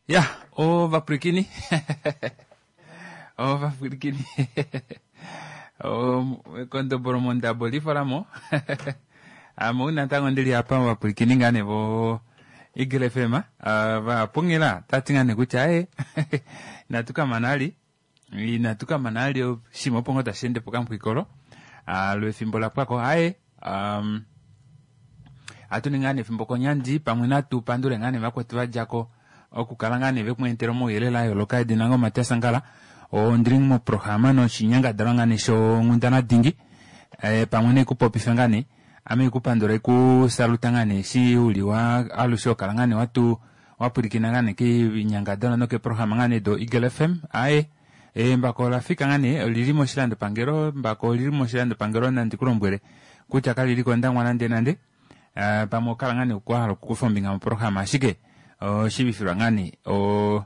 Ya, ovapwilikini ovapwilikini ekondobolo mondabo lifolamo ame ou natango ndili apa ovapwilikini ngaa nee vo Eagle FM vapungila tati ngaa nee kutya ee inatu kamana ali inatu kamana ali oshinima opo ngoo tashi ende pokamupwikolo lwefimbo lapwako aye Ohatu ningi ngaa nee efimbo konyandi pamwe natu pandule ngaa nee vakwetu va dja ko okukala ngaa nee veku etela omauyelele a yooloka. Edina lange oMatias Angala, ondili moprograma noshinyangadalwa ngaa nee shonghundana dingi eh, pamwe nee kupopifa ngaa nee ame ikupandula ikusaluta ngaa nee eshi uli wa alushe okala ngaa nee watu wapwilikina ngaa nee kinyangadalwa nokeprograma ngaa nee do Eagle FM aye Embako ola fika ngaa nee, olili moshilandopangelo, embako olili moshilandopangelo nandi ku lombwele kutya kali li kOndangwa nande nande. Uh, pamwe okala ngaa nee kwa hala okukufa ombinga moprograma ashike oshivifilwa ngaa nee o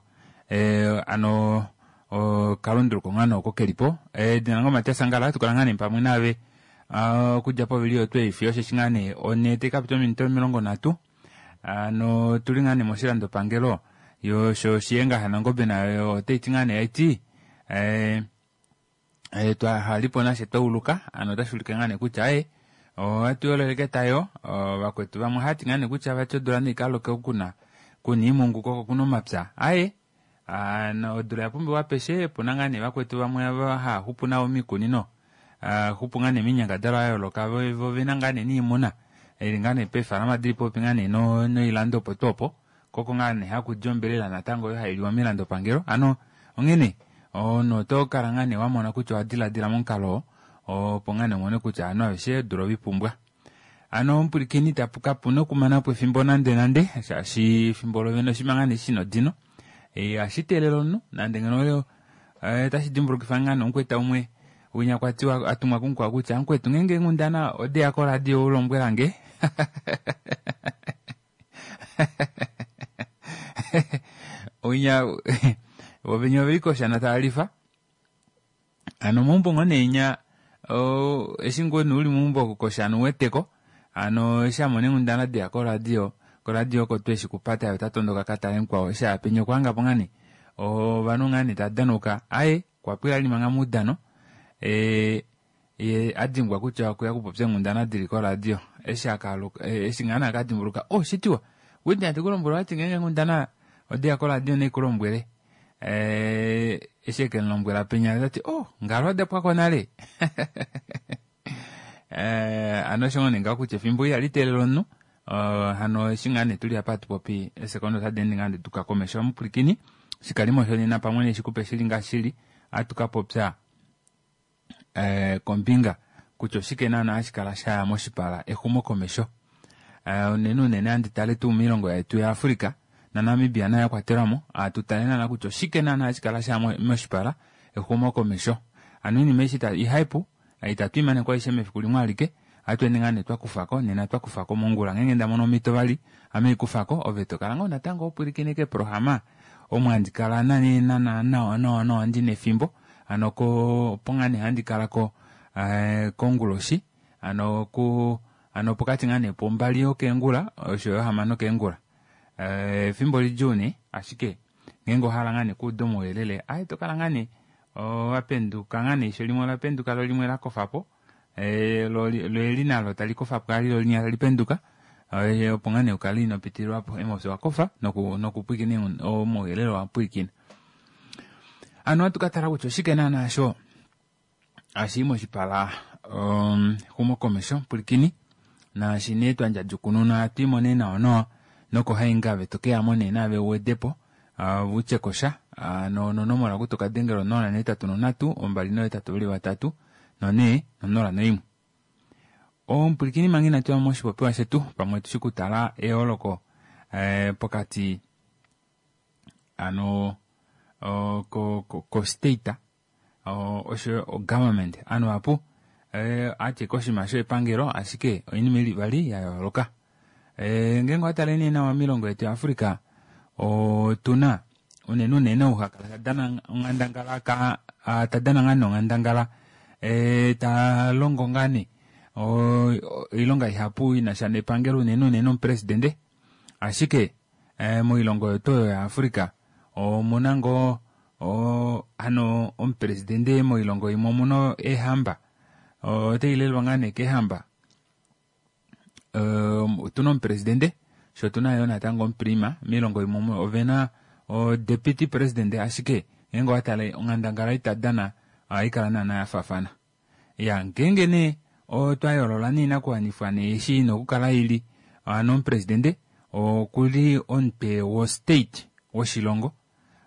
eh, ano okalunduluko ngaa nee oko keli po. Edina lange oMatias Angala, tukala ngaa nee pamwe naave okudja povili otwe fiyo osheshi ngaa nee one tayi ka pita ominute 30. Ano otuli ngaa nee moshilandopangelo yo sho Shiyenga shaNangombe nayo otayi ti ngaa nee ti eh, eh, twa halipo nashe twa uluka ano otashi ulike ngaa nee kutya e ohatu yoleleke tayo vakwetu vamwe ohaya ti ngaa nee kutya vati odula naikaloke okuna kuna iimungu ko okuna omapya aye Ano odula oya pumbiwa apeshe, opuna ngaa nee vakwetu vamwe ava haya xupu navo miikunino, haya xupu ngaa nee miinyangadhalwa ya yooloka vo ovena ngaa nee niimuna ili ngaa nee peefalama dili popepi ngaa nee noilando opo tuu opo, ko oko ngaa nee haku di ombelela natango oyo hai liwa miilandopangelo. Ano onghene omunhu oto kala ngaa nee wa mona kutya owa diladila momukalo oo opo ngaa nee umone kutya ovanhu aveshe odula ove i pumbwa. Ano omupwilikini tapu kapu na okumana po efimbo nande nande shaashi efimbo lovene oshinima ngaa nee shina odino. Ihashi teelele omunhu nande ngeno otashi dimbulukifa ngaa nee omukweta umwe winya kwa tiwa a tumwa kumukwao kutya mukwetu ngeenge eenghundana odeya koradio u lombwela nge. Winya vo venya oveli koshana tava lifa. Ano meumbo ngoo nee nya eshi ngoo nee uli meumbo koshana uweteko hano eshi amona eenghundana deya koradio, koradio oko tuu eshi kupata ye ota tondoka akatale mukwao eshi aya penya okwa hangapo ngaa nee ovanhu ngaa nee tava danauka aaye okwa pwila ali manga moudano ye adimbwa kutya okweya okupopya eenghundana dili koradio eshi akaaluka eshi ngaa nee akadimbuluka oh shitiwa Whitney andi kulombwele owati ngeenge eenghundana odeya koradio naikulombwele Eh, eshi eke mu lombwela penya ota ti oh ngalo oda pwako nale eh, ano osho ngoo nee ngaho kutya efimbo ihali teelele omunhu uh, hano eshi ngaa nee tuli apa hatu popi esekondo otadi ende ngaa duka komesho omupwilikini shikalimo shonena pamwe neshikupe shili ngaashi shili ohatu ka popya eh, kombinga kutya oshike naana hashi kala sha ya moshipala exumokomesho eh, unene unene handi tale tuu miilongo yetu yaAfrica naNamibia naye akwatelwa mo hatu tale naana kutya oshike naana hashi kala sha ya moshipala exumokomesho ano iinima eshi ihaipu itatu imane ko aishe mefiku limwe alike ohatu ende ngaa nee twa kufa ko nena twa kufa ko mongula ngeenge nda mono omhito vali ame ikufa ko ove to kala ngoo natango ho pwilikine keeprograma omo handi kala nani nana nawa nawa nawa ndina efimbo Hano ko opo ngaa nee handi kala ko eh, konguloshi hano ku hano pokati ngaa nee pombali yokeengula osho yo hamano keengula eh, efimbo lidjuu nee ashike ngeenge ohala ngaa nee kuuda omauyelele aye to kala ngaa nee owa penduka ngaa nee eisho limwe ola penduka lo limwe la kofa po eh, lo lo eli nalo tali kofa po ali lo linya tali penduka eh, opo ngaa nee ukale ino pitililwa po emofi wa kofa noku nokupwiikina omauyelele wa pwiikina Ano ohatu ka tala kutya oshike naanaa sho hashi yi moshipala exumokomesho pwilikini naashi nee twa ndjadjukununa ohatu imo nee nawa nawa nokohaingave to ke ya mo nee naave u wede po uh, u tye ko sha uh, no, nonomola oku to ka dengela 083 283 4 0401. Omupwilikini manga inatu ya moshipopiwa shetu pamwe tu shi kutala eyooloko eh, pokati ano ko ko ko state osho o government ovanhu vahapu ohati koshinima shepangelo ashike oinima ili vali ya yooloka ngeenge owa tale nee nawa moilongo yetu ya Africa otuna unene unene ou ha kala ta dana onghandangala ka ta dana ngaa nee onghandangala ta longo ngaa nee oilonga ihapu inasha nepangelo unene unene omupresidente ashike Moilongo yetu oyo yaAfrica Omuna ngoo hano omupresidende moilongo imwe omuna eehamba, otai lelwa ngaa nee keehamba. Otuna omupresidende shoo otuna yoo natango omuprima. Moilongo imwe ovena o deputy president, ashike ngeenge owatale onghandangala ei tadana ohaikala naana yafaafana. Iya ngeenge nee otwa yoolola nee oinakuwanifwa nee eshi ina okukala ili, hano omupresidende okuli omutwe wo state woshilongo,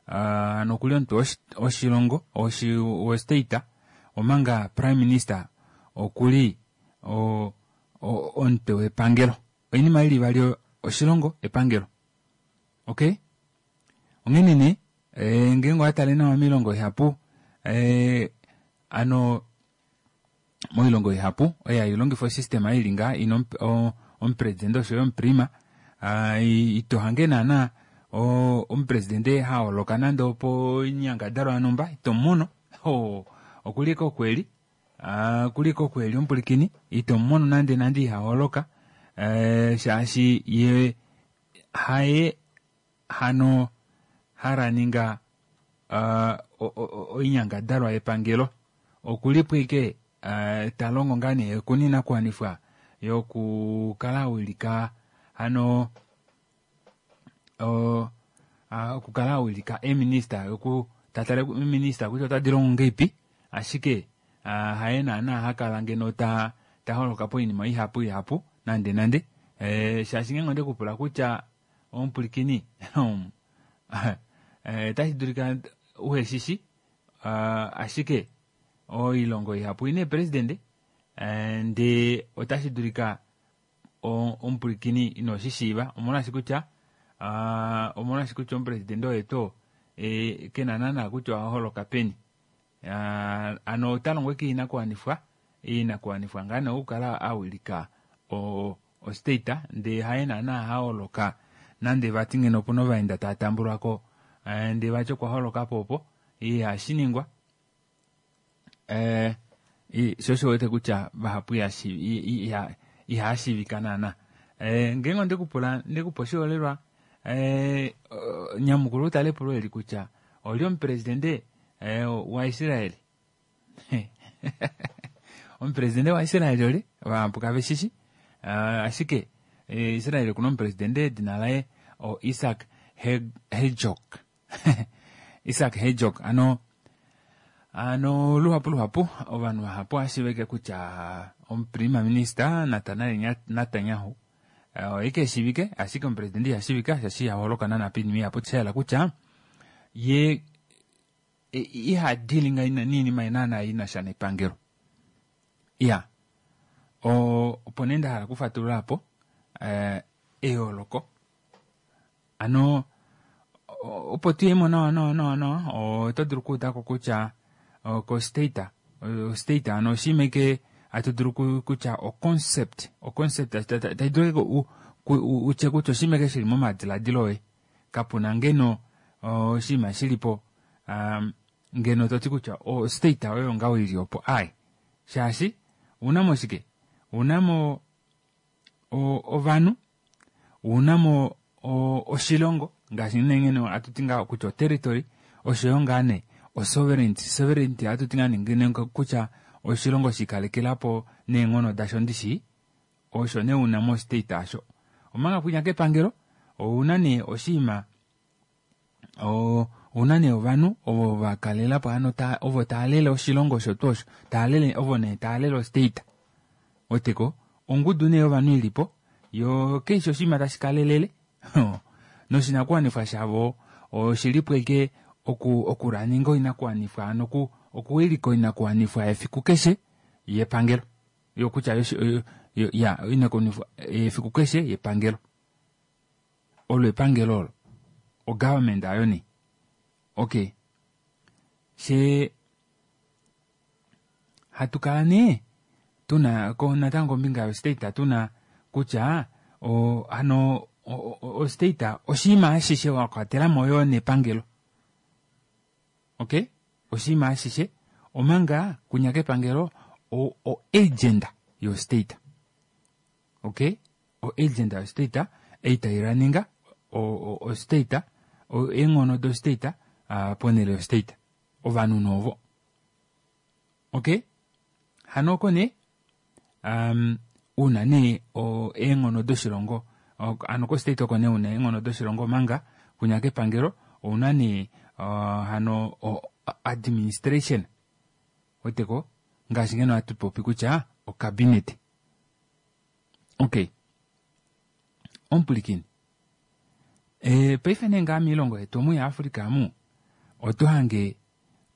hano okuli omutwe woshilongo wo state, omanga prime minister okuli omutwe wepangelo. Oinima ili ivali oyo, oshilongo epangelo. Okay? Onghene nee ngeenge owatale nawa moilongo ihapu hano moilongo ihapu oyo hailongifa osystem ili ngaha ina omupresidente oshoyo omuprima, ito hange naana omupresidente haholoka nande opoinyangadalwa yonhumba, ito mumono, okuli ashike oku eli, okuli ashike oku eli omupulikini, ito mumono nande nande ihaholoka shaashi ye haye hano halaninga oinyangadalwa yepangelo. Okulipo ashike talongo ngaa nee okuna oinakuwanifwa yokukala awilika hano okukala awilika eeminista, yoku tatale eeminista kutya otadi longo ngahelipi, ashike haye naana hakala ngeno taholoka poinima ihapu ihapu nande nande, shaashi ngeenge ondekupula kutya omupulikini otashi dulika uheshishi, ashike oilongo ihapu oina eepresidente ndee otashi dulika omupulikini ino shishiiva, omolwaashi kutya omolwaashi kutya omupresidente oye tuu kena naana kutya ohaholoka peni. Hano ota longo ashike oinakuwanifwa, oinakuwanifwa ngaa nee okukala awilika ostate ndee haye naana haholoka nande vati ngeno opuna ovaenda tava tambulwako ndee vati okwa holokapo opo, ihashiningwa. Sho osho uwete kutya vahapu ihashiivika naana. Ngeenge ondekupula ndekupa oshiholelwa, nyamukula utale epulo eli kutya oli omupresidente waIsrael? Omupresidente waIsrael oli? Vahapu kave shishi, ashike Israel okuna omupresidente edina laye o Isaac Herzog. Isaac Herzog ano ano luhapu luhapu ovanhu vahapu ohashiivike kutya omuprima minister Nathanael Netanyahu oye keshiivike, ashike omupresidente ihashiivika shaashi ihaholoka naana poinima ihapu. Shayela kutya ye iha dealinga niinima naana inasha nepangelo. Iya opo nee ndahala okufatulula apo eyooloko. Ano opo tuyemo nawa nawa nawa nawa, oto dulu okuudako kutya ko state, state ano oshinima ashike hatu dulu kutya o concept, o concept tayi dulu utye kutya oshinima ashike shili momadiladilo oye, kapuna ngeno oshinima shilipo ngeno toti kutya o state oyo ngaho ili opo ai, shaashi ounamo shike, ounamo ovanhu, ounamo oshilongo ngaashi nee ngeno hatuti ngaho kutya o territory, oshoyo ngaa nee o sovereignty, sovereignty ohatuti ngaa nee kutya oshilongo shiikalekelapo neenghono dasho ndishi, osho nee una mo state asho. Omanga kwinya kepangelo ouna nee oshinima, ouna nee ovanhu ovo vakalelapo hano ovo taalele oshilongo osho tuu osho, taalele ovo nee taalele o state. Weteko ongudu nee yovanhu ilipo yo keshe oshinima tashi kalelele noshinakuwanifwa shavo oshilipo ashike okulaninga oinakuwanifwa, hano okuwilika oinakuwanifwa yefiku keshe yepangelo, yokutya ya oinakuwanifwa yefiku keshe yepangelo, olo epangelo olo o government ayo nee. Okay, she hatu kala nee tuna ko natango kombinga yo state tuna kutya hano o state oshinima ashishe wakwatelamo yoo nepangelo. Okay, oshinima ashishe omanga kunya kepangelo o agenda yo state. Okay, o agenda yo state ei tailaninga o state. Eenghono do-state ponhele yo-state. Ovanhu novo. Okay? Hano oko nee una nee eenghono doshilongo hano ko-state oko nee una eenghono doshilongo omanga kwinya kepangelo ouna nee hano administration. Weteko ngaashi ngeno hatu popi kutya ocabinet. Okay. Omupulikini. Paife nee ngaa miilongo yetu omu yaAfrica amu oto hange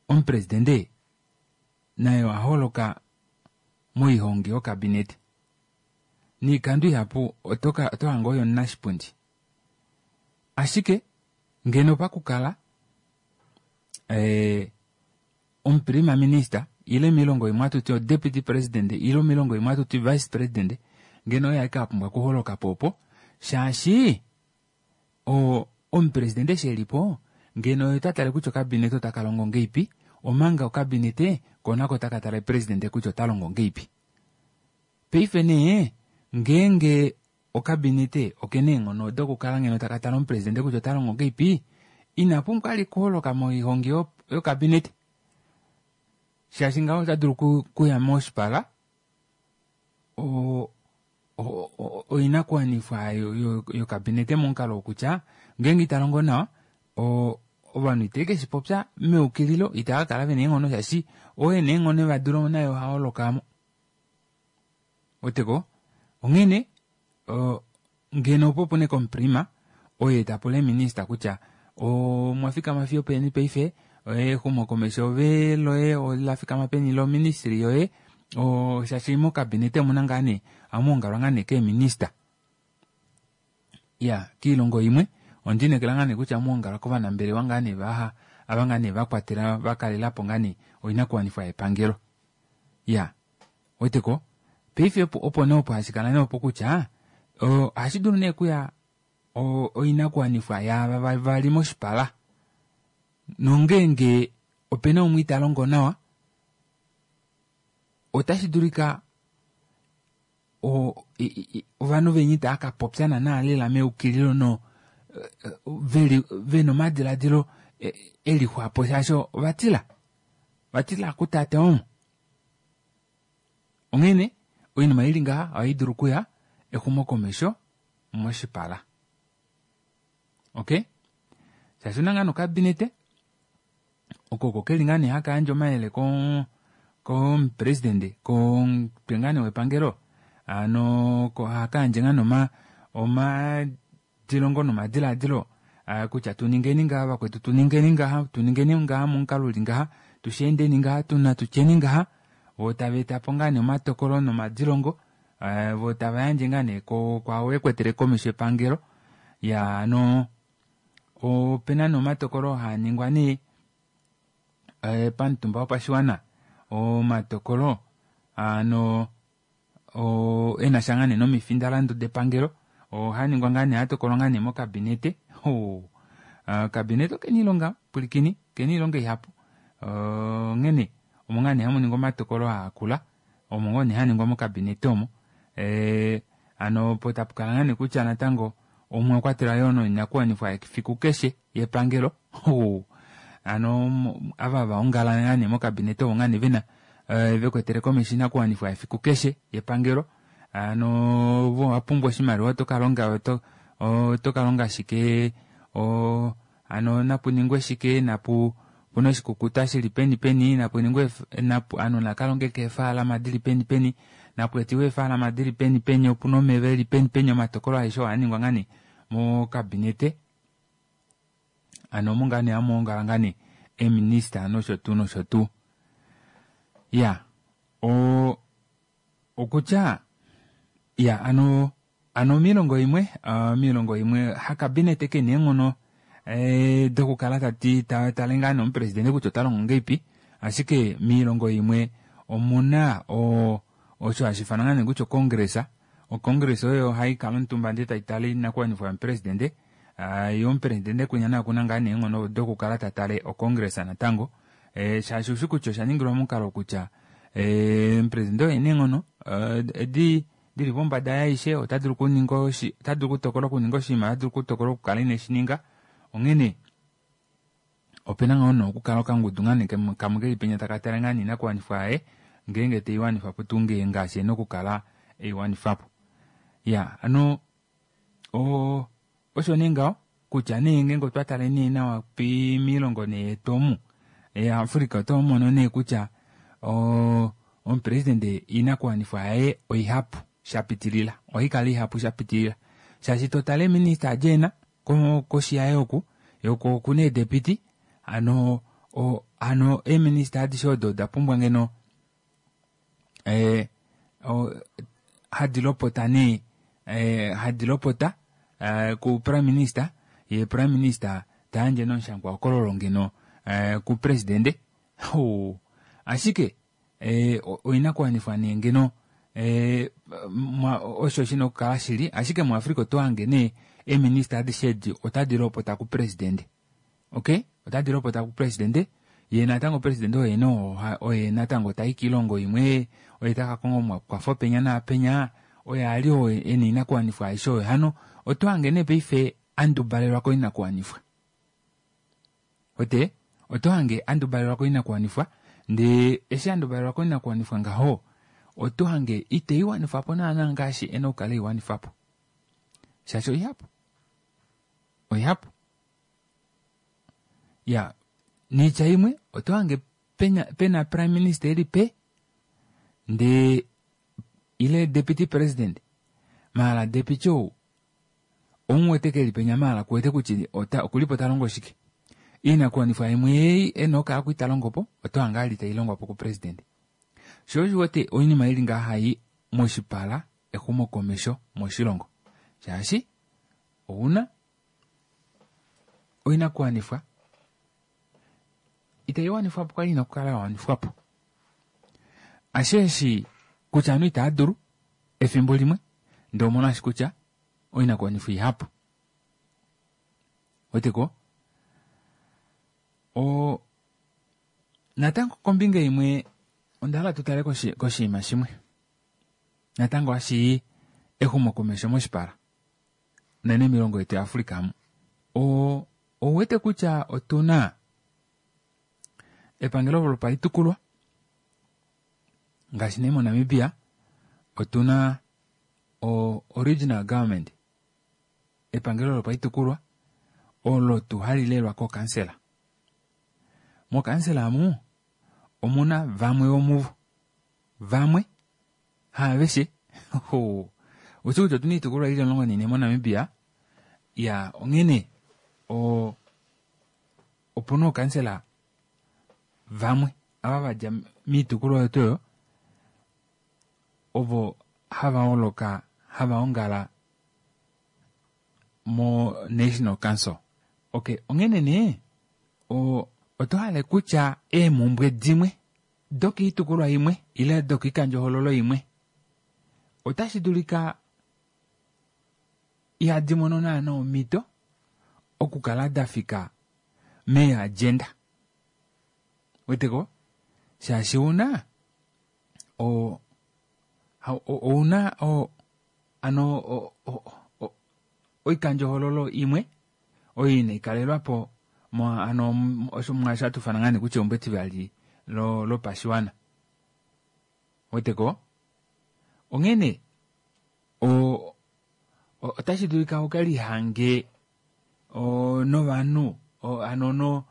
omupresidente naye oha holoka moihongi yokabinete. Niikando ihapu oto hange oye omunashipundi. Ashike ngeno pakukala omuprima minister ile miilongo imwe hatu ti odeputy president ile miilongo imwe hatu ti vice president ngeno oye ashike a pumbwa okuholoka po opo shaashi omupresidente eshi e li po ngeno oye ta tale kutya okabinete otaka longo ngeipi omanga okabinete ko nako taka tale presidente kutya ota longo ngeipi. Paife nee ngeenge okabinete okena eenghono dokukala ngeno taka tale omupresidente kutya ota longo ngeipi ina pumbwa ali kuholoka moihongi yokabinete shaashi ngaho ota dulu kuya moshipala oinakuwanifwa yokabinete momukalo wokutya ngeenge ita longo nawa ovanhu itave ke shi popya meukililo itava kala vena eenghono shaashi oo ena eenghono eva dula naye oha holokamo. Weteko onghene ngeno opo pune komuprima oye ta pula eeminista kutya omwa fikama fiyo peni paife exumokomesho ove loye ola fikama peni loministry yoye shaashi mokabinete omuna ngaa nee ohamu ongalwa ngaa nee keeminista. Ya kiilongo imwe ondiinekela ngaa nee kutya ohamu ongalwa kovanambelewa ngaa nee vaha ava ngaa nee vakwatela vakalelapo ngaa nee oinakuwanifwa yepangelo. Ya weteko paife opo nee opo hashi kala nee opo kutya ohashi dulu nee kuya oinakuwanifwa yaava vali moshipala nongeenge opena umwe ita longo nawa otashi dulika ovanhu veni itava ka popya naana lela meukililo no vena omadiladilo elixwapo shaashi ovatila vatila kutate omo. Onghene oinima ili ngaha ohai dulu okuya exumokomesho moshipala. Okay? Shaashi una ngaa nokabinete oko oko keli ngaa nee haka yandje omayele komupresidente komutwe ngaa nee wepangelo ano haka yandje ngaa nee omadilongo nomadiladilo kutya tuningeni ngaha vakwetu tuningeni ngaha tuningeni ngaha momukalo uli ngaha tusheendeni ngaha tutyeni ngaha vo tava etapo ngaa nee omatokolo nomadilongo vo tava yandje ngaa nee kwaao ekwetele komesho epangelo ya ano opena nee omatokolo haa ningwa nee pamutumba wopashiwana omatokolo ano enasha ngaa nee nomifindalandu depangelo ohaningwa ngaa nee hatokolwa ngaa nee mokabinete. Okabinete okena iilonga pwilikini okena iilonga ihapu onghene omo ngaa nee hamu ningwa omatokolo aakula omo ngoo nee haningwa mokabinete omo hano opo tapukala ngaa nee kutya natango omwa kwatelwa yoo noinakuwanifwa yefiku keshe yepangelo. Hano ava vaongala ngaa nee mokabinete ovo ngaa nee vena vekwetele komesho inakuwanifwa yefiku keshe yepangelo. Hano vo owapumbwa oshimaliwa otokalonga otokalonga shike hano napuningwe shike napu puna oshikukuta shili peni peni napuningwe ovanhu nakalonge keefaalama dili peni peni napu etiwe eefaalama dili peni peni opuna omeva eli peni peni omatokolo aeshe oo ohaningwa ngaa nee mokabinete. Hano omo ngaa nee hamu ongala ngaa nee eeminista nosho tuu nosho tuu. Ya okutya ya ano ano miilongo imwe miilongo imwe hakabinete kena eenghono dokukala tati tale ngaa nee omupresidente kutya ota longo ngeipi ashike miilongo imwe omuna osho hashi ifanwa ngaa nee kutya ocongress. Ocongress oyo haikala omutumba ndee taitale oinakuwanifwa yomupresidente. Ye omupresidente kwinya naye okuna ngaa nee eenghono dokukala tatale ocongress natango shaashi ushi kutya osha ningilwa momukalo kutya omupresidente oye ena eenghono dili pombada yaaishe ota dulu okuninga ota dulu okutokola okuninga oshinima ota dulu okutokola okukala ineshininga onghene. Opena ngoo nee okukala okangudu ngaa nee kamwe keli penya taka tale ngaa nee oinakuwanifwa yaye ngeenge teiwanifa po tuu ngee ngaashi ena okukala eiwanifapo. Iyaa hano osho nee ngaho kutya nee ngeenge otwa tale nee nawa moilongo nee yetu omu yaAfrica otomono nee kutya omupresident oinakuwanifwa yaye oihapu shapitilila ohaikala ihapu shapitilila shaashi totale eeminister adi ena koshi yaye oku yee okuna eedepiti hano hano eeminister adishe odo oda pumbwa ngeno hadi lopota nee hadi lopota ku prime minister ye prime minister tayandje nee omushangwahokololo ngeno kupresidente ashike oinakuwanifwa nee ngeno osho shina okukala shili ashike muAfrica oto hange nee eeminister adishe edi otadi lopota kupresidente. Okay, otadi lopota kupresidente ye natango presidente oye no oye natango tai kiilongo imwe oye taka konga omakwafo penya naapenya oye ali oo ena oinakuwanifwa aishe oyo hano oto hange nee paife andubalelwa koinakuwanifwa ote oto hange andubalelwa koinakuwanifwa ndee eshi andubalelwa koinakuwanifwa ngaho oto hange iteiwanifa po naana ngaashi ena okukala eiwanifa po shaashi oihapu oihapu ya niitya imwe oto hange pena, pena prime minister eli pe ndee ile deputy president maala deputy ou omuwete keli penya maala kuwete kutya ota okulipo ta longo shike iinakuwanifwa imwe ei ena okukala kwi ta longo po oto hange ali tai longwa po kupresident sho osho wete oinima ili ngaha hai moshipala exumokomesho moshilongo shaashi ouna oinakuwanifwa itai wanifwa po kwali ina okukala ya wanifwa po ashe eshi kutya ovanhu itaa dulu efimbo limwe ndee omona ashi kutya oinakuwanifwa ihapu weteko o natango kombinga imwe onda hala tu tale koshinima shimwe natango hashi exumokomesho moshipala unene moilongo yetu yaAfrica amu. Ouwete kutya otu na epangelo lopaitukulwa ngaashi nee moNamibia otu na original government epangelo lopaitukulwa olo tu hali lelwa kokansela. Mokansela amu omuna vamwe vomuvo vamwe Haaveshe. Oushi kutya otuna oitukulwa ili 14 moNamibia. Ya, onghene o opuna ookansela vamwe ava vadja miitukulwa oyo tuu oyo ovo hava holoka hava ongala mo National Council. Okay, onghene nee o oto hale kutya eemhumbwe dimwe dokoitukulwa imwe ile dokoikandjohoololo imwe otashi dulika ihadi mono naana omhito okukala da fika meeagenda. Weteko? Shaashi ouna o ouna o ano oikandjohoololo imwe oyo inai kalelwa po ano osho mwaashi hatu ufana ngaa nee kutya eumbo etivali lopashiwana. Weteko? Onghene otashi dulika uke lihange novanhu hano no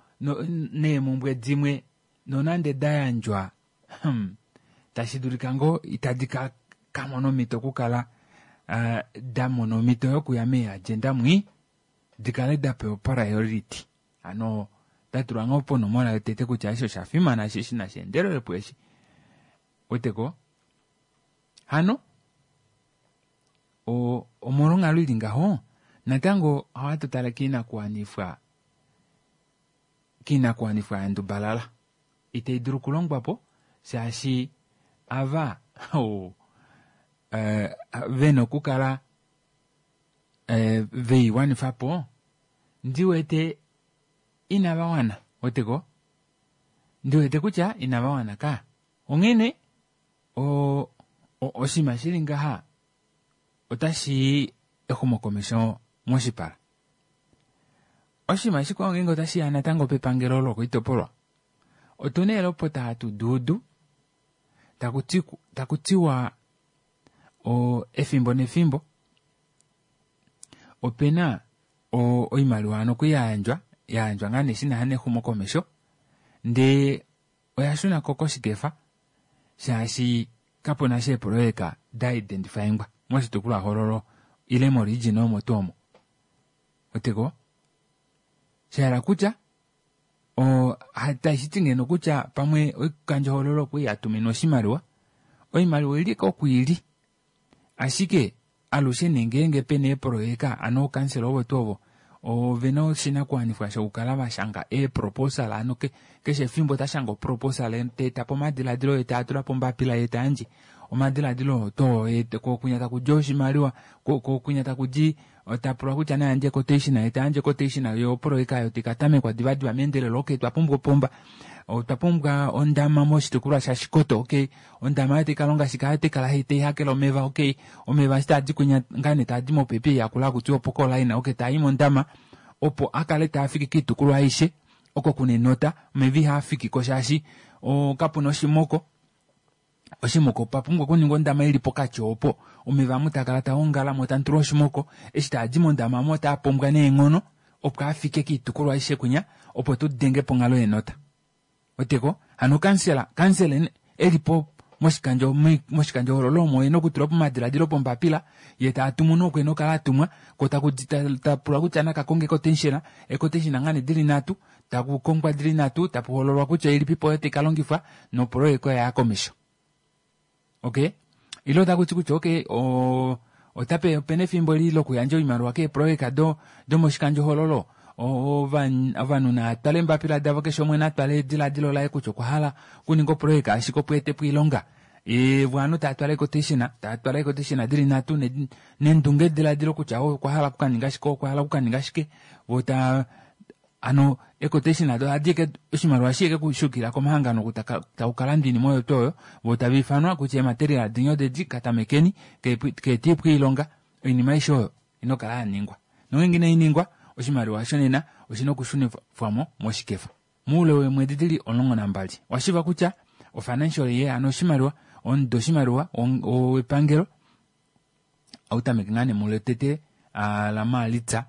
neemhumbwe dimwe nonande da yandjwa tashi dulika ngoo itadi ka kamona omhito okukala da mona omhito yokuya meeagenda mwii di kale da pewa priority hano da tulwa ngoo ponomola yotete kutya eshi osha fimana eshi eshi nashi endelelepo eshi weteko hano omolwonghalo ili ngaho natango ohatu tale koinakuwanifwa koinakuwanifwa ya ndubalala itai dulu okulongwa po shaashi ava vena okukala veiwanifa po ndi wete inava wana weteko ndi wete kutya inava wana ka onghene oshinima shili ngaha otashi i exumokomesho moshipala. Oshinima shikwao ngeenge otashi ya natango pepangelo lokoitopolwa, otuna eelopota hatu duudu taku tiwa efimbo nefimbo opena oimaliwa hano okuli yayandjwa, yayandjwa ngaa nee shinasha nexumokomesho ndee oya shuna ko koshikefa shaashi kapuna sha eepoloyeka da identifyingwa moshitukulwahoololo ile moregion omo tuu omo. Weteko? Shahala kutya tashi ti ngeno kutya pamwe oikandjohoololo okwali yatuminwa oshimaliwa, oimaliwa oili ko kwiili ashike alushe nee ngeenge pena eepoloyeka ano ookansela ovo tuu ovo ovena oshinakuwanifwa shokukala vashanga eeproposal ano keshe efimbo ota shange oproposal teetapo omadiladilo ye taatula pombapila ye tayandje omadiladilo oo too kokunya takudi oshimaliwa kokunya takudi tapulwa kutya nayandje quotation ye tayandje quotation yo opoloyeka ayo tikatamekwa divadiva meendelelo. Okay, twapumbwa opomba, otwa pumbwa ondama moshitukulwa shaShikoto. Okay, ondama ayo taikalonga shike? Ayo taikala taihakele omeva. Okay, omeva eshi taadi kwinya ngaa nee taadi mopepi yakula hakutiwa opokoline. Okay, taai mondama opo akale taafiki koitukulwa aishe oko kuna enota omeva ihaafikiko shaashi kapuna oshimoko. Oshimoko opa pumbwa okuningwa ondama ili pokati opo omeva amu taakala taongala mo tamutulwa oshimoko eshi taadi mondama omo otaa pombwa neenghono opo afike koitukulwa aishe kwinya opo tudenge ponghalo yenota. Weteko? Hano kansela, kansela elipo moshikandjo moshikandjohoololo omo ena okutula po omadiladilo pombapila ye taatumu noku ena okukala atumwa ko taku tapulwa kutya nakakonge quotation, equotation ngaa nee dili nhatu taku kongwa dili nhatu tapu hololwa kutya ilipipo oyo taikalongifwa nopoloyeka oyo yaya komesho. Okay, ile otaku ti kutya okay otape opena efimbo li lokuyandja oimaliwa keepoloyeka domoshikandjohoololo ovanhu naatwale eembapila davo keshe umwe natwale ediladilo laye kutya okwa hala okuninga opoloyeka ashike opo etepo oilonga vo ovanhu taatwala equotation taatwala equotation dili nhatu nendunge diladilo kutya okwa hala okukaninga shike okwa hala okukaninga shike vo taa hano equotation ado ohadi eke oshimaliwa shi eke kushukila komahangano oku takukalanda oinima oyo tuu oyo vo tava ifanwa kutya eematerial dinye odedi katamekeni keetiipwa oilonga oinima aishe oyo ina okukala yaningwa nongeenge inai ningwa oshimaliwa osho nena oshina okushunifwamo moshikefa moule weemwedi dili 12 washiiva kutya ofinancial year ano oshimaliwa omudo oshimaliwa wepangelo autameke ngaa nee mulotete lamaalitsa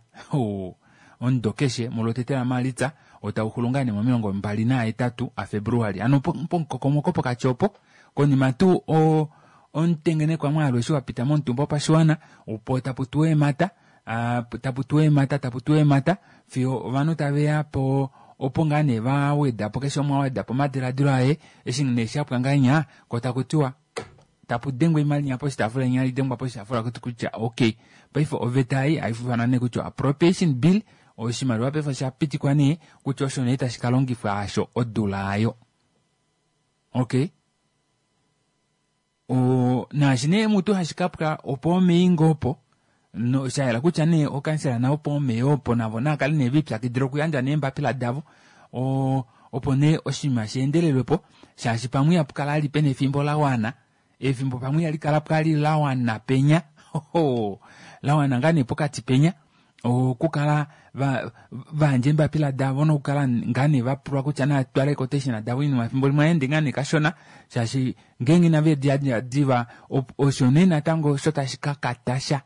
omudo keshe mulotete lamaalitsa otauxulu ngaa nee momilongo mbali nahetatu aFebruali ano pomukokomoko pokati opo konima tuu omutengenekwa mwaalu eshi wapita momutumba wopashiwana opo tapu tuwa eemhata tapu tuwa eemhata tapu tuwa eemhata fiyo ovanhu taveya po opo ngaa nee vawedapo keshe umwe awedapo omadiladilo aye eshi nee shapwa ngahenya ko taku tiwa tapu dengwa oimaliwa poshitaafula inya idengwa poshitaafula kutya okay paife oveta ei haifanwa nee kutya appropriation bill oshimaliwa paife osha pitikwa nee kutya osho nee tashi kalongifwa asho odula ayo. Okay, naashi nee mutu hashi kapwa opo omeingo opo no shayela kutya nee okansela navo opo omeya opo navo naakale nee vipyakidila okuyandja neembapila davo opo nee oshinima sheendelelwepo shaashi pamwe ihapu kala ali pena efimbo lawana efimbo pamwe ihali kala pwali lawana penya lawana ngaa nee pokati penya okukala vayandja eembapila davo nokukala ngaa nee vapulwa kutya naatwale quotation davo oinima efimbo limwe aende ngaa nee kashona shaashi ngeenge inave di diva osho nee natango osho tashi kakatasha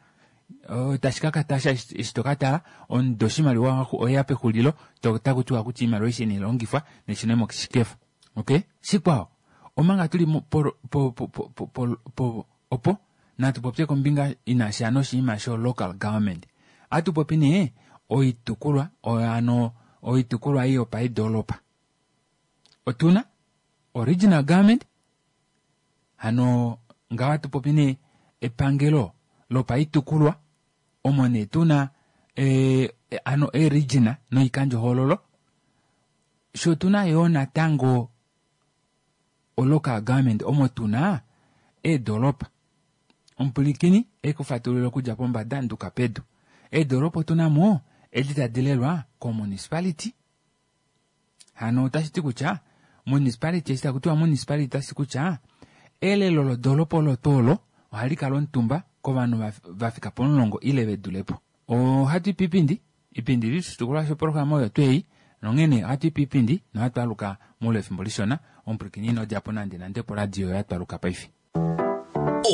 tashi kakatasha eshi tokatala omudo oshimaliwa oya pexulilo taku tiwa kutya oimaliwa aishe inai neshune moshikefa. Okay, shikwao omanga tuli opo natu popye kombinga inasha noshinima sho local government. Atu popi nee oitukulwa ano oitukulwa ei yopaidolopa. Otuna original government hano ngaho atu popi nee epangelo lopaitukulwa omo nee tuna ano eregion noikandjohoololo sho tuna yoo natango olocal government omo tuna eedolopa. Omupulikini ekufatulula okudja pombada nduka pedu. Eedolopa otuna mo edi tadi lelwa komunicipality. Hano otashi ti kutya municipality eshi taku tiwa municipality otashi ti kutya elelo lodolopa olo tuu olo ohali kala omutumba kovanhu vafika pomulongo ile vedulepo. Ohatu i piipindi. Iipindi ili oshitukulwa shoprograma oyo tuu ei, nonghene ohatu i piipindi nohatu aluka moule wefimbo lishona. Omupwilikini ino dja po nande nande poradio oyo ya twaluka paife.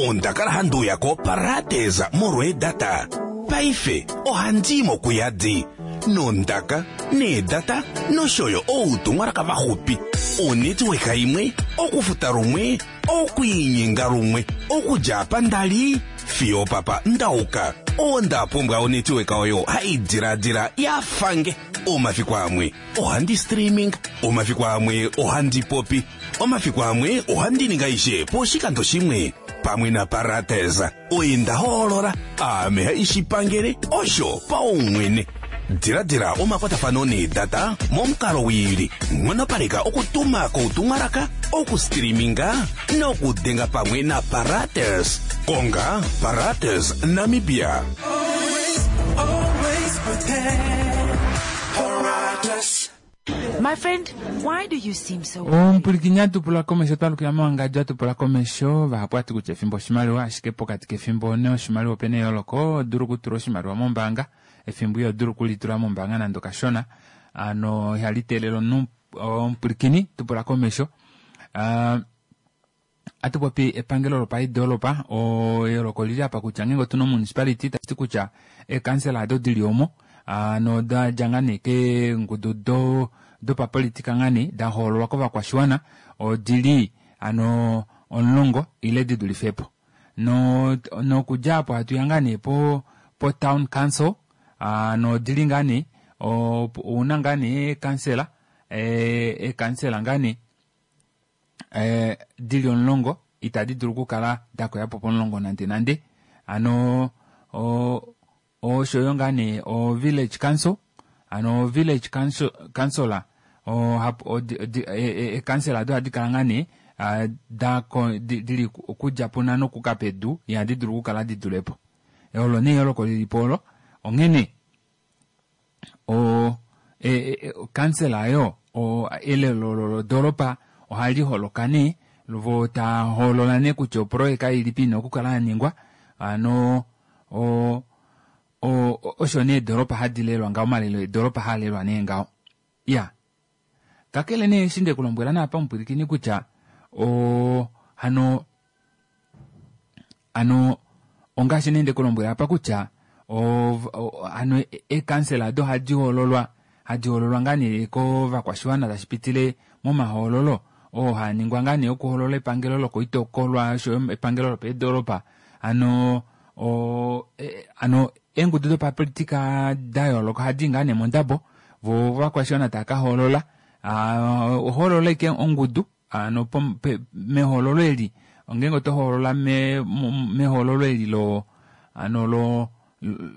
Onda kala handi uya koParates molweedata. Paife ohandi i mo kuyadi. Nondaka, needata nosho yo outumwalaka vaxupi. Onetwork imwe, okufuta lumwe, okwiinyenga lumwe, okudja apa nda li fiyo opapa nda uka. Onda pumbwa onetwork oyo hai diladila ya fange. Omafiku amwe ohandi streaming, omafiku amwe ohandi popi, omafiku amwe ohandi ningi aishe poshikando shimwe. Pamwe naParates oye nda hoolola, aame haishi pangele osho paumwene. Diladila omakwatafano needata momukalo wiili, nghonopaleka okutuma koutumwalaka, okustreaminga nokudenga pamwe naParates. Konga Parates Namibia. My friend, why do you seem so Omupwilikini a tupula komesho twalukila mowangadjo a tupula komesho vahapu ati kutya efimbo oshimaliwa ashike pokati kefimbo noshimaliwa opena eyooloko odulu okutula oshimaliwa mombaanga efimbo iho dulu okulitula mombaanga nande okashona ano ihali teelele omunhu omupwilikini tupula komesho uh, Ohatu popi epangelo lopaidolopa, eyooloko olili apa kutya ngeenge otuna omunicipality tashi ti kutya eekansela ado dili omo ano da dja ngaa nee keengudu do dopapolitika ngaa nee da hoololwa kovakwashiwana odili ano omulongo ile di dulife po. No nokudja apo hatu ya ngaa nee po po town council ano odili ngaa nee ouna ngaa nee eekansela eekansela ngaa nee eh, di li omulongo itadi dulu okukala da koya po pomulongo nande nande ano osho yo ngaa nee o village council ano o village council councilor eekansela ado ohadi kala ngaa nee da dili okudja punhano okuka pedu ihadi dulu okukala di dule po olo nee eyooloko lili po olo onghene o okansela oyo elelo lodoolopa ohali holoka nee vo taa hoolola nee kutya oproyeka ilipi ina okukala ya ningwa hano o osho nee eedolopa hadi lelwa ngaho omalelo eedolopa haa lelwa nee ngaho iya kakele nee eshi nde ku lombwela naapa omupwilikini kutya o hano Ano ongaashi nee nde ku lombwela apa kutya ano eekansela ado ohadi hoololwa hadi hoololwa ngaa nee kovakwashiwana tashi pitile momahoololo oo haa ningwa ngaa nee okuhoolola epangelo lokoitokolwa oshoyo epangelo lopeedolopa hano o, e, ano eengudu dopapolitika da yooloka ohadi i ngaa nee mondabo vo ovakwashiwana tava ka hoolola ohoolola ike ongudu Ano mehoololo eli, ngeenge oto hoolola mehoololo eli lo ano lo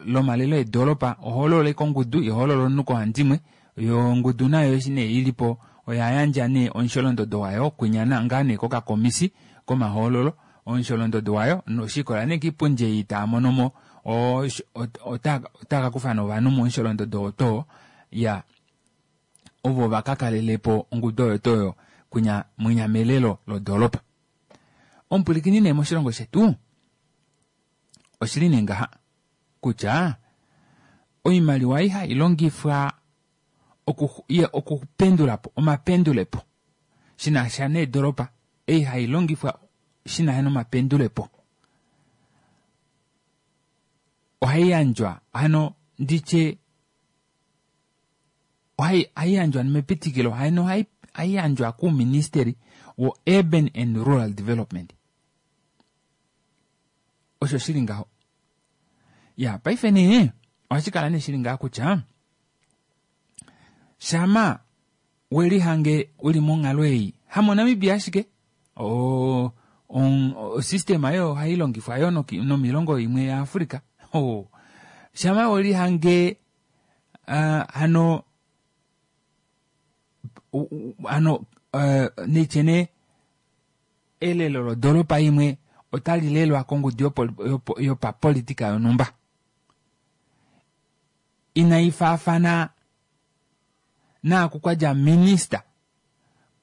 lomalelo eedolopa, oho hoolola ashike ongudu, iho hoolola omunhu koohandimwe. Yo ongudu nayo eshi nee ili po oya yandja nee omusholondodo wayo kwinya ngaa nee kokakomisi komahoololo, omusholondodo wayo noshikola nee kiipundi ei taa mono mo otaa ka kufa nee ovanhu momusholondodo oo too ya. ovo va ka kalele po ongudu oyo tuu oyo kwinya mwinya melelo lodoolopa. Omupwilikini nee moshilongo shetu oshili nee ngaha kutya oimaliwa ei hai longifwa okupendula po omapendulepo shi na sha needolopa ei hai longifwa shi na sha nomapendulepo ohai yandjwa hano nditye ohai yandjwa mepitikilo hano ohai yandjwa kuuministeli wo-urban and rural development osho shili ngaho ya paife nee ohashi kala nee shili ngaha kutya shama we lihange u li monghalo ei hamonamibia ashike osystema oyo ohai longifwa yo nomilongo imwe yaafrica shama we lihange uh, hano hano uh, neitye nee elelo lodolopa imwe otali lelwa kongudu yopapolitika yonhumba inai faafana naaku kwa dja minista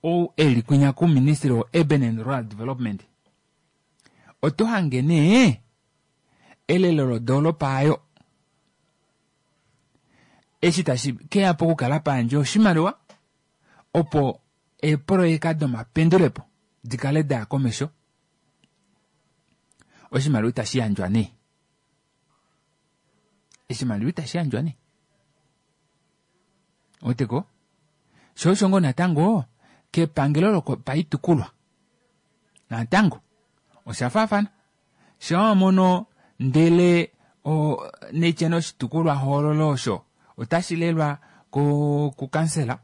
ou e li kwinya kuministry wo-urban and rural development oto hange nee elelo lodoolopa ayo. Eshi tashi keya pokukala payandjwa oshimaliwa opo eepoloyeka domapendulepo di kale daya komesho, oshimaliwa itashi yandjwa nee. Oshimaliwa itashi yandjwa nee. Weteko? Sho osho ngoo natango kepangelo lopaitukulwa natango osha faafana. Sho wa mono ndele netye oshitukulwa hoololo osho otashi lelwa kukansela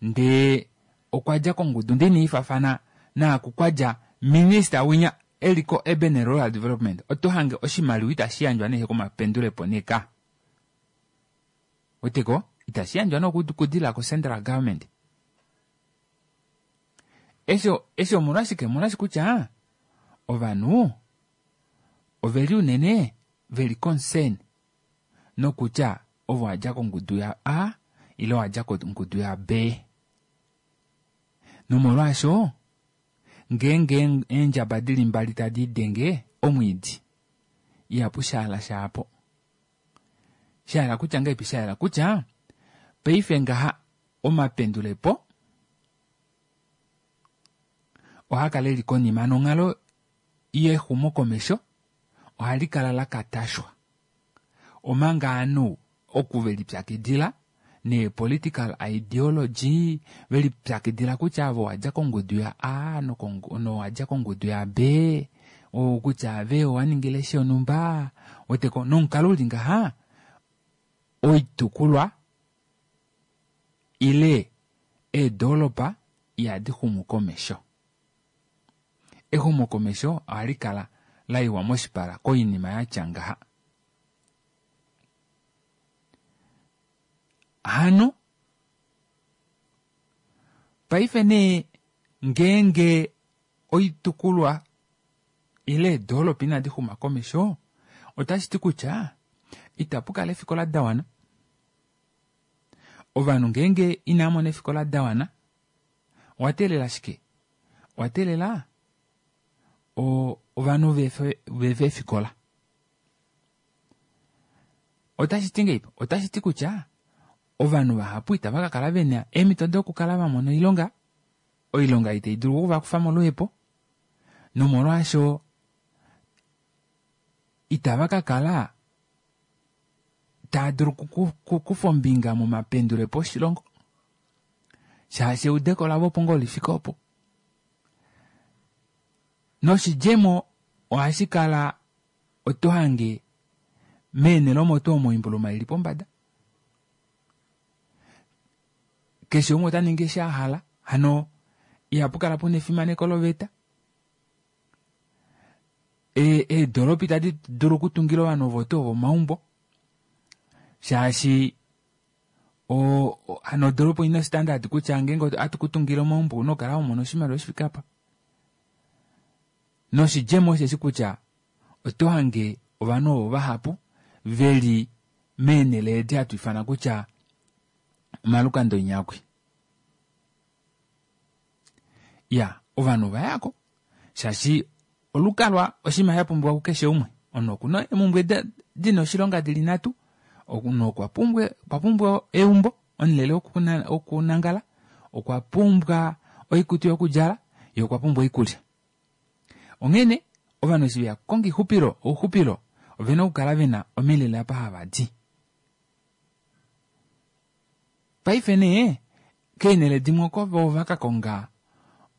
ndee okwa dja kongudu ndee inaifaafana naaku kwa dja minista winya eli ko Urban and Rural Development, oto hange oshimaliwa itashi yandjwa nee komapendulepo neka. Weteko? Itashi yandjwa nee okudila ko Central Government. Eshi omolwashike? Omolwashi kutya ovanhu oveli unene veli concern nokutya ovo wadja kongudu ya A ile wadja kongudu ya B. Nomolwaasho ngeenge eendjaba dili mbali tadi denge omwiidi ihapu shaala shaapo. Shaala kutya ngahelipi? Shaala kutya paife ngaha omapendulepo ohaa kala eli konima nonghalo yexumokomesho ohali kala la katashwa. Omanga ovanhu oku ve lipyakidila nee-political ideology, ve lipyakidila kutya ave owadja kongudu ya A nowadja kongudu ya B, kutya ave owa ningile shonhumba, weteko nomukalo uli ngaha oitukulwa ile eedolopa ihadi xumu komesho. Exumokomesho ohali kala la iwa moshipala koinima ya tya ngaha. Hano paife nee ngeenge oitukulwa ile eedolopa inadi xuma komesho, otashi ti kutya itapu kala eefikola da wana. Ovanhu ngeenge inava mona eefikola da wana, owa teelela shike? Owa teelela ovanhu vefe eefikola. Otashi ti ngeipi? Otashi ti kutya ovanhu vahapu itava ka kala vena eemhito dokukala va mona oilonga, oilonga itai dulu okuvakufa moluhepo, nomolwaasho itava ka kala taa dulu okukufa ombinga momapendulepo oshilongo, shaashi eudeko lavo opo ngoo lifike opo. Noshidjemo ohashi kala oto hange meenhele omo tuu omo oimbuluma ili pombada. Keshe umwe ota ningi eshi a hala, hano ihapu kala puna efimaneko loveta. Eedolopa itadi dulu okutungila ovanhu ovo tuu ovo omaumbo, shaashi hano odolopa oina standard kutya ngeenge ohatu kutungile omaumbo ouna okukala wa mona oshimaliwa shifike apa. Noshidjemo osheshi kutya oto hange ovanhu ovo vahapu veli meenhele edi hatu ifana kutya omalukanda onyakwi. Ya, ovanhu ova yako shaashi olukalwa oshinima sha pumbiwa kukeshe umwe. Omunhu okuna eemhumbwe dina oshilonga dili nhatu. Omunhu okwa pumbwa eumbo, omulele wokunangala, okwa pumbwa oikutu yokudjala, ye okwa pumbwa oikulya. Onghene ovanhu eshi veya kukonga ouxupilo ovena okukala vena omilele apa hava di. Paife nee keenhele dimwe oko vo va ka konga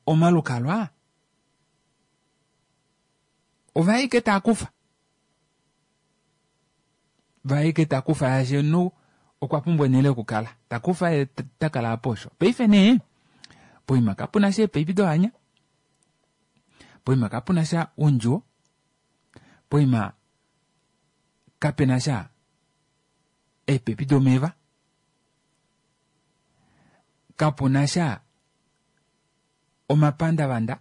omalukalwa ova ike taa kufa. Va ike ta kufa shaashi omunhu okwa pumbwa onhele yokukala. Ta kufa ye ta kala apo osho. Paife nee poima kapuna sha eepaipi dohanya, poima kapuna sha oundjuwo, poima kapena sha eepepi domeva, kapuna sha omapandavanda,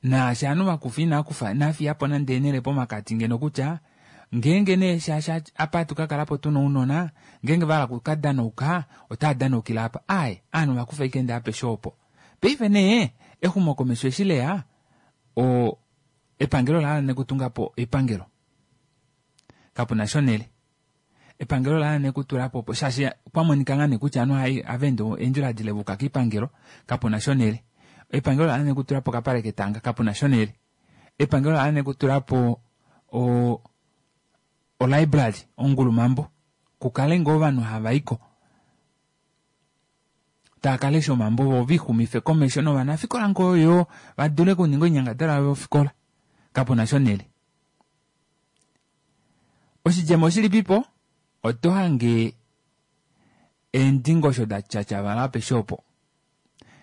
naashi ovanhu vakufa inaakufa inafiyapo nande eenhele pomakati ngeno kutya ngeenge nee shaashi apa hatu ka kalapo tuna ounona ngeenge vahala okukadanauka otava danaukile apa. Aaye, ovanhu vakufa ashike ndee apeshe opo. Paife nee exumokomesho eshi leya epangelo ola hala nee okutunga po epangelo. Kapuna sha onhele. Epangelo ola hala nee okutula po opo shaashi kwa monika ngaa nee kutya ovanhu ohava ende eendjila dile va yuka koipangelo kapuna sha onhele. Epangelo ola hala nee okutula po okapale ketanga kapuna sha onhele. Epangelo ola hala nee okutula po o olibrary ongulumambo kukale ngoo ovanhu hava iko tava kalesha omambo voo vixumife komesho novanafikola ngoo yoo vadule okuninga oinyangadalwa yavo yofikola kapuna sha onhele. Oshidjemo oshilipipo? Oto hange eendingosho da tyatyavala apeshe opo.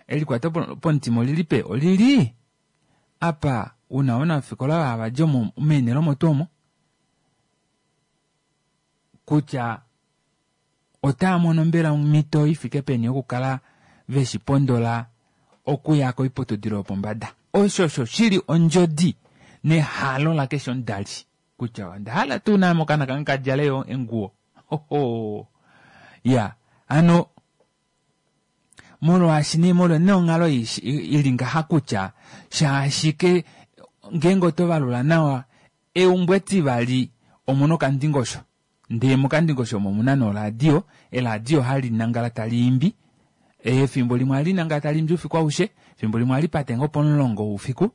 Elikwato pomutima olili pe? Olili apa una ovanafikola hava di omo meenhele omo tuu omo kutya otaa mono mbela omhito ifike peni yokukala veshi pondola okuya koiputudilo yopombada. Osho osho shili ondjodi nehalo lakeshe omudali kutya onda hala tuu naame okaana kange ka djale yo enguwo. Hoho ya hano molwaashi nee molwa nee onghalo ili ngaha kutya shaashike ngeenge oto valula nawa eumbo etivali omuna okandingosho ndee mokandingosho omo omuna nee oradio, eradio hali nangala tali imbi efimbo limwe ohali nangala tali imbi oufiku aushe efimbo limwe ohali pate ngoo pomulongo woufiku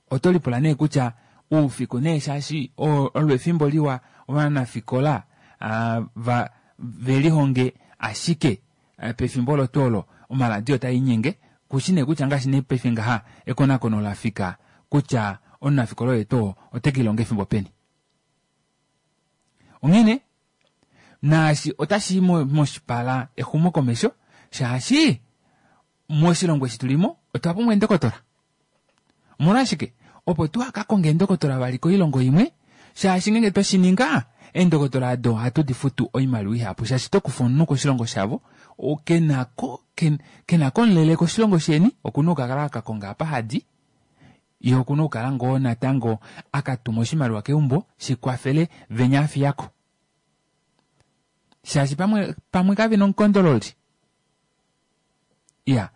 oto lipula nee kutya oufiku nee shaashi olo efimbo liwa ovanafikola va velihonge ashike pefimbo olo tuu olo omaladio otaa inyenge kushi nee kutya ngaashi nee paife ngaha ekonakono lafika kutya omunafikola oye tuu ote kelihonga efimbo peni. Onghene naashi otashi i moshipala exumokomesho shaashi moshilongo eshi tulimo otwa pumbwa eendokotola. Omolwashike? Opo tu ka konge eendokotola vali koilongo imwe shaashi ngeenge twe shi ninga eendokotola odo ohatu di futu oimaliwa ihapu shaashi oto kufa omunhu koshilongo shavo kenako kenako omulele koshilongo sheni okuna okukala aka konga apa hadi ye okuna okukala ngoo natango aka tuma oshimaliwa keumbo shikwafele venya afiyako shaashi pamwe pamwe kavena omukondololi. Ya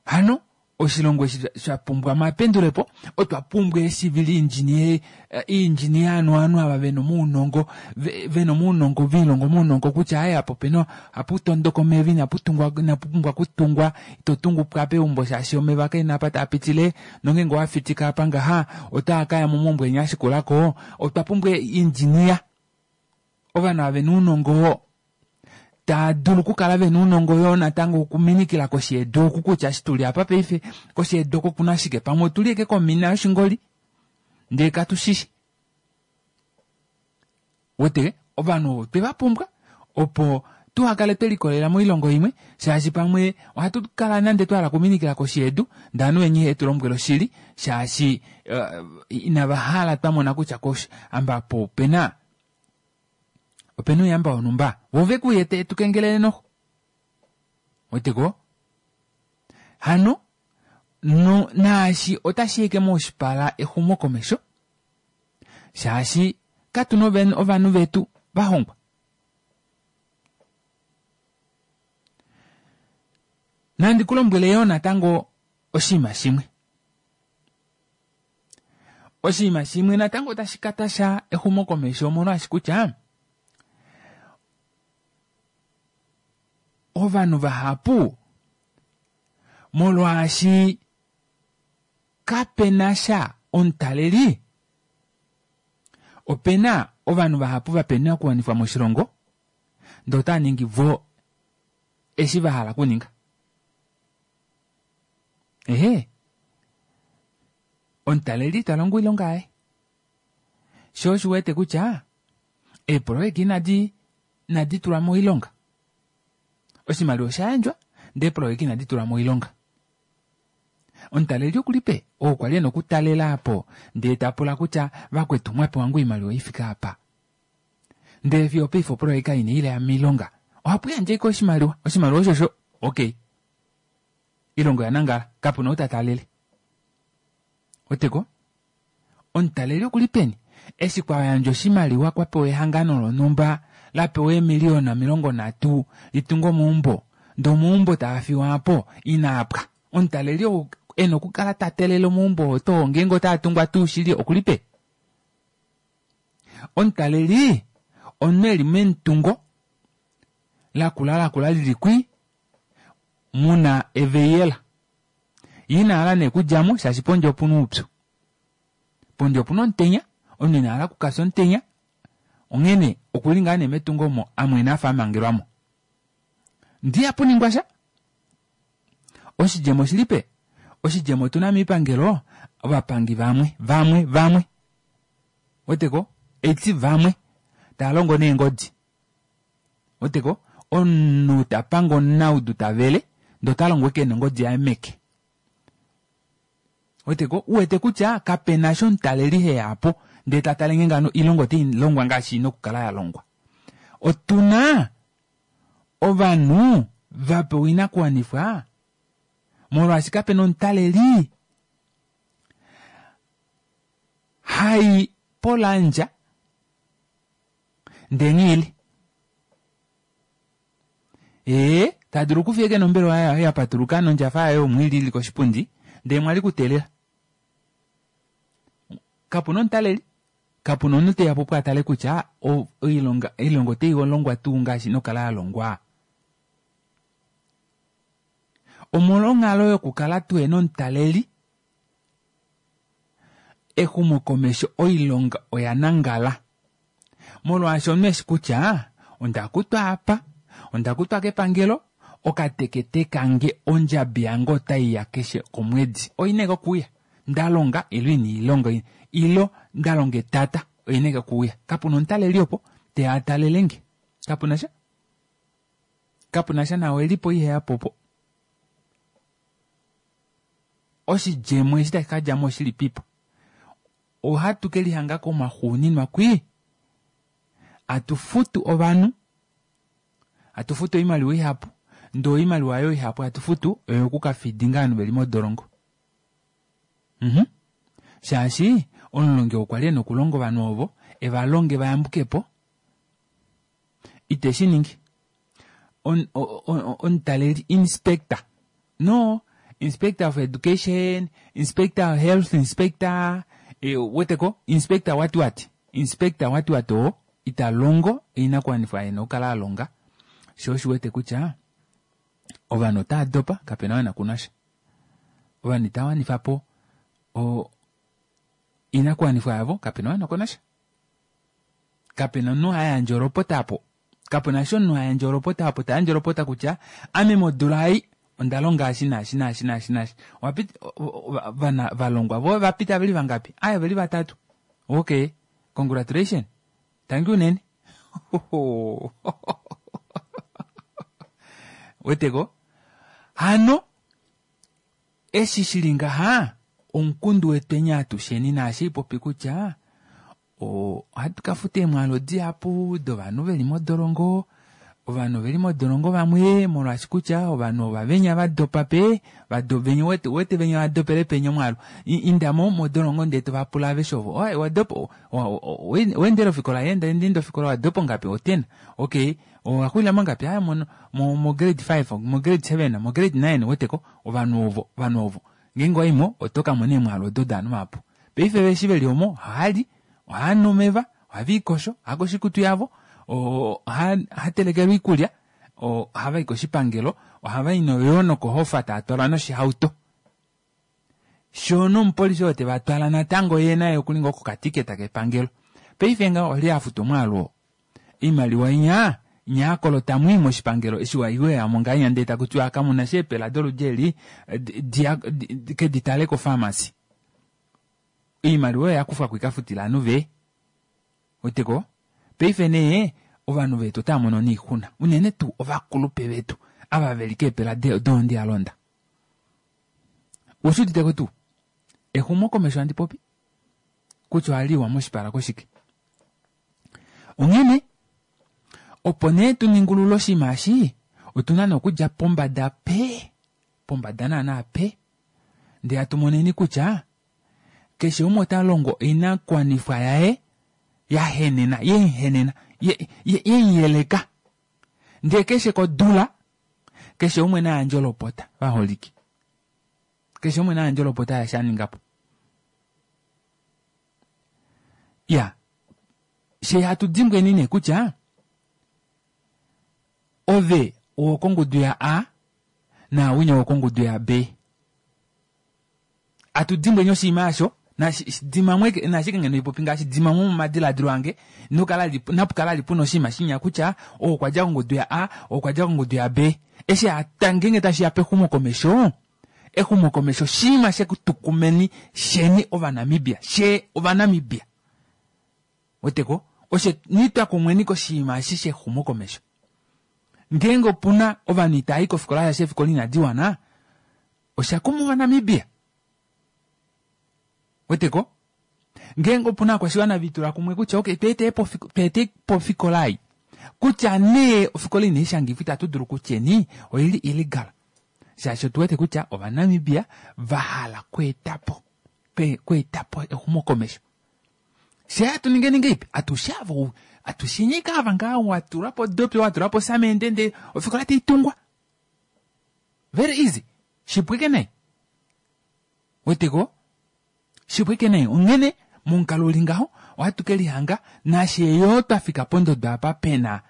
hano oshilongo eshi sha pumbwa omapendulepo otwa pumbwa eecivil engineer engineer anu ovanhu ava vena omaunongo vena omaunongo velihonga omaunongo kutya aaye apa opena ohapu tondoka omeva inapu tungwa inapu pumbwa okutungwa ito tungu po apa eumbo shaashi omeva kaena apa taa pitile nongeenge owa fitika apa ngaha otaa kaya momaumbo enya ashikulako otwa pumbwa engineer ovanhu ava vena ounongo oo taa dulu okukala vena ounongo yoo natango okuminikila koshi yedu oku kutya eshi tuli apa paife koshi yedu oko okuna shike pamwe otuli eke komina yoshingoli ndee katu shishi wete ovanhu ovo twe va pumbwa opo tuhakale twe likolelela moilongo imwe shaashi pamwe ohatu kala nande twa hala okuminikila koshi yedu ndee ovanhu venya ihe tu lombwela oshili shaashi inava hala twa mona kutya koshi amba apa opena opena ouyamba wonhumba vo ve ku yete tu kengelele noxo weteko hano no naashi otashi eke moshipala exumokomesho shaashi katuna ovanhu vetu vahongwa. Nandi ku lombwele yoo natango oshinima shimwe. Oshinima shimwe natango tashi ka tasha exumokomesho omolwaashi kutya ovanhu vahapu molwaashi kape na sha omutaleli ope na ovanhu vahapu va pena okuwanifwa moshilongo ndee otava ningi vo eshi va hala okuninga. Ehe, omutaleli ta longo oilonga yaye. Sho osho wete kutya eeproyeka inadi inadi tulwa moilonga. Oshimaliwa osha yandjwa ndee eeproyeka inadi tulwa moilonga. Omutaleli oku li pe? Oo kwa li e na okutalela apo ndee ta pula kutya vakwetu mwa pewa ngoo oimaliwa i fike apa? Ndele fiyo opaife oproyeka inai ya moilonga. Ohapu yandje ashike oshimaliwa, oshimaliwa oshosho okay. Ilongo ya nangala, kapu na ou ta talele. Oteko, omutaleli oku li peni? Eshi kwa yandjwa oshimaliwa kwa pewa ehangano lonhumba la pewa eemiliyona 30 li tunge omaumbo, ndee omaumbo taa fiwa apo inaa pwa. Omutaleli ou e na okukala ta telele omaumbo oo too ngeenge otaa tungwa tuu shili oku li peni? Omutaleli Omunhu eli memutungo lakula lakula lili kwi muna eveiyela. Ye ina hala nee okudjamo shaashi pondje opuna oupyu. Pondje opuna omutenya, omunhu ina hala okukafya omutenya, onghene okuli ngaa nee metungo omo amwene afa amangelwamo. Ndee ihapu ningwa sha. Oshidjemo oshili pe? Oshidjemo otuna miipangelo ovapangi vamwe vamwe vamwe weteko eti vamwe tava longo neengodi weteko omunhu ta pange omunaudu ta vele ndee ota longo ashike nongodi yaye meke weteko uwete kutya kapena eshi omutaleli heya po ndee ta tale nghee ngano oilonga otai longwa ngaashi ina okukala ya longwa otuna ovanhu va pewa oinakuwanifwa molwaashi kapena omutaleli hai polandja ndee nghiili ee ta dulu okufiya eke nombelewa yaye ya patuluka nondjafa yaye yomwiili ili koshipundi ndee mwali kuteelela kapuna omutaleli kapuna omunhu teya po opo a tale kutya oilonga oilonga otai longwa tuu ngaashi ina okukala ya longwa. Omolwonghalo yokukala tuhena omutaleli, exumokomesho oilonga oya nangala. Molwaashi omunhu eshi kutya onda kutwa apa, onda kutwa kepangelo, okatekete kange ondjabi yange otai ya keshe komwedi. Oina ashike okuuya. Nda longa ilo ina ilonga ilo nda longa etata oina ashike okuuya. Kapuna omutaleli opo teya a talele nge. Kapuna sha. Kapuna sha naao elipo iheya po po. Oshidjemo eshi tashi ka dja mo oshilipipo? Ohatu ke lihanga komaxuuninwa kwii. Atu futu ovanhu, atu futu oimaliwa ihapu, ndee oimaliwa oyo ihapu hatu futu oyoku ka fidinga ovanhu veli modolongo. Mhm. Shaashi omulongi okwa li e na okulonga ovanhu ovo, e va longe va yambuke po, ite shi ningi. Omutaleli, inspector, no, inspector of education, inspector of health inspector, e, weteko, inspector what what, inspector what what oo ita longo oinakuwanifwa e na okukala a longa, sho oshi wete kutya ovanhu otava dopa, kapena oo e na kunasha. Ovanhu itava wanifa po oinakuwanifwa yavo, kapena oo e na konasha. Kapena omunhu ha yandje olopota apo. Kapena eshi omunhu ha yandje olopota apo ta yandje olopota kutya ame modula ei onda longa eshi naashi naashi naashi naashi. Owapita vana valongwa voye ovapita veli vangapi? Aaye oveli vatatu. Okay, congratulation. Tangi unene. Weteko? Hano eshi shili ngaha omukundu wetweni atusheni naashi ipopi kutya Ohatu ka futa eemwaalu dihapu dovanhu ve li modolongo. Ovanhu ove li modolongo vamwe molwaashi kutya ovanhu ova venya va dopa pe venya wete venya va dopele penya omwaalu. Inda mo modolongo ndee to va pula aveshe ovo. Oye wa dopa wa endele ofikola? Ee nda enda ofikola. Wa dopa ongapi? Oten. Okay, owa xulila mongapi? Aaye mo mo grade 5, mo grade 7, mo grade 9 weteko ovanhu ovo ovanhu ovo ngeenge owa i mo oto ka mona eemwaalu odo dovanhu vahapu. Paife ve eshi ve li omo ohava li, ohava nu omeva, ohave likosho, ohava kosho oikutu yavo, ohava telekelwa oikulya, ohava i koshipangelo, ohava i yo nokohofa tava twalwa noshihauto. Shoo nomupolifi oo te va twala natango ye naye okuli ngoo kokatiketa kepangelo. Paife ngaho olye a futa omwaalu oo? Oimaliwa inya inya ya kolota mwii moshipangelo eshi wa iwe mo ngahenya ndee taku tiwa kamu na sha eepela doludi eli ke di tale kofamasi. Oimaliwa oyo ya kufwa ko ikafutila ovanhu ve weteko. Paife nee ovanhu vetu otava mono noixuna unene tuu ovakulupe vetu ava veli keepela dondi alonda. Oushi uditeko tuu? Exumokomesho handi popi kutya ohali iwa moshipala koshike. Onghene opo nee tu ningulule oshinima eshi otu na nee okudja pombada pe pombada naana pe ndee hatu moneni kutya keshe umwe ota longo oinakuwanifwa yaye ya henena yemuhenena yemuyeleka ndee keshe kodula keshe umwe na yandje olopota vaholike keshe umwe na yandje olopota yaashi a ninga po. Ya. She hatu dimbweni nee kutya ove owokongudu ya A naawinya owokongudu ya B. Atu dimbweni oshinima aasho nashike ngeno ipopi ngaashi dimamwe momadiladilo ange napukala ali puna oshinima shinya kutya ou okwa dja kongudu ya A, ou okwa dja kongudu ya B. Eshi ngenge tashiya pexumokomesho, exumokomesho oshinima shekutukumeni sheni Ovanamibia, she Ovanamibia. Weteko oshe nitwa kumweni koshinima eshi shexumokomesho. Ngeenge opuna ovanhu itava i kofikola shaashi eefikola inadi wana, osha kuma Ovanamibia. Weteko ngeenge opuna ovakwashiwana vitula kumwe kutya okay tweete po ofikola ei kutya nee ofikola inaishangifwa itatu dulu kutyeni oili illegal shaashi otuwete kutya Ovanamibia vahala kweetapo kweetapo exumokomesho. Fye hatu ningeni ngeipi atushe ava atushe ava ngaa watulapo dopi watulapo samende ndee ofikola taitungwa very easy shipwike nai weteko shipwike nai onghene momukalo uli ngaho ohatu ke lihanga nashe yoo twafika pondodo apa pena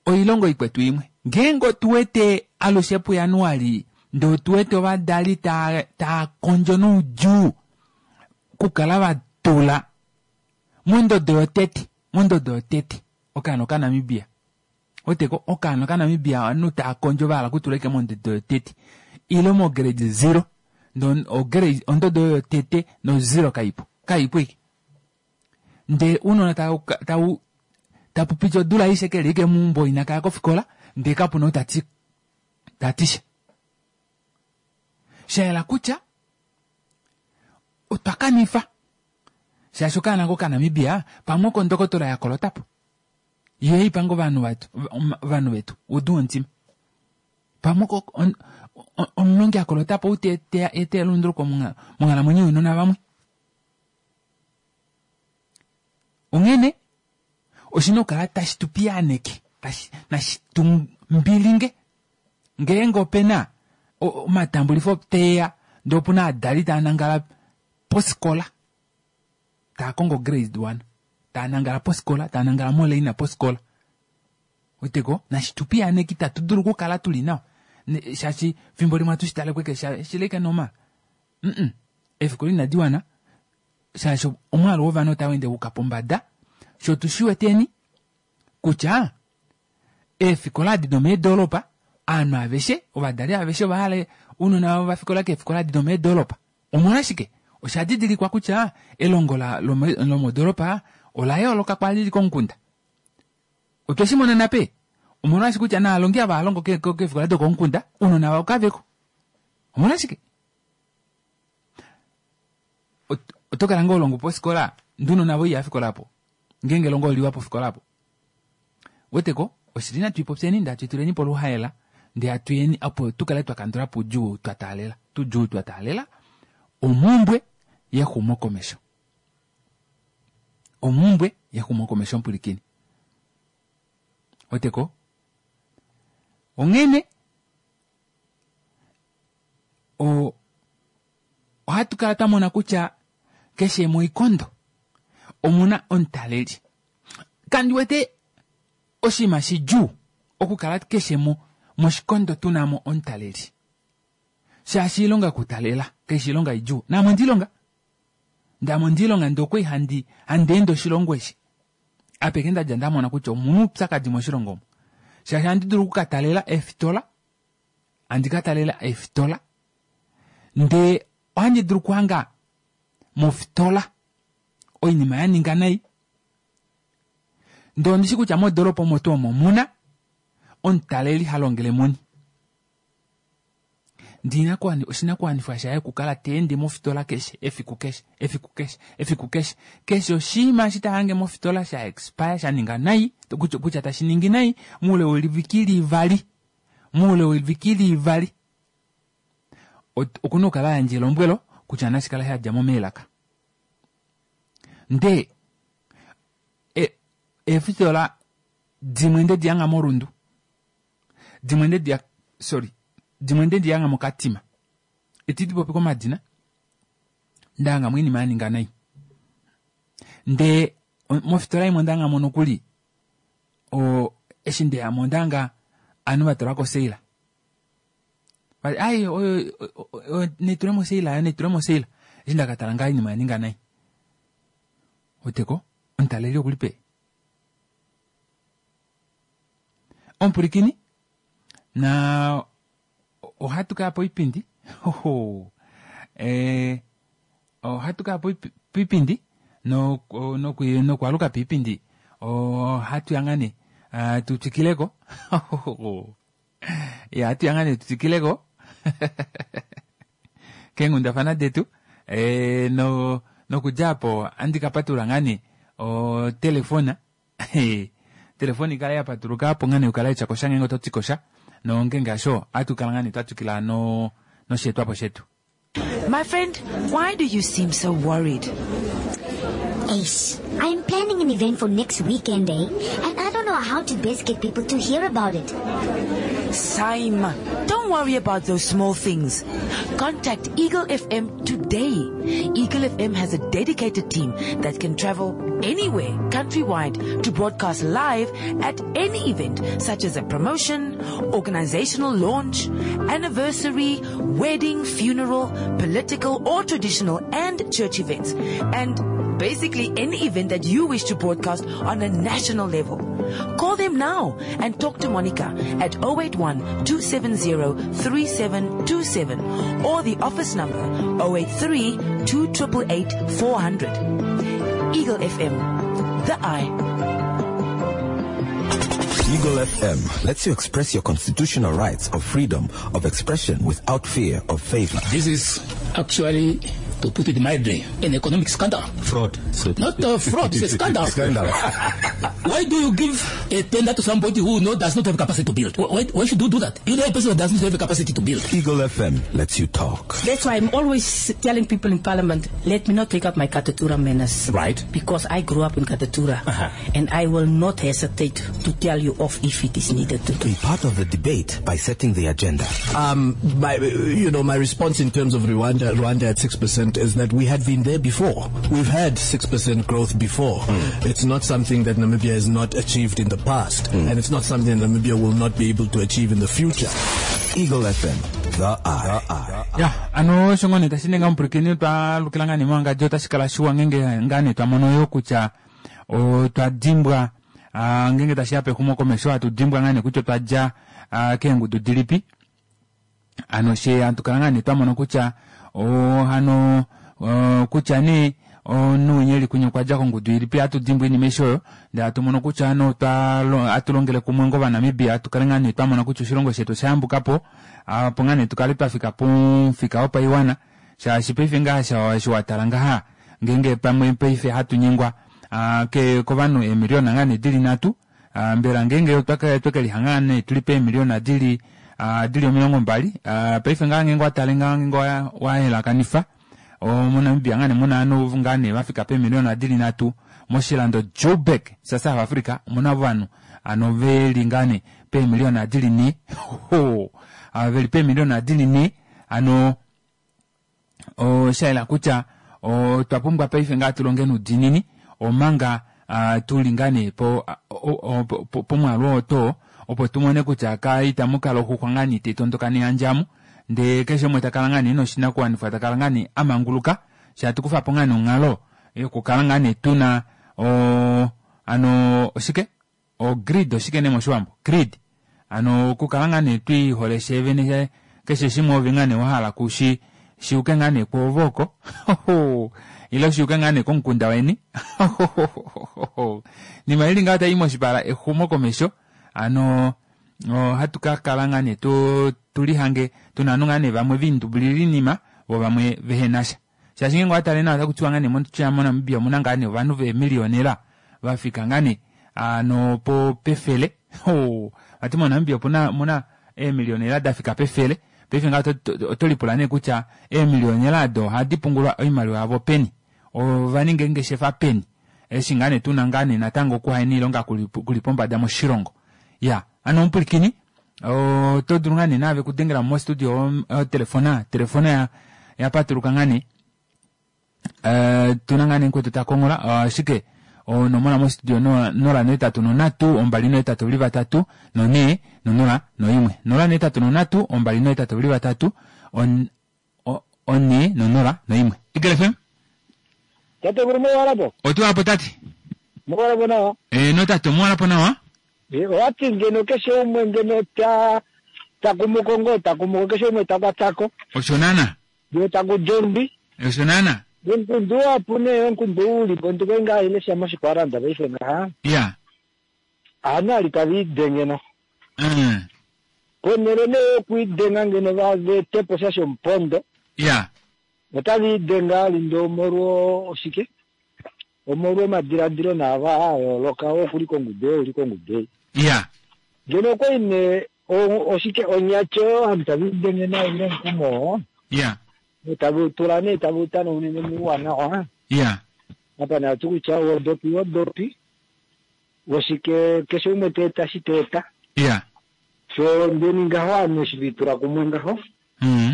oilongo ikwetu imwe ngeenge otuwete alushe puJanuali ndee otuwete ovadali taa kondjo noudjuu okukala vatula mondodo yotete mondodo yotete okaana okaNamibia weteko okaana okaNamibia ovanhu taa kondjo vahala okutula ashike mondodo yotete ile mograde 0 ondodo oyo yotete no 0 kaipo kaipo ike ndee ounona tau tapupiti odula aishe keli ike meumbo inakaya kofikola ndee kapuna ou tati tatisha shayela kutya otwa kanifa shaashi okaana kokaNamibia pamwe oko ndokotola yakolotapo ye ipanga ovanhu vetu udu womutima pamwe omulongi akolotapo ou ete elunduluko monghalamwenyo younona vamwe. Onghene oshina okukala tashi tu piyaaneke nashi tu mbilinge ngeenge opena omatambulifo teya ndee opuna ovadali tava nangala pofikola taa kongo grade 1 taa nangala pofikola taa nangala moleina pofikola weteko nashi tu piyaaneke itatu dulu okukala tuli nawa shaashi fimbo limwe atu shitale kweke shileke normal eefikola inadi wana shaashi omwaalu wovanhu otau ende wuka pombada sho tushiweteni kutya eefikola adi domeedolopa ovanhu aveshe ovadali aveshe ovahala ounona vavo vafikola keefikola adi domeedolopa omolwashike osha didilikwa kutya elongo lomodolopa ola yooloka kwali lili komukunda otwe shi mona nape omolwashike kutya naalongi ava halongo keefikola dokomukunda ounona vavo kaveko omolwashike oto kala ngoo longo pofikola ndee ounona voye ihava po ngeenge elongo oliwa pofikola apo weteko oshili natu ipopyeni ndee hatu ituleni poluhaela ndee hatuyeni opo tukale twakandulapo oudjuu twa taalela tudjuu twa taalela omumbwe yexumokomesho omumbwe yexumokomesho mpwilikini weteko onghene ohatu kala twamona kutya keshe moikondo omuna omutaleli kandi wete oshinima shidjuu okukala keshe moshikondo tunamo omutaleli shaashi oilonga yokutalela kaishi oilonga idjuu naame ondiilonga ndaame ondiilonga ndee okwali handi ende oshilongo eshi apeke ndadja ndamona kutya omuna oupyakadi moshilongo omu shaashi ohandi dulu okukatalela eefitola handi katalela eefitola ndee ohandi dulu okuhanga mofitola oinima yaninga nai ndee ondishi kutya modoropa omo tuu omo omuna omutaleli halongele muni ndee oshinakuwanifwa shaye okukala teende mofitola keshe efiku keshe efiku keshe efiku keshe keshe oshinima eshi tahange mofitola sha expire shaninga nai kutya tashi ningi nai moule weviki livali moule weviki livali okuna okukala ayandja elombwelo kutya nashikale shadjamo meelaka ndee eefitola dimwe nde dihanga morundu dimwe nde sorry dimwe nde dihanga mokatima itidi popi komadina ndahangamo oinima yaninga nai ndee Mofitola imwe onda hanga mo nokuli o eshi ndeya mo onda hanga ovanhu va tula ko oseila. Ai oyo naitule moseila yo naitule moseila. Eshi nda ka tala ngaha oinima oya ninga nai. Weteko omutaleli okuli peni? Omupwilikini na ohatu kaya poipindi oho eh, ohatu kaya poipindi nokwaluka piipindi ohatu ya ngaa nee ah, tu twikileko ya hatu ya ngaa nee tu twikileko keenghundafana detu eh, no nokudja apo andi ka patulula ngaa nee otelefona telefoni kala ya patuluka opo ngaa nee ukala etya kosha ngeenge oto ti kosha nongenge hasho ohatu kala ngaa nee twa twikila no nosheetwapo shetu My friend, why do you seem so worried? Ace, I'm planning an event for next weekend, eh? And I don't know how to best get people to hear about it. Saima, don't worry about those small things. Contact Eagle FM today. Eagle FM has a dedicated team that can travel anywhere countrywide to broadcast live at any event such as a promotion, organizational launch, anniversary, wedding, funeral, political or traditional and church events. And basically any event that you wish to broadcast on a national level. Call them now and talk to Monica at 081 270 3727 or the office number 083 2888 400. Eagle FM, the eye. Eagle FM lets you express your constitutional rights of freedom of expression without fear of favor. This is actually, to put it mildly, an economic scandal. Fraud. So Not a fraud, it's a scandal. Scandal. Why do you give a tender to somebody who does not have capacity to build? Why should you do that? You know a person who does not have capacity to build. Eagle FM lets you talk. That's why I'm always telling people in Parliament, let me not take up my Katutura manners. Right. Because I grew up in Katutura. Uh-huh. And I will not hesitate to tell you off if it is needed to do. Be part of the debate by setting the agenda. My response in terms of Rwanda at 6% is that we had been there before. We've had 6% growth before. Mm. It's not something that Namibia has not achieved in the past, Mm. and it's not something that Namibia will not be able to achieve in the future. Eagle FM, the eye. Ya, ano osho ngoo nee tashi ninga omupwilikini twa lukila ngaa nee mowangadjo otashi kala shiwa ngeenge ngaa nee twa mono yo kutya otwa dimbwa ngeenge tashi ya pexumokomesho hatu dimbwa ngaa nee kutya otwa dja keengudu dilipi. Ano she hatu kala ngaa nee twa mona kutya hano kutya nee omunhu winya eli kunya okwa dja kongudu ilipi, hatu dimbwa oinima aishe oyo ndee hatu mono kutya hano hatu longele kumwe ngovanamibia tukale ngaa nee twa mona kutya oshilongo shetu osha yambuka po, opo ngaa nee tukale twa fika pomufika wopaiwana, shaashi paife ngaha eshi wa tala ngaha ngeenge pamwe paife hatu nyengwa kovanhu eemiliona ngaa nee dili 3, mbela ngeenge otwa kelihanga ngaa nee tuli peemiliona dili 20, paife ngaha ngeenge watale ngaha ngeenge wayelakanifa moNamibia ngaa nee muna ovanhu ngaa nee vafika peemiliona dili 3, moshilando Joburg sha South Africa omuna ovanhu ano veli ngaa nee peemiliona dili 4, ho, veli peemiliona dili 4, ano osha yela kutya otwa pumbwa paife ngaa tulonge noudiinini omanga tuli ngaa nee pomwaalu oo too, opo tumone kutya ka itamu kala oxuxwa ngaa nee taitondoka nehandjamu, ndee keshe umwe takala ngaa nee noshinakuwanifwa, takala ngaa nee amanguluka, sha tukufa po ngaa nee onghalo yokukala ngaa nee tuna ano oshike o grid oshike nee moshiwambo grid, ano okukala ngaa nee twiihole shevene keshe shimwe ove ngaa nee wahala kushi shiuke ngaa nee kwoove oko ile shiuke ngaa nee komukunda weni. Nima ili ngaa tai moshipala exumo komesho, ano ohatu ka kala ngaa nee tulihange tuna ovanhu ngaa nee vamwe viindubulila oinima vo vamwe vehenasha, shaashi ngeenge owatale nawa otaku tiwa ngaa nee moNamibia omuna ngaa nee ovanhu veemilionela vafika ngaa nee ano pefele. Vati moNamibia omuna eemilionela dafika pefele. Paife ngaha oto lipula nee kutya eemilionela ado ohadi pungulwa oimaliwa yavo peni, ova ninga eengeshefa peni, eshi ngaa nee tuna ngaa nee natango okuhaena oilonga kuli pombada moshilongo. Ya, ano omupwilikini oto dulu ngaa nee naave kudengela mostudio telefona, telefona ya patuluka ngaa nee. Tuna ngaa nee mukwetu ta kongola, ashike Onomola mostudio 083 283 4 0 1 083 283 4 0 1 Eagle FM Tate vulu muwalapo. Otuwalapo tate. Muwalapo nawa. Eh no tate muwalapo nawa. Eh owati ngeno keshe umwe ngeno ta takumuko ngo takumuko keshe umwe takwatako. Osho nana. Yo takujombi. Osho nana. Nkundu apo ne nkundu uli bontu kenga ile shama shikwaranda baife ngaha. Ya. Ana litavide ngeno. Ponele ne okuidenga ngeno vavetepo sha shompondo. Ya. Otali idenga lindo omolwo oshike? Omolwo omadiladilo naava a yooloka okuli kongudu ei uli kongudu ei. Ya. Ngeno okwali ne oshike onyatyo ovanhu tave lidenge nayo ile omukumo. Ya. Tave tula nee tave utanaunene muuwanawa. Ya. Apa nee ati kutya wodopi wodopi woshike keshe umwe ta eta shi ta eta. Ya. So ndeni ngaho ovanhu eshi ve itula kumwe ngaho.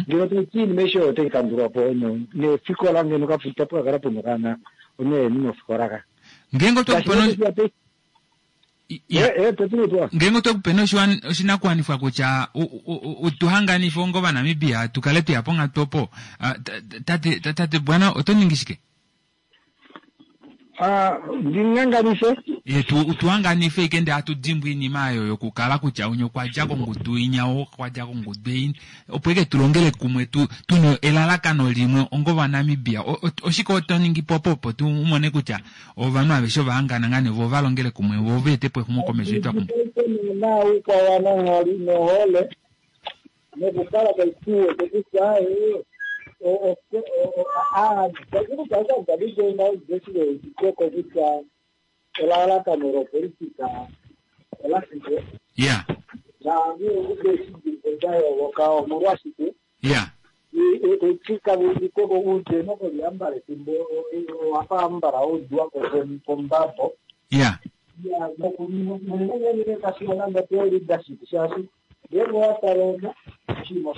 Ngeno taiti iinima aishe oyo otai kandulwa po nefikola ngeno itapu ka kala puna okaana oneeni mofikola ka. Ngeenge otwe ku pe ngeenge otwe ku pe oshinakuwanifwa kutya u tu hanganife onga Ovanamibia tu kale tweya ponghatu opo, tate tate Bwana oto ningi shike? Ndi nganganife? Ye tu tu hanganife ike ndee hatu dimbwa oinima ayo yokukala kutya unya okwa dja kongudu inya ou okwa dja kongudu ei opo ike tu longele kumwe tu tuna elalakano limwe onga Ovanamibia. Oshike oto ningi po opo opo tu mone kutya ovanhu aveshe ova hangana ngaa nee vo ova longele kumwe vo va ete po exumokomesho eli twa pumbwa? Naana oukwao wananghali nohole nokukala tai tu wete kutya kutya elalakano lopolitika olashike naanhu da yooloka omolwashike tika udeno koliambala efimbo owafa ambala ouduwa kombabo nokunengenekashina nande leadership shaashi ngeenge owatala oshinima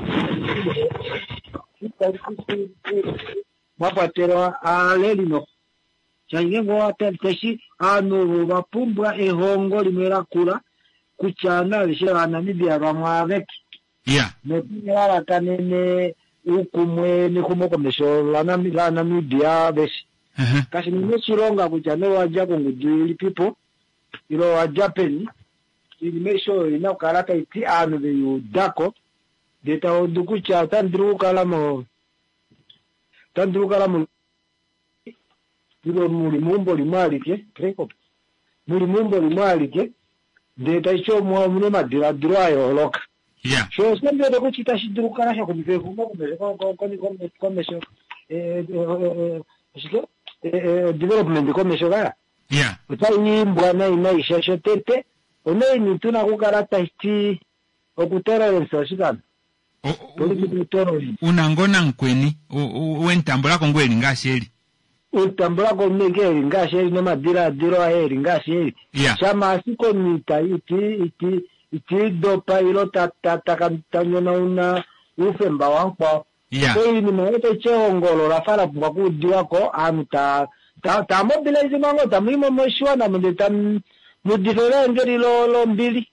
mwa kwatelwa aaleli no shaashi ngeenge owatala tashi ovanhu ovo ovapumbwa ehongo limwe lakula kutya ovanhu aveshe vaNamibia vamwe aveke notalalakanene uukumwe nexumokomesho laNamibia aveshe. Kashi na oshilonga kutya nee owadja kongudu ilipipo ile owadja peni, oinima aishe oyo oina okukala tai ti ovanhu veiudako ndee taudu kutya otamu dulu okukala mo otamu dulu okukala mo ile muli meumbo limwe alike muli meumbo limwe alike ndee tashi omuna omadiladilo a yooloka. Sho osho ndiwete kutya itashi dulu okukala sha xumifa exumokomesho komesho oshike development komesho kaya otai imbwa nai nai shaashi otete onaini tuna okukala tashi okutolerance oshikano Una ngoo namukweni wemutambulako ngoo eli ngaashi eli. Utambulako omunhu eli ngaashi eli nomadilaadilo aye eli ngaashi eli. Shama ashike omunhu ita iti iti itiidopa ilo ta ta ta ta nyonauna oufemba wamukwao. Oinima oyo taiti ehongo olo lafa la pumbwa okuudiwako ovanhu ta ta ta mobilize ngoo tamu i moshiwana ndee tamu mudifa evaengeli lombili.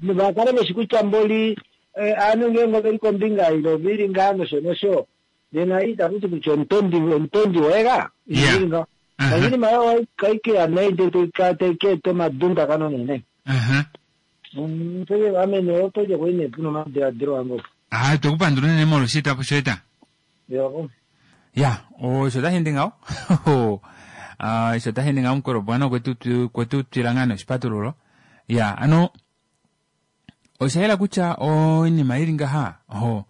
Vakale veshi kutya mboli ovanhu ngeenge oveli kombinga ile oveli ngaa nosho nosho nena itakuti kutya omutondi omutondi woye ka ili ngaho. Oinima oyo kaikeya nai ndee tai ka eta omadundakano nene. Ame nee oto lye nee puna omadiladilo ange opo. Ah, tweku pandula unene molwa oshietwapo shoye ta. Ya, osho tashi ende ngaho. Ah, osho tashi ende ngaho mukulu bwana okwetu kwetu twila ngaa noshipatululo. Ya, ano osha yela kutya oinima ili ngaha oho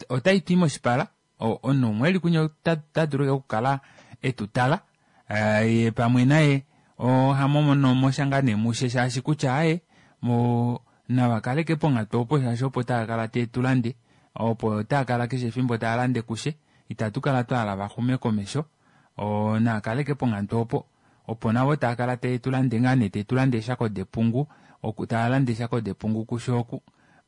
otai twi moshipala omunhu umwe eli kunya ota dulu okukala etu tala ye pamwe naye ohamono mo sha ngaa nee mushe shaashi kutya aye mo nava kaleke ponghatu opo shaashi opo tava kala tee tu lande opo tava kala keshe efimbo tava lande kushe itatu kala twa hala va xume komesho naa kaleke ponghatu opo opo navo tava kala tee tu lande ngaa nee tee tu lande eeshako depungu oku tava lande eeshako depungu kushe oku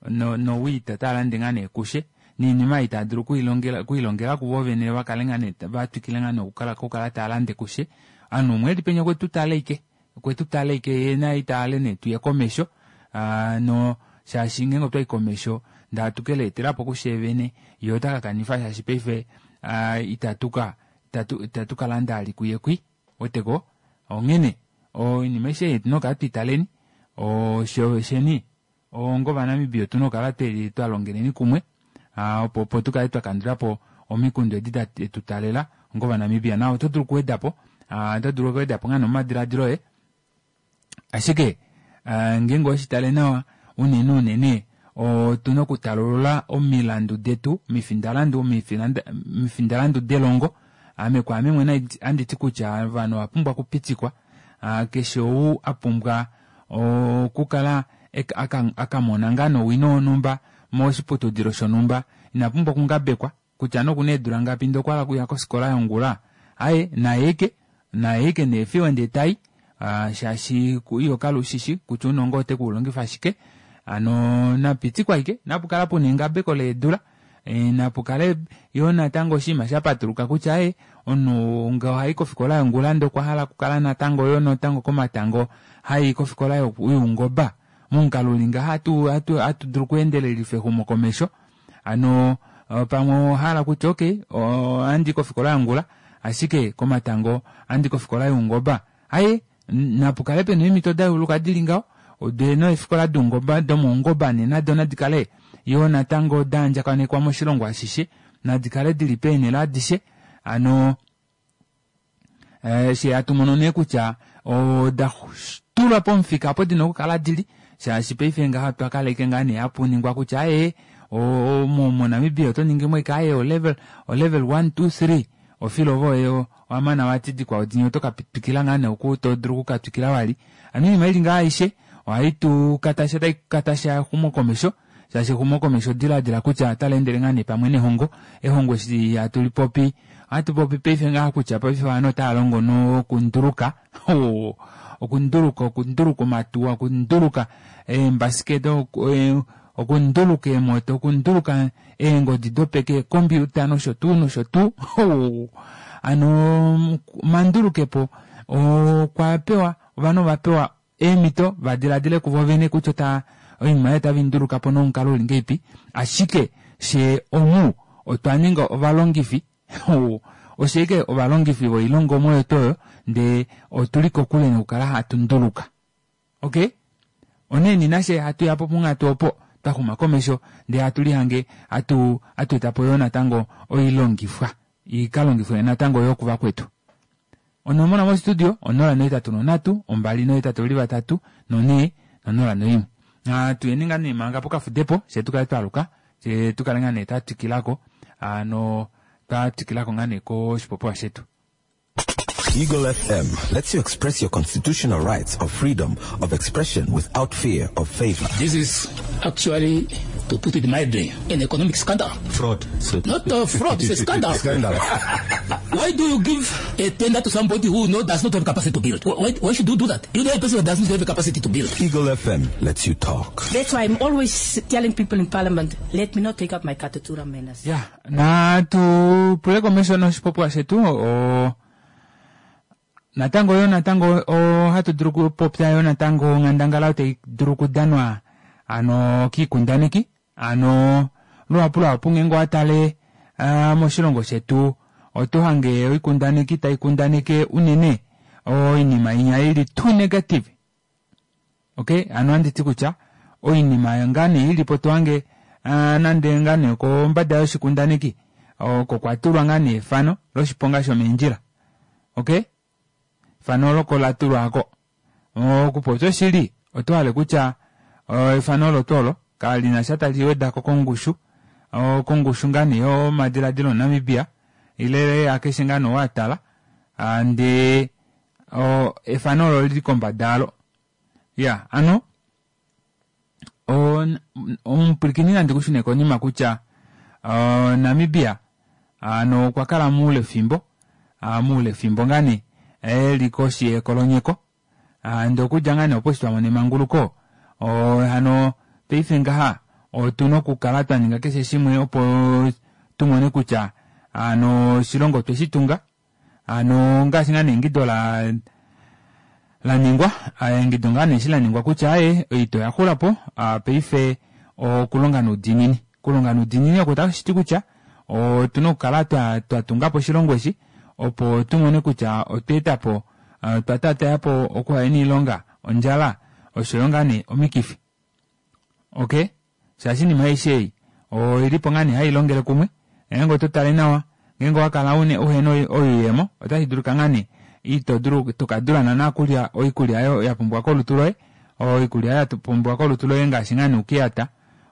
no nowiita otava lande ngaa nee kushe noinima ei tava dulu okuilongela kuvo vene va kale ngaa nee va twikile ngaa nee okukala tava lande kushe. Ovanhu umwe eli penya okwe tu tala ike, okwe tu tala ike yee naye ita hale nee tuye komesho, no shaashi ngeenge otwayi komesho ndee hatu ke leetelapo kushee vene, yee ota ka kanifa shaashi paife itatu ka itatu ka landa ali kuye kwi, ouweteko? Onghene oinima aishe ei otuna okukala twiitaleni, sheni onga Ovanamibia otuna okukala twa longeleni kumwe opo opo tu kale twa kandula po omikundu edi detu taalela onga Ovanamibia. Na oto dulu okuweda po, oto dulu okuweda po ngaa nee omadilaadilo oye, ashike ngeenge oweshi tale nawa unene unene otuna okutalulula omilandu detu, omifindalandu, omifindalandu delongo. Ame kwaame mwene ohandi ti kutya ovanhu ova pumbwa okupitikwa, keshe ou a pumbwa okukala a ka mona ngaa nowino wonhumba moshiputudilo shonhumba ina pumbwa okungabekwa kutya nee okuna eedula ngapi ndee okwa hala okuya kofikola yongula aaye naye ike naye ike neefiwe ndee tai shaashi iho kala ushishi kutya ounongo ote ku ulongifa shike hano napitikwa ike napukala puna engabeko leedula Napu kale yoo natango oshinima sha patuluka kutya ee omunhu nge ohayi kofikola yongula ndee okwa hala okukala natango yoo natango komatango hayi kofikola youngoba. Momukalo uli ngaha ohatu ohatu dulu okuendelelifa exumokomesho. Hano pamwe owa hala kutya okay ohandi kofikola yongula ashike komatango ohandi kofikola youngoba. Aaye napu kale pena eemhito da yeuluka dili ngaho dee neefikola doungoba domaungoba nee nado nadi kale yoo natango da andjakanekwa moshilongo ashishe nadi kale dili peenhele adishe hano she hatu mono nee kutya oda tulwa pomufika opo dina okukala dili shaashi paife ngaha otwa kala ike ngaa nee hapu ningwa kutya aaye moNamibia oto ningi mo ike aaye olevel olevel 1 2 3 Ofilo voye owa mana wati dikwao dinya oto ka twikila ngaa nee oku to dulu oku ka twikila vali. Hano oinima ili ngaha aishe ohai tu katasha tai katasha exumokomesho shaashi exumokomesho dilaadila kutya otali endele ngaa nee pamwe nehongo. Ehongo eshi hatu li popi ohatu popi paife ngaha kutya paife ovanhu otava longo nokunduluka okunduluka okunduluka omatuwa okunduluka eembasiketa okunduluka eemoto okunduluka eengodi dopeke eekombiuta nosho tuu nosho tuu hano omandulukepo okwa pewa ovanhu ova pewa eemhito va diladile kuvo vene kutya ota oinima ei otave i nduluka po nomukalo uli ngeipi ashike fye omu otwa ninga ovalongifi osho ashike ovalongifi voilongomwa oyo tuu oyo ndee otuli kokule nokukala hatu nduluka Ok, onghee nafye hatu ya po ponghatu opo twa xuma komesho ndee hatu lihange hatu hatu eta po yoo natango oilongifwa i ka longifwe natango yoo kuvakwetu. Onomola mostudio 083 283 4 no01. Natu yeni ngaa nee manga pokafudepo fye tu kale twa aluka fye tu kale ngaa nee twa twikilako no twa twikilako ngaa nee koshipopiwa shetu. Eagle FM lets you express your constitutional rights of freedom of expression without fear of favor. This is actually, to put it mildly, an economic scandal. Fraud. Not a fraud, it's a scandal. Scandal. Why do you give a tender to somebody who does not have capacity to build? Why should you do that? You know a person who does not have capacity to build. Eagle FM lets you talk. That's why I'm always telling people in Parliament, let me not take up my Katutura manners. Ya, natu pule komesho noshipopiwa shetu o natango yo natango ohatu dulu okupopya yo natango onghandangala oyo tai dulu okudanwa ano kiikundaneki ano luhapu luhapu ngeenge owa tale moshilongo shetu oto hange oikundaneki tai kundaneke unene oinima inya ili too negative Ok, hano ohandi ti kutya oinima ngaa nee ili po to hange nande ngaa nee okombada yoshikundaneki oko kwa tulwa ngaa nee efano loshiponga shomeendjila. Ok, efano olo oko la tulwa oko. Okupopya oshili, oto hale kutya efano olo tuu olo kali na sha tali weda ko kongushu, kongushu ngaa nee yomadiladilo omuNamibia ile akeshe ngaa nee oo a tala ndee efano olo lili kombada yalo. Ya, ano omupwilikini nandi ku shune konima kutya Namibia ano okwa kala muule fimbo, muule fimbo ngaa nee eli koshi yekolonyeko ndee okudja ngaa nee opo eshi twa mona emanguluko hano paife ngaha otuna okukala twa ninga keshe shimwe opo tu mone kutya ano oshilongo otwe shi tunga. Hano ngaashi ngaa nee eingido la laningwa, eingido ngaa nee eshi laningwa kutya aaye oita oya xulapo, paife okulonga noudiinini. Okulonga noudiinini oko otashi ti kutya otuna okukala twa tungapo oshilongo eshi opo tumone kutya otwa etapo otwa tatayapo okuhena oilonga, ondjala oshoyo ngaa nee omikifi. Okay, shaashi oinima aishe ei oilipo ngaa nee hailongele kumwe, ngeenge oto tale nawa ngeenge owakala uhena oyuuyemo otashi dulika ngaa nee ito dulu tokadula naana okulya oikulya oyo yapumbiwa kolutu loye, oikulya oyo yapumbiwa kolutu loye ngaashi ngaa nee oukeyata,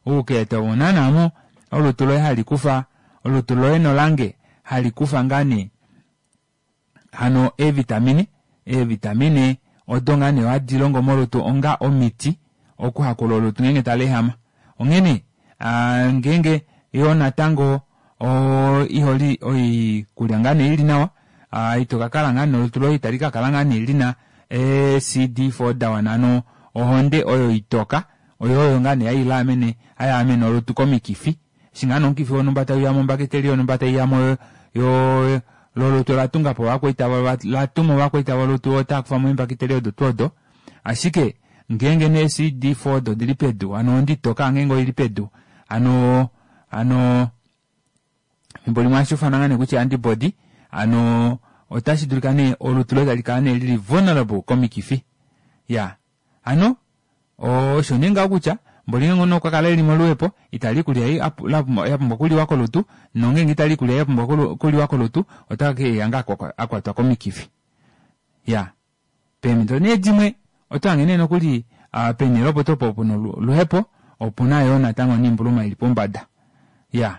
oukeyata owo naana mo olutu loye halikufa olutu loye nolange halikufa ngaa nee hano eevitamine, eevitamine odo ngaa nee hadi longo molutu onga omiti okuhakula olutu ngeenge tali ehama. Onghene ngeenge yoo natango iholi oikulya ngaa nee ili nawa, ito kakala ngaa nee olutu loye itali kakala ngaa nee lina ee CD4 dawana hano ohonde oyo itoka oyo oyo ngaa nee hailaamene hayaamene olutu komikifi. Eshi ngaa nee omukifi wonhumba tauyamo ombakiteli yonhumba taiyamo yo lolutu ola tungapo ovakwaita latuma ovakwaita volutu otava kufamo eembakiteli odo tuu odo. Ashike ngeenge nee CD4 odo odili pedu hano ohonde itoka ngeenge oili pedu hano hano efimbo limwe ohashi ufanwa ngaa nee kutya antibody hano otashi dulika nee olutu loye tali kala nee lili vulnerable komikifi. Ya hano osho nee ngaho kutya mboli ngeenge omunhu okwa kala eli moluhepo itali ikulya ei ya pumbwa okuliwa kolutu nongeenge itali ikulya ei ya pumbwa okuliwa kolutu ota keya ngaa akwatwa komikifi. Ya peemhito nee dimwe oto hange nee nokuli peenhele opo tuu opo puna oluhepo opuna yoo natango noimbuluma ili pombada. Ya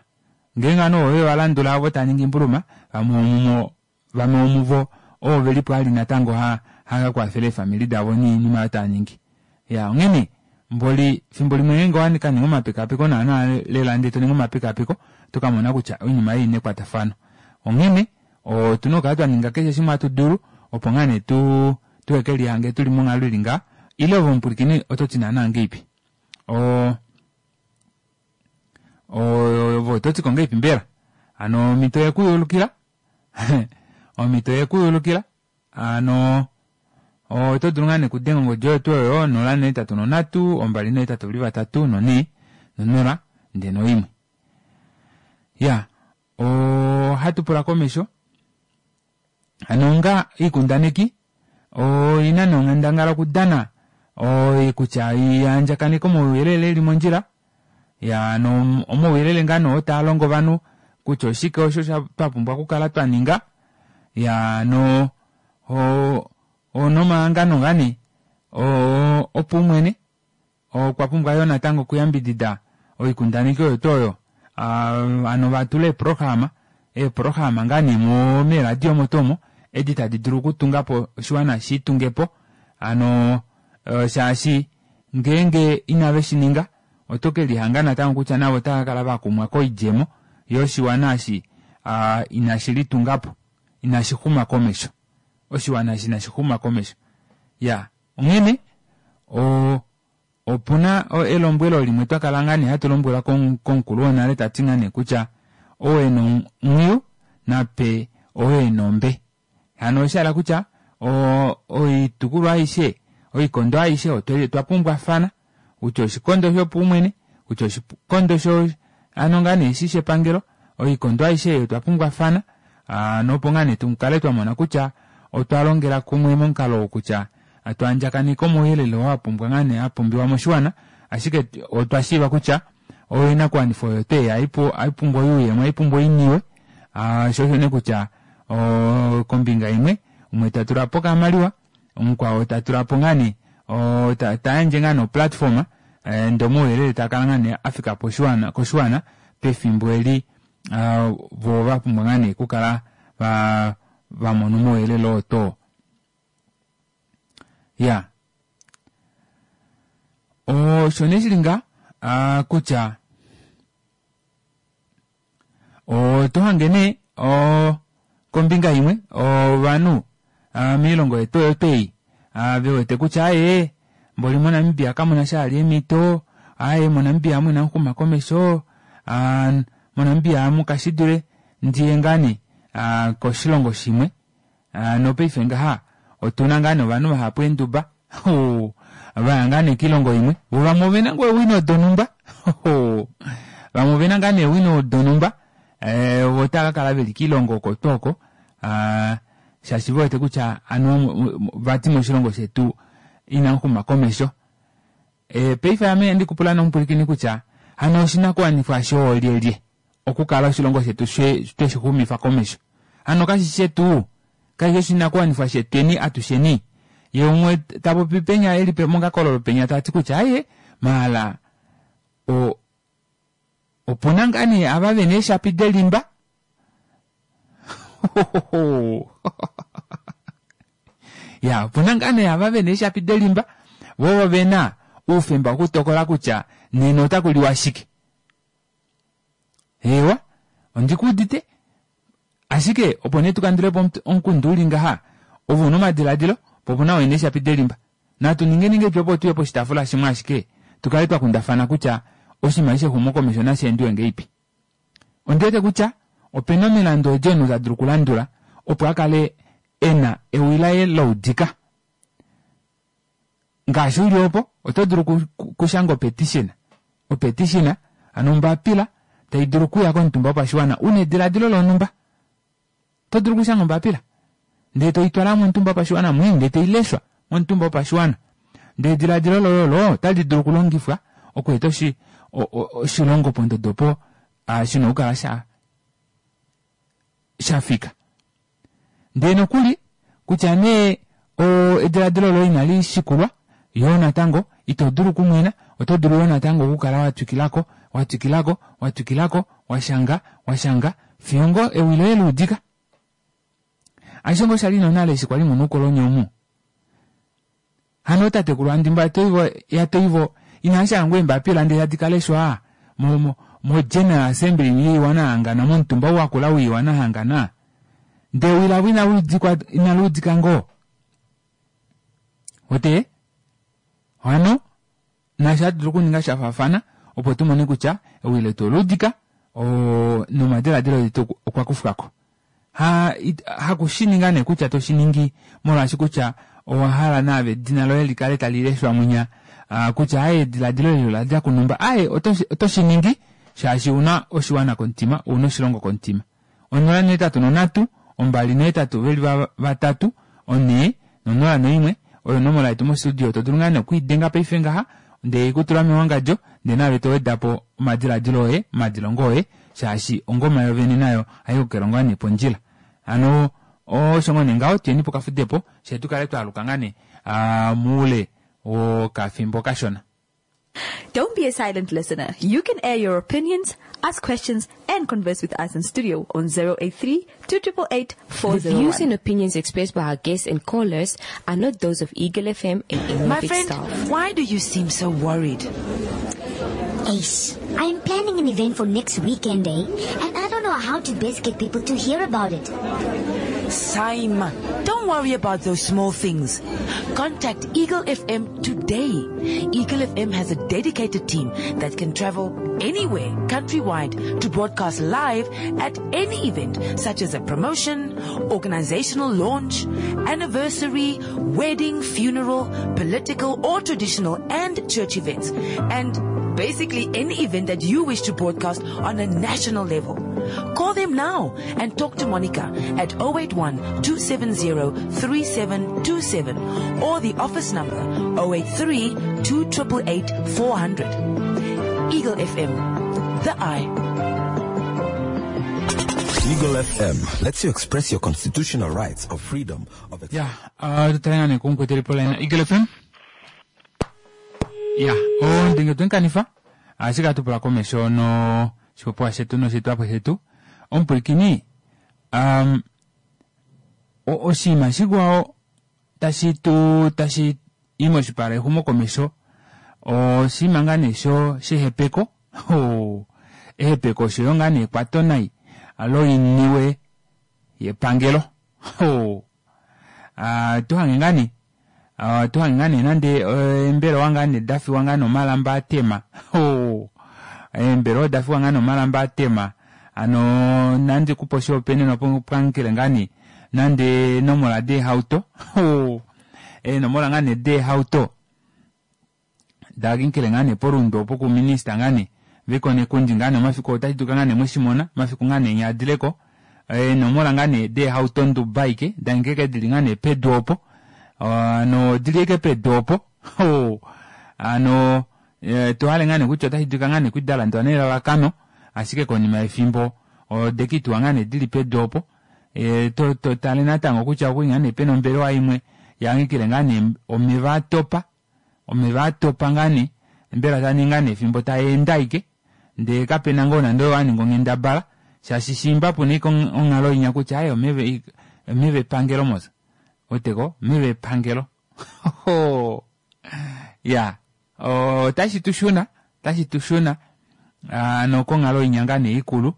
ngeenge ovanhu ovo veva landula ovo tava ningi oimbuluma vamwe vomuvo Vamwe vomuvo ovo velipo ali natango ha haka kwafele eefamili davo noinima oyo tava ningi. Ya onghene mboli fimbo limwe ngeenge owa ka ninga omapekapeko naana lela ndee to ningi omapekapeko oto ka mona kutya oinima ei oina ekwatafano. Onghene otuna okukala twa ninga keshe shimwe hatu dulu opo ngaa nee tu tuheke lihange tuli monghalo ili ngaha ile ove omupwilikini oto ti naana ngeipi? O ove oto tiko ngeipi mbela? Hano omhito yekuyulukila Omhito ye ku yulukila hano oto dulu ngaa nekudenga ongodi oyo tuu oyo 083 283 4 no0 ndee noimwe. Ya ohatu pula komesho hano onga oikundaneki oina nee onghandangala okudana kutya iandjakaneke omauyelele eli mondjila Ya no omauyelele ngaa nee oo taa longo ovanhu kutya oshike osho twa pumbwa okukala twa ninga. Ya no nomahangano ngaa nee opaumwene okwa pumbwa yoo natango okuyambidida oikundaneki oyo tuu oyo. Hano va tule eeprograma, eeprograma ngaa nee meeradio omo tuu omo edi tadi dulu okutunga po oshiwana shi tunge po. Hano shaashi Ngeenge inave shi ninga, oto ke lihanga natango kutya navo otava ka kala va kumwa koidjemo yoshiwana eshi inashi litunga po, inashi xuma komesho. Oshiwana eshi inashi xuma komesho. Ya, onghene o, opu na elombwelo limwe twa kala ngaa nee hatu lombwelwa komukulu wonale ta ti ngaa nee kutya ou e na onghwiyu na pe ou e na ombe. Hano osha hala kutya oitukulwa aishe, oikondo aishe otwa pumbwafana, kutya oshikondo shopaumwene, kutya oshikondo sho hano ngaa nee eshi shepangelo, oikondo aishe ei otwa pumbwafana, hano opo ngaa nee tukale twa mona kutya otwa longela kumwe momukalo oo kutya hatu andjakaneke omauyelele oo a pumbwa ngaa nee a pumbiwa moshiwana, ashike otwa shiiva kutya oinakuwanifwa oyo twei ohai pumbwa oyuuyemo, ohai pumbwa oiniwe, sho osho nee kutya kombinga imwe umwe ta tula po okamaliwa mukwao ta tula po ngaa nee ta yandje ngaa nee oplatform ndee omauyelele taa kala ngaa nee afika poshiwana koshiwana pefimbo eli voo va pumbwa ngaa nee okukala va mona omauyelele oo too. Ya osho nee shili nga kutya Oto hange nee kombinga imwe ovanhu moilongo yetu oyo twei ve wete kutya aaye mboli moNamibia kamuna sha vali eemhito, aaye moNamibia amu inamu xuma komesho, moNamibia amu kashi dule ndiye ngaa nee koshilongo shimwe. Nopaife ngaha otuna ngaa nee ovanhu vahapu eenduba vaya ngaa nee kiilongo imwe, vo vamwe ovena ngoo eewino donhumba vamwe ovena ngaa nee eewino donhumba vo otava kakala veli kiilongo oko tuu oko shaashi ve wete kutya anuwa vati moshilongo shetu inamu xuma komesho. Paife ame ohandi kupula nee omupwilikini kutya hano oshinakuwanifwa shoolyelye okukala oshilongo shetu tweshi xumifa komesho? Hano kashi shetu? Kashi shi oshinakuwanifwa shetweni atusheni? Ye umwe ta popi penya eli mokakololo penya ta ti kutya aye maala o opuna ngaa nee ava vena eeshapi delimba ya opuna ngaa nee ava vena eeshapi delimba vo vena oufemba wokutokola kutya nena otaku liwa shike. Eewa, ondi ku udite. Ashike opo nee tu kandule po omukundu uli ngaha, ove una omadiladilo, po opuna oo ena eeshapi delimba. Natu ningeni ngahelipi opo tuye poshitaafula shimwe ashike tu kale twa kundafana kutya oshinima eshi shexumokomesho nashi endiwe ngahelipi. Ondi wete kutya opena omilandu edi omunhu ta dulu okulandula opo a kale e na ewi laye la udika. Ngaashi uli opo, oto dulu okushanga opetition, opetition, hano ombapila tai dulu okuya komutumba wopashiwana una ediladilo lonhumba. Oto dulu okushanga ombapila ndele toi twala momutumba wopashiwana mwii ndele tai leshwa momutumba wopashiwana. Ndele ediladilo loye olo otali dulu okulongifwa okweeta oshi, oshilongo pondodo opo shina okukala sha sha fika. Ndee nokuli, kutya nee ediladilo loye inali shikulwa, yoo natango ito dulu okumwena, oto dulu yoo natango okukala wa twikilako, wa twikilako, wa twikilako, wa shanga, wa shanga, fiyo ngoo ewi loye la udika. Aishe ngoo sha li nonale eshi kwali muna oukoloni omu. Hano ootatekulu Andimba yaToivo, yaToivo inava shanga ngoo eembapila ndee tadi ka leshwa mo, mo, mo General Assembly yOiwana Yahangana, momutumba ou wakula wOiwana Yahangana? Ndee ewi lavo inali udikwa, inali udika ngoo? Wete? Hano, nafye ohatu dulu okuninga sha faafana opo tu mone kutya ewi letu ola udika, oo, nomadiladilo etu okwa kufwa ko. Ha, haku shi ninga nee kutya to shi ningi molwaashi kutya owa hala naave edina loye li kale tali leshwa mwinya, kutya aye ediladilo eli ola dja kunhumba. Aye, oto, oto shi ningi shaashi u na oshiwana komutima, u na oshilongo komutima. 083, 2 8 ve li va, vatatu, 4, nonola noimwe, oyo onomola yetu mostudio. To dulu ngaa nee okwiidenga paife ngaha, ndee ku tula mewangadjo, ndee naave to weda po omadiladilo oye, omadilongo oye, shaashi ongoma yovene nayo ohai hokelwa ngaa nee pondjila. Hano osho ngoo nee ngaho, tuyeni pokafudepo, fye tu kale twa aluka ngaa nee moule wokafimbo kashona. Don't be a silent listener. You can air your opinions, ask questions, and converse with us in studio on 083 288 The views and opinions expressed by our guests and callers are not those of Eagle FM and any My of its friend, staff. why do you seem so worried? Ace, I am planning an event for next weekend, eh? And I don't know how to best get people to hear about it. Saima, don't worry about those small things. Contact Eagle FM today. Eagle FM has a dedicated team that can travel anywhere, countrywide, to broadcast live at any event, such as a promotion, organizational launch, anniversary, wedding, funeral, political or traditional and church events. And basically any event that you wish to broadcast on a national level. Call them now and talk to Monica at 081 270 3727 or the office number 083 2888 400. Eagle FM, the eye. Eagle FM lets you express your constitutional rights of freedom of Ya, uh, tutale nga nee kumukwetu eli poline. Eagle FM? Ya, ondinge twenkanifa ashike ohatu pula komesho no shipopiwa shetu noshitwapo shetu. Omupwilikini, um, oshinima shikwao tashi tu tashi i moshipala exumokomesho oshinima ngaa nee sho shehepeko ehepeko osho yo ngaa nee ekwatonai loiniwe yepangelo. Tu hange ngaa nee tu hange ngaa nee nande eembelewa ngaa nee da fiwa ngaa nee omalamba a tema. Eembelewa oda fiwa ngaa nee omalamba a tema. Hano nandi kupe oshihopaenenwa pwamukele ngaa nee. Nande eenomola deehauto eenomola ngaa nee deehauto dakinkile ngaa nee poRundu opo kuminista ngaa nee Veiko Nekundi ngaa nee omafiku otashi dulika ngaa nee mweshimona omafiku ngaa nee nyaadileko eenomola ngaa nee deehauto ndubaike dangeke dili ngaa nee pedu opo ano odili eke pedu opo ano tohale ngaa nee kutya otashi dulika ngaa nee kuli dalandwa nelalakano ashike konima yefimbo odekituwa ngaa nee dili pedu opo to to tale natango kutya okuli ngaa nee pena ombelewa imwe yangikile ngaa nee omeva atopa omeva atopa ngaa nee mbela taningi ngaa nee efimbo tayeende aike ndee kapena ngoo nande oyo aninga onghendabala shaashi shiimba puna ike onghalo inya kutya aye omeva omeva epangelo mos weteko omeva epangelo ya otashi tu shuna otashi tu shuna ano konghalo inya ngaa nee ikulu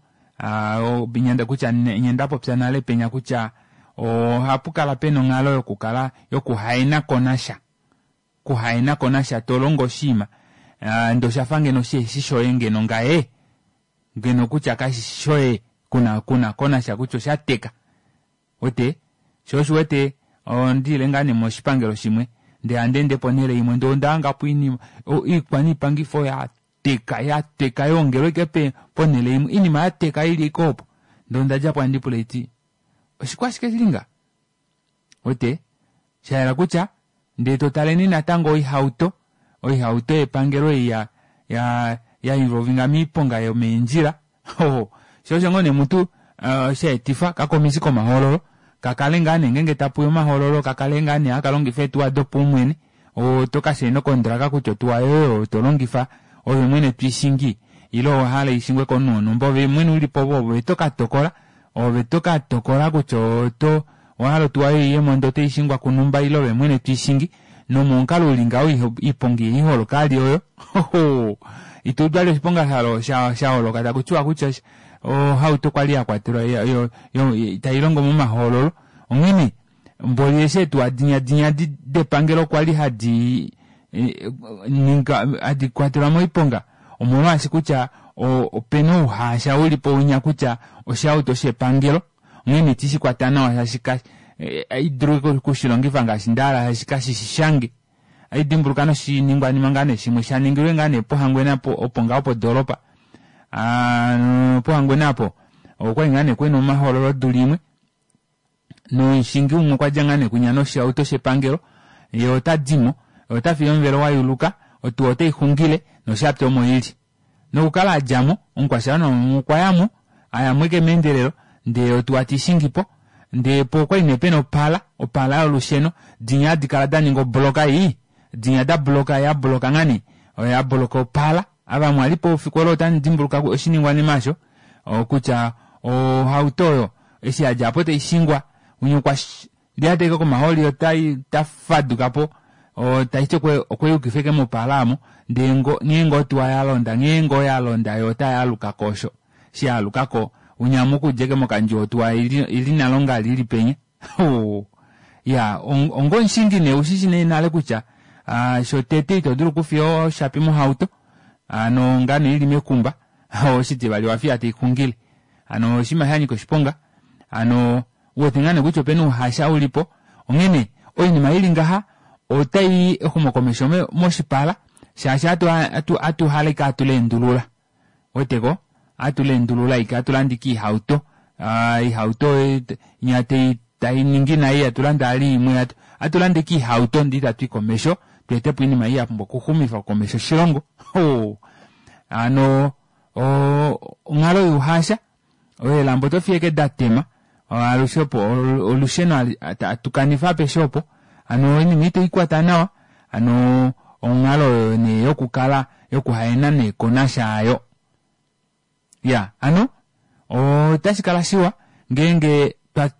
nyanda kutya nye ndapopya nale penya kutya ohapu kala pena onghalo yokukala yokuhaena konasha kuhaena konasha tolongo oshinima ndee oshafa ngeno shiheshi shoye ngeno ngaye ngeno kutya kashishi shoye kuna kuna konasha kutya oshateka wete sho osho wete ondiile ngaa nee moshipangelo shimwe ndee handeende ponhele imwe ndee ondahangapo oinima oikwaniipangifo yateka yateka yoongelwa ike ponhele imwe oinima yateka ili ike opo ndee ondadjapo handipula haiti oshikwashike shili nga wete shayela kutya ndee totaleni natango oihauto oihauto yepangelo ei ya ya ya involvinga miiponga yomeendjila sho osho ngoo nee mutu shaetifa kakomisi komahoololo kakale ngaa nee ngeenge tapuya omahoololo kakale ngaa nee haka longifa eetuwa dopaumwene oto kashaina okondraka kutya otuwa yoye oyo tolongifa ove mwene twiishingi ile owahala ishingwe komunhu wonhumba ove mwene ulipo ove tokatokola ove tokatokola kutya oto owahala otuwa yoye iyemo ndee otaishingwa kunhumba ile ove mwene twiishingi nomomukalo uli ngaho iiponga ihaiholoka ali oyo ito udu vali oshiponga shaholoka takutiwa kutya ohauto kwali yakwatelwa tailongo momahoololo onghene mboli eshi eetuwa dinya dinya depangelo kwali hadi ninga hadi kwatelwa moiponga omolwaashi kutya opena ouhaasha ulipo winya kutya oshihauto shepangelo onghene itishi kwata nawa shaashi haidulu okushilongifa ngaashi ndahala shaashi kashishi shange haidimbuluka noshiningwanima ngaa nee shimwe shaningilwe ngaa nee pohangwena opo ngaho podoolopa pohangwena apo okwali ngaa nee kwena omahoololo odula imwe nomushingi umwe okwa dja ngaa nee kwinya noshihauto shepangelo ye ota dimo ota fiye omuvelo wayuluka otuwa otaixungile noshapya omo ili nokukala adjamo omukwashiwana umwe okwa yamo ayamo eke meendelelo ndee otuwa teishingipo ndee po okwali nee pena opala opala yolusheno dinya hadi kala daninga obloka ii dinya da bloka ya bloka ngaa nee oya bloka opala ava mwalipo oufiku olo otamu dimbuluka oshiningwanima osho kutya ohauto oyo eshi yadja apo taishingwa winya okwa lyata ike komahooli otai tafadukapo taiti okweyukifa ike mopala aamo ndee nghee ngoo otuwa yalonda nghee ngoo yalonda yo otayaalukako osho eshi yaalukako winya mokudja ike mokandjuwo otuwa ili nale ongali ili penya ya onga omushingi nee ushishi nee nale kutya shotete ito dulu okufiya oshapi mohauto hano ngano ili mekumba oshitivali owafiya taixungile hano oshinima shanyika oshiponga hano uwete ngaa nee kutya opena ouhasha ulipo onghene oinima ili ngaha otai exumokomesho moshipala shaashi atuhala ike atuleendulula weteko atuleendulula ike atulanda ike oihauto oihauto inya tainingi nai atulanda vali imwe atulanda ike oihauto ndee itatui komesho tweetepo oinima ei yapumbwa okuxumifa komesho oshilongo hano onghalo youhasha eelamba oto fiye ike datema alushe opo olusheno atukanifa apeshe opo hano oinima itaikwata nawa hano onghalo oyo nee yokukala yokuhaena nee konasha ayo ya hano otashi kala shiwa ngeenge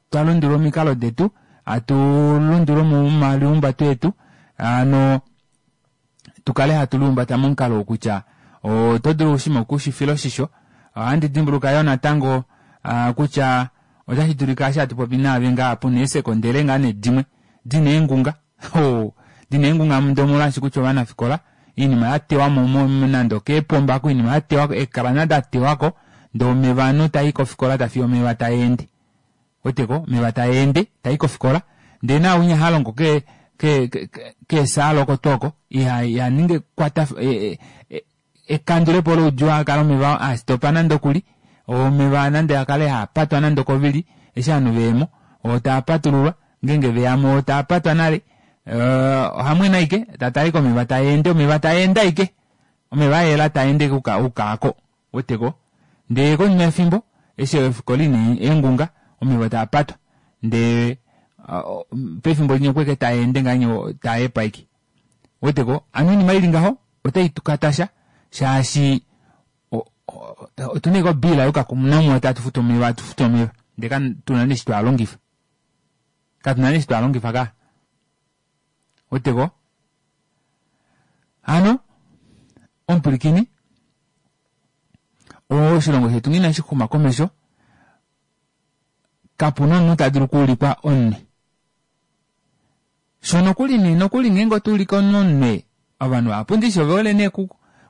twalundulula omikalo detu hatu lundulula omaliumbato etu hano tukale hatu liumbata momukalo wokutya oto dulu oshinima okushifila oshisho ohandi dimbuluka yoo natango kutya otashi dulika eshi hatu popi naave ngaa puna eesekondele ngaa nee dimwe dina eengunga dina eengunga ndee omolwaashi kutya ovanafikola oinima yatewamo nande okeepomba oko oinima yatewako eekrana datewako ndee omeva ovanhu tai kofikola tafiya omeva taeende. Weteko omeva taa ende tai kofikola ndee naawinya ha longo ke ke keesaala oko tuu oko iha iha ningi ekwata ekandulepo loudjuu akale omeva a stopa nande okuli omeva nande akale haa patwa nande okovili eshi ovanhu veyemo oo taa patululwa ngeenge veyamo oo taa patwa nale ohamwene aike tatale ashike omeva taa ende omeva taa ende ashike omeva ayela taa ende ukaako weteko ndee konima yefimbo eshi ofikola ina eengunga omeva taa patwa ndee pefimbo linya okweke taa ende ngahenya taa hepa ashike weteko hano oinima ili ngaho otai tukatasha shaashi otuna ashike obiila yokakumunamwa tatu futu omeva hatu futu omeva ndee katuna nee eshi twaalongifa katuna nee eshi twaalongifa ka weteko hano omupwilikini oshilongo shetu ngee inashi xuma komesho kapuna omunhu ta dulu okuulikwa omunwe Sho nokuli nee nokuli ngeenge oto ulike omunhu omunwe, ovanhu vahapu ndishi ove hole nee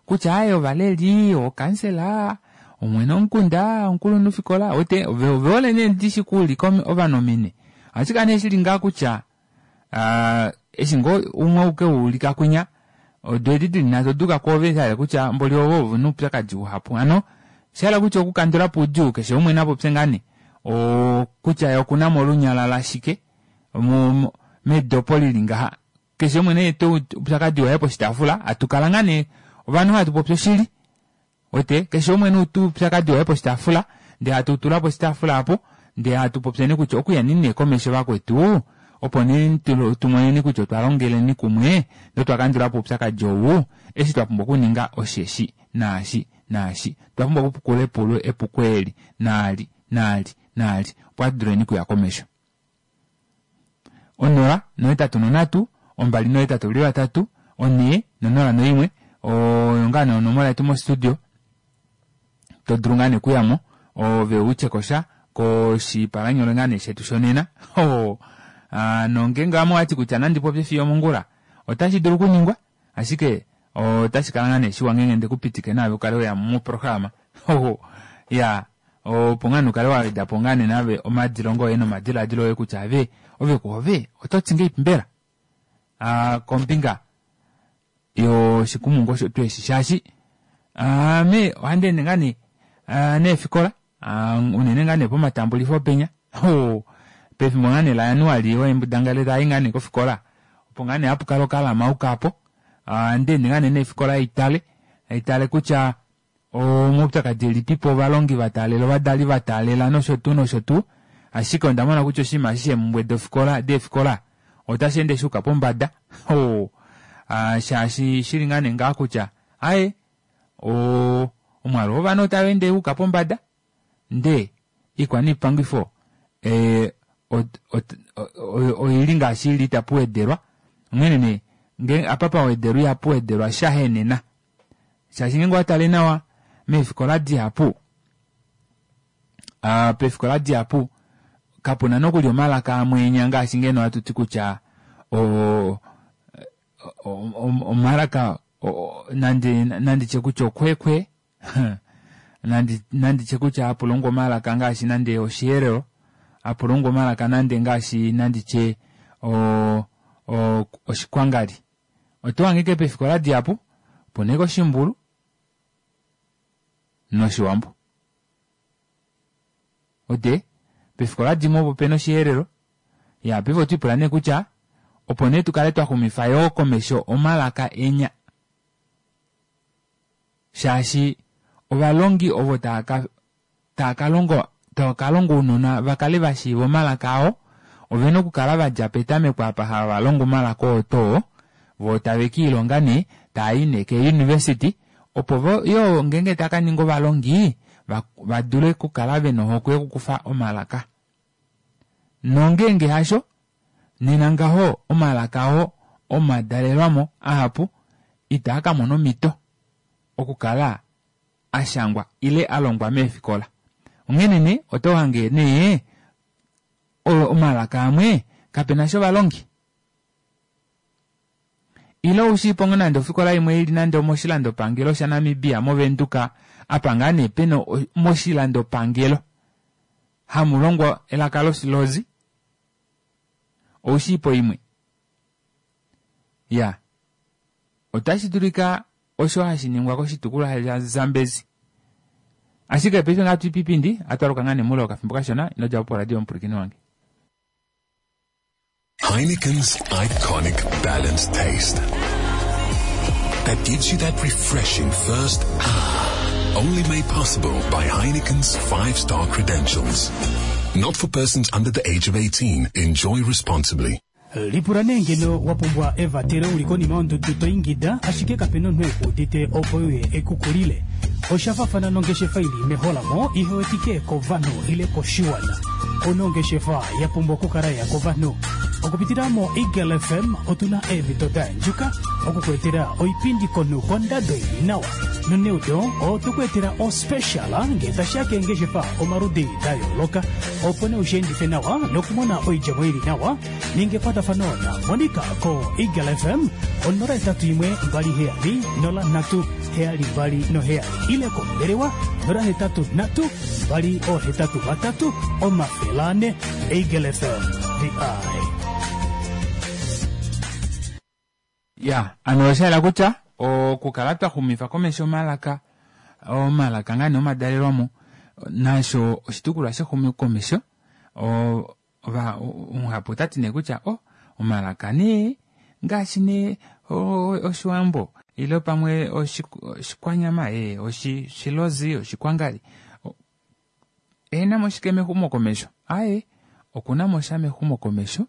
kutya aaye ovaleli, ookansela, omwene womukunda, omukulunhufikola, wete ove hole nee ndishi okuulika ovanhu ominwe. Ohashi kala nee shili ngaha kutya eshi ngoo umwe uke u ulika kwinya, odo edi dili nhatu oda yuka kwoove sha hala kutya mboli ovo ovena oupyakadi uhapu. Hano osha hala kutya okukandula po oudjuu keshe umwe na popye ngaa nee kutya ye okuna mo olunyala lashike medopo lili ngaha keshe umwe ne ete oupyakadi waye poshitaafula hatu kala ngaa nee ovanhu hatu popi oshili wete keshe umwe ne ute oupyakadi waye poshitaafula ndee hatu tula poshitaafula apo ndee hatu popyeni kutya okuya nini nee komesho vakwetu opo nee tumoneni kutya otwa longeleni kumwe notwa kandula po oupyakadi ou eshi twa pumbwa okuninga osheshi naashi naashi otwa pumbwa okupukula epulo epuko eli naali naali naali opo hatu duleni okuya komesho. 0 no8 no3 2 no8 2 3 4 no0 no1 oyo ngaa nee onomola yetu mostudio to dulu ngaa nee okuyamo ove utye kosha koshipalanyole ngaa nee shetu shonena nongeenge ame owati kutya nandi popye fiyo omongula otashi dulu okuningwa ashike otashi kala ngaa nee shiwa ngeenge nde ku pitike naave ukale weya moprograma ya opo ngaa nee ukale wa weda po ngaa nee naave omadilongo oye nomadilaadilo oye kutya ave ove kuove oto ti ngeipi mbela kombinga yoshikumungu osho tuu eshi shaashi ame ohandi ende ngaa nee neefikola unene ngaa nee pomatambulifo penya pefimbo ngaa nee laJanuali oembudangale tai ngaa nee kofikola opo ngaa nee hapu kala okalamauka apo ohandi ende ngaa nee neefikola haitale haitale kutya omaupyakadi elipipo ovalongi va taalela ovadali va taalela nosho tuu nosho tuu ashike onda mona kutya oshinima eshi sheemumbwe dofikola deefikola otashi ende shuuka pombada shaashi shili ngaa nee ngaha kutya aaye omwaalu wovanhu otau ende wuuka pombada ndee ikwaniipangifo oili ngaashi ili itapu wedelwa onghene nee ngee apa pa wedelwa ihapu wedelwa sha henena shaashi ngeenge owa tale nawa meefikola dihapu peefikola dihapu kapuna nokuli omalaka amwe enya ngaashi ngeno hatu ti kutya omalaka nande nanditye kutya okwekwe nandi nanditye kutya hapu longwa omalaka ngaashi nande oshiherero hapu longwa omalaka nande ngaashi nanditye oshikwangali oto hange ike peefikola dihapu opuna ike oshimbulu noshiwambo ode peefikola dimwe opo pena oshiherero ya paife otwiipula nee kutya opo nee tukale twa xumifa yoo komesho omalaka enya shaashi ovalongi ovo tava ka longa tava ka longa ounona va kale va shiiva omalaka ao ovena okukala va dja petameko apa hava longo omalaka oo too voo tave kiilonga nee tava i nee keeuniversity opo vo yoo ngeenge tava ka ninga ovalongi va dule okukala vena ohokwe yokukufa omalaka nongeenge hasho nena ngaho omalaka oo omadalelwamo ahapu itaa ka mona omhito okukala a shangwa ile a longwa meefikola. Onghene nee oto hange nee omalaka amwe kape na sha ovalongi. Ile ou shii po ngoo nande ofikola imwe ili nande omoshilandopangelo shaNamibia mOvenduka apa ngaa nee pena moshilandopangelo. Hamu longwa elaka lOshilozi? Ou shii po imwe? Ya. Otashi dulika osho hashi ningwa koshitukulwa shaZambezi. Ashike paife ngaa twipipindi, atwaluka ngaa nee moule wokafimbo kashona, ino dja po poradio omupwilikini wange. Heineken's iconic balanced taste that gives you that refreshing first ah. Only made possible by Heineken's five-star credentials. Not for persons under the age of 18. Enjoy responsibly. Lipula nee ngeno wa pumbwa evatelo u li konima yondudu to ingida ashike kape na omunhu e ku udite opo e uye e ku kulile. Osha fafana nongeshefa i li meholamo ihe wetike kovanhu ile koshiwana. Ouna ongeshefa ya pumbwa okukala ya kovanhu. Okupitila moEagle FM otu na eemhito da endjuka oku ku etela oipindi komunhu kondado i li nawa. Noneudo otwe ku etela ospecial ngee tashi ya keengeshefa omaludi da yooloka opo nee u shi endife nawa nokumona oidjemo i li nawa. Ninga ekwatafano na Monica ko Eagle FM 081 27 03 72 7 ile kombelewa 083 283 400. Eagle FM, the eye. Ya, ano osha yela kutya okukala twa xumifa komesho omalaka, omalaka ngaa nee omadalelwamo, nasho oshitukulwa shexumokomesho. Ova, omuhapu ota ti nee kutya o, omalaka nee ngaashi nee Oshiwambo ile pamwe Oshikwanyama, ee, Oshilozi, Oshikwangali, e na mo shike mexumokomesho? Aye, oku na mo sha mexumokomesho,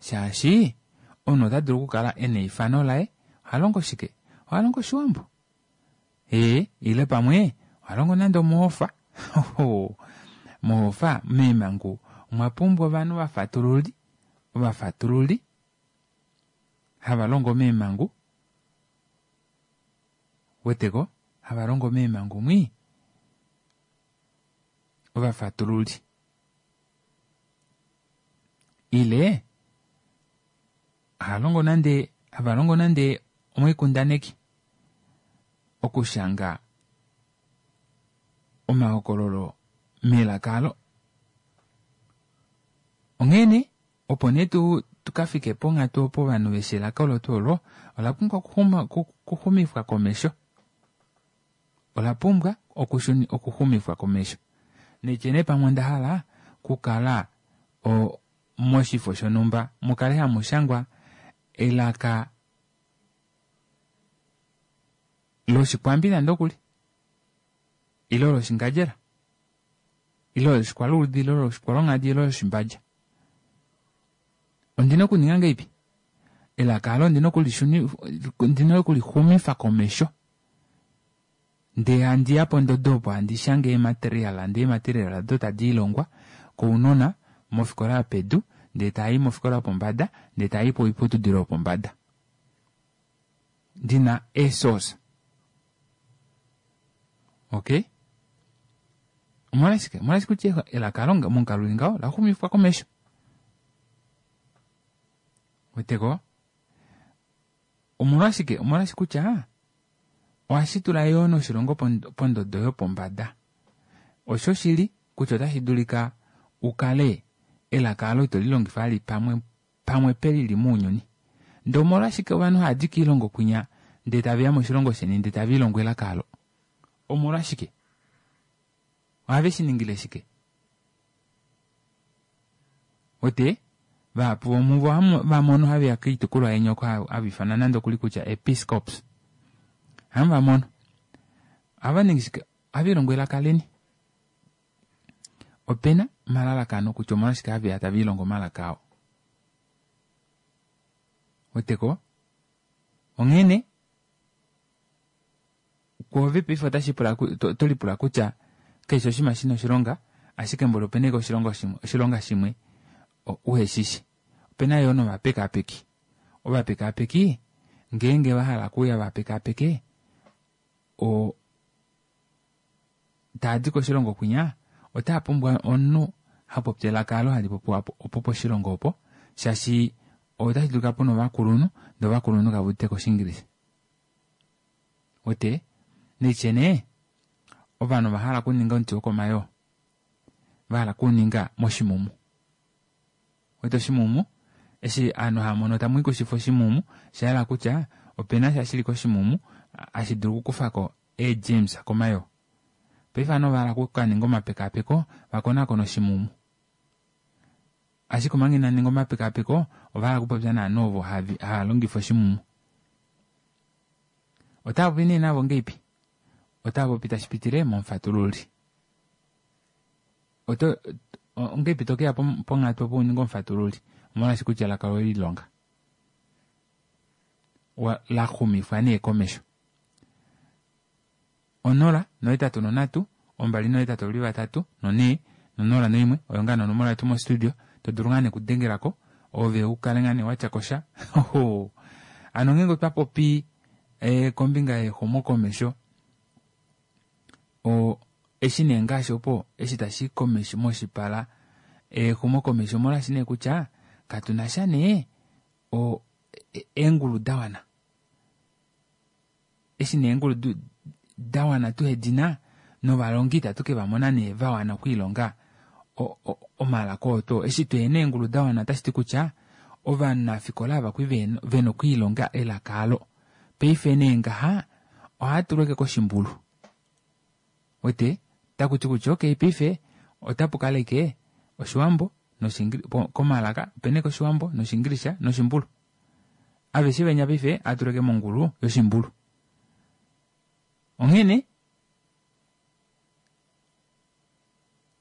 shaashi omunhu ota dulu okukala e na eifano laye, oha longo shike? Oha longo Oshiwambo. Ee, ile pamwe oha longo nande omohofa. Mohofa, meemhangu, omwa pumbwa ovanhu vafatululi, ovafatululi hava longo meemhangu. Weteko, hava longo meemhangu mwii. Ovafatululi. Ile ha longo nande hava longo nande omoikundaneki okushanga omahokololo melaka alo. Onghee nee, opo nee tu tu ka fike ponghatu opo ovanhu veshi elaka olo tuu olo, ola pumbwa okuxumifwa komesho. Ola pumbwa okuxumifwa komesho. Naitye nee pamwe onda hala okukala moshifo shonhumba mu kale hamu shangwa elaka lOshikwambi nande okuli, ile lOshingadjera, ile lOshikwaluudhi, ile lOshikwalonghadi, ile lOshimbadja. Ondi na okuninga ngeipi? Elaka alo ondi na okulixumifa komesho. Ndee handi ya pondodo opo handi shange eemateriala, ndee eemateriala odo tadi ilongwa kounona mofikola yopedu, ndee tava i mofikola yopombada, ndee tava i poiputudilo yopombada. Ndi na eesource. Okay? Omolwashike? Omolwashike kutya elaka alo momukalo uli ngaho la xumifwa komesho. Weteko? Omolwashike? Omolwashike kutya ohashi tula yoo noshilongo pondodo yopombada. Oshoshili kutya otashi dulika u kale elaka alo ito li longifa vali pamwe pamwe pelili mounyuni. Ndee omolwashike ovanhu hava di koilongo kwinya ndee tave ya moshilongo sheni ndee tave lilongo elaka alo? Omolwashike? Ohave shi ningile shike? Ote, vahapu vomuvo va mono have ya koitukulwa yeni oko hava ifanwa nande okuli kutya episcops. Hamu va mono. Ohava ningi shike? Ohave lilongo elaka leni. Ope na omalalakano kutya omolwashike have ya tave lilongo omalaka ao. Weteko? Onghene, Kwoove paife otashi pula oto lipula kutya keshe oshinima shi na oshilonga, ashike mboli ope na ashike oshilonga shimwe, oshilonga shimwe uhe shi shi. Ope na yoo novapekaapeki. Ovapekaapeki ngeenge va hala okuuya va pekaapeke, o, taa di koshilongo kwinya, otaa pumbwa omunhu ha popi elaka alo hali popiwa opo poshilongo opo, shaashi otashi dulika pu na ovakulunhu, ndee ovakulunhu kave udite ko Oshiingilisa. Wete, naitye nee, ovanhu ova hala okuninga omuti wokomayoo. Va hala kuninga moshimumu. Wete oshimumu, eshi aanhu haya mono tamu ikushifa oshimumu, osha yela kutya opena sha shili koshimumu hashi dulu okukufa ko eegerms komayoo. Paife ovanhu ova hala okukaninga omapekapeko va konakone oshimumu. Ashike omanga ina ninga omapekapeko ova hala okupopya naanhu ovo hava longifa oshimumu. Otava popi nee navo ngeipi? Otava popi tashi pitile momufatululi. Oto ongeipi to keya ponghatu opo u ninge omufatululi? Omolwaashi kutya elaka loye lilonga. La xumifwa nee komesho. 0 8 3 2 8 3 4 no 0 1 oyo ngaa nonomola yetu mostudio to dulu ngaa nekudengelako ove u kale ngaa nee watya kosha. Hano ngeenge otwa popi kombinga yexumokomesho o eshi nee ngaashi opo eshi tashi komesho moshipala exumokomesho omolwaashi nee kutya katu na sha nee o eengulu da wana. Eshi nee eengulu da wana tuhe di na novalongi itatu ke va mona nee va wana okwiilonga omalaka oo twoo. Eshi tuhena eengulu da wana otashi ti kutya ovanafikola ava kwi vena okwiilonga elaka alo. Paife nee ngaha ohava tulwa ashike koshimbulu. Wete otaku ti kutya okay paife otapu kala ashike Oshiwambo komalaka opena ashike Oshiwambo nOshiingilisha noshimbulu. Aveshe venya paife ohava tulwa ashike mongulu yoshimbulu. Onghene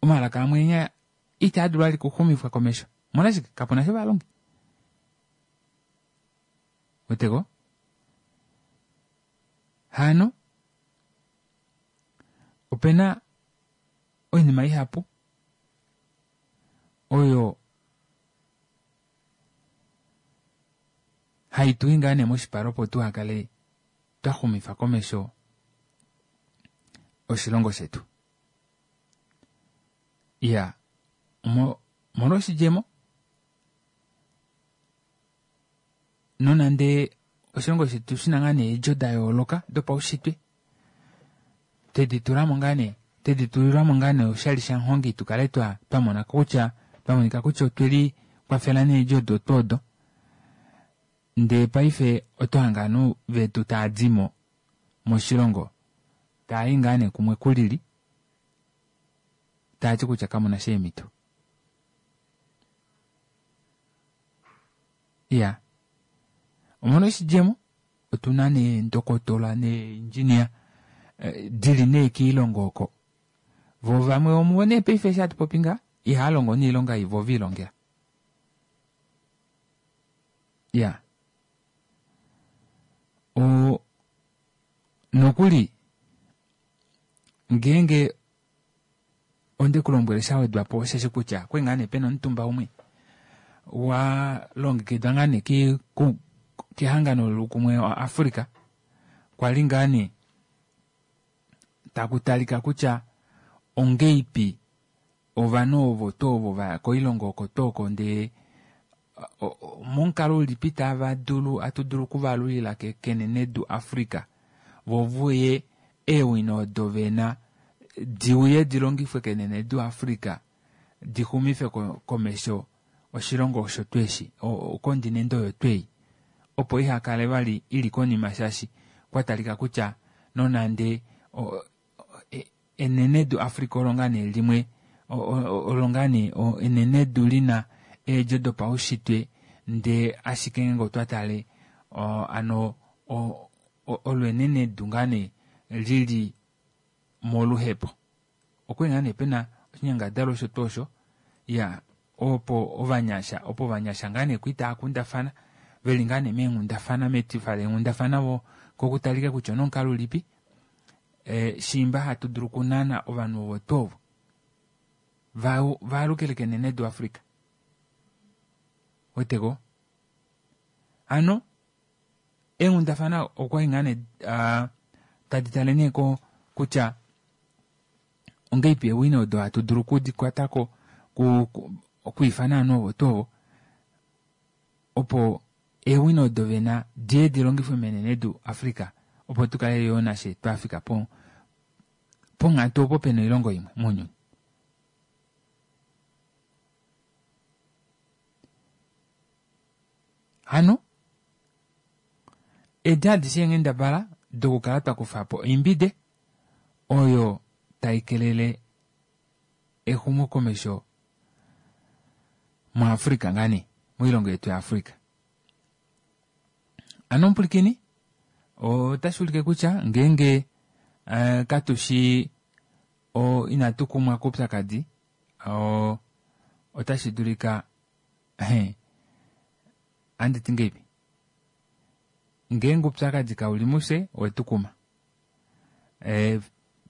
omalaka amwe enya itaa dulu vali okuxumifwa komesho. Omolwashike? Kapuna sha ovalongi. Weteko? Hano opena oinima ihapu oyo hai tu i ngaa nee moshipala opo tuha kale twa xumifa komesho oshilongo shetu. Iya, omolwa oshidjemo, nonande oshilongo shetu shina ngaa nee eedjo da yooloka dopaushitwe, twedi tulamo ngaa nee, twedi tulilwamo ngaa nee oshali shamuhongi tu kale twa twa mona kutya, twa monika kutya otweli kwafela needjo odo tuu odo. Ndee paife oto hange ovanhu vetu tava dimo moshilongo tava i ngaa nee kumwe kulili, tava ti kutya kamuna sha eemhito. Iya, omolwa oshidjemo otu na nee ndokotola neengineer dili nee kiilongo oko. Vo vamwe vomuvo nee paife eshi hatu popi ngaha ihava longo noilonga ei vo ve ilongela. Iya. O nokuli ngeenge onde ku lombwele sha wedwa po osheshi kutya okwe ngaa nee pena omutumba umwe wa longekidwa ngaa nee kehangano loukumwe waAfrica kwa li ngaa nee taku talika kutya ongeipi ovanhu ovo tuu ovo va ya koilongo oko tuu oko ndee momukalo ulipi tava dulu atu dulu okuvalulila kenenedu Africa vo vuye eewino odo vena di uye di longifwe kenenedu Africa di xumife komesho oshilongo osho tweshi okondinente oyo twei opo iha kale vali ili konima shaashi kwa talika kutya nonande enenedu Africa olo ngaa nee limwe olo ngaa nee enenedu lina eedjo dopaushitwe ndee ashike ngeenge otwa tale ano olo enenedu ngaa nee lili moluhepo. Okwali ngaa nee pena oshinyangadalwa osho tuu osho ya opo ovanyasha opo ovanyasha ngaa nee kwii tava kundafana veli ngaa nee meenghundafana metifa leenghundafana vo kokutalika kutya onomukalo ulipi e, shiimba hatu dulu okunana ovanhu ovo tuu ovo va vaalukile kenenedu Africa. Weteko? Hano eenghundafana okwa li ngaa nee tadi tale nee ko kutya ongeipi eewino odo hatu dulu okudi kwata ko okwiifana ovanhu ovo tuu ovo opo eewino odo vena diye di longifwe menenedu Africa opo tu kale yoo nashe twa fika ponghatu opo pena oilongo imwe mounyuni. Hano edi adishe eenghendabala dokukala twa kufa po oimbide oyo tai kelele exumokomesho muAfrica ngaa nee moilongo yetu yaAfrica. Ano omupulikini otashi ulike kutya ngeenge uh, katu shi o, inatu kumwa koupyakadi otashi dulika andi ti ngeipi ngeenge oupyakadi kau li mufye owe tu kuma e,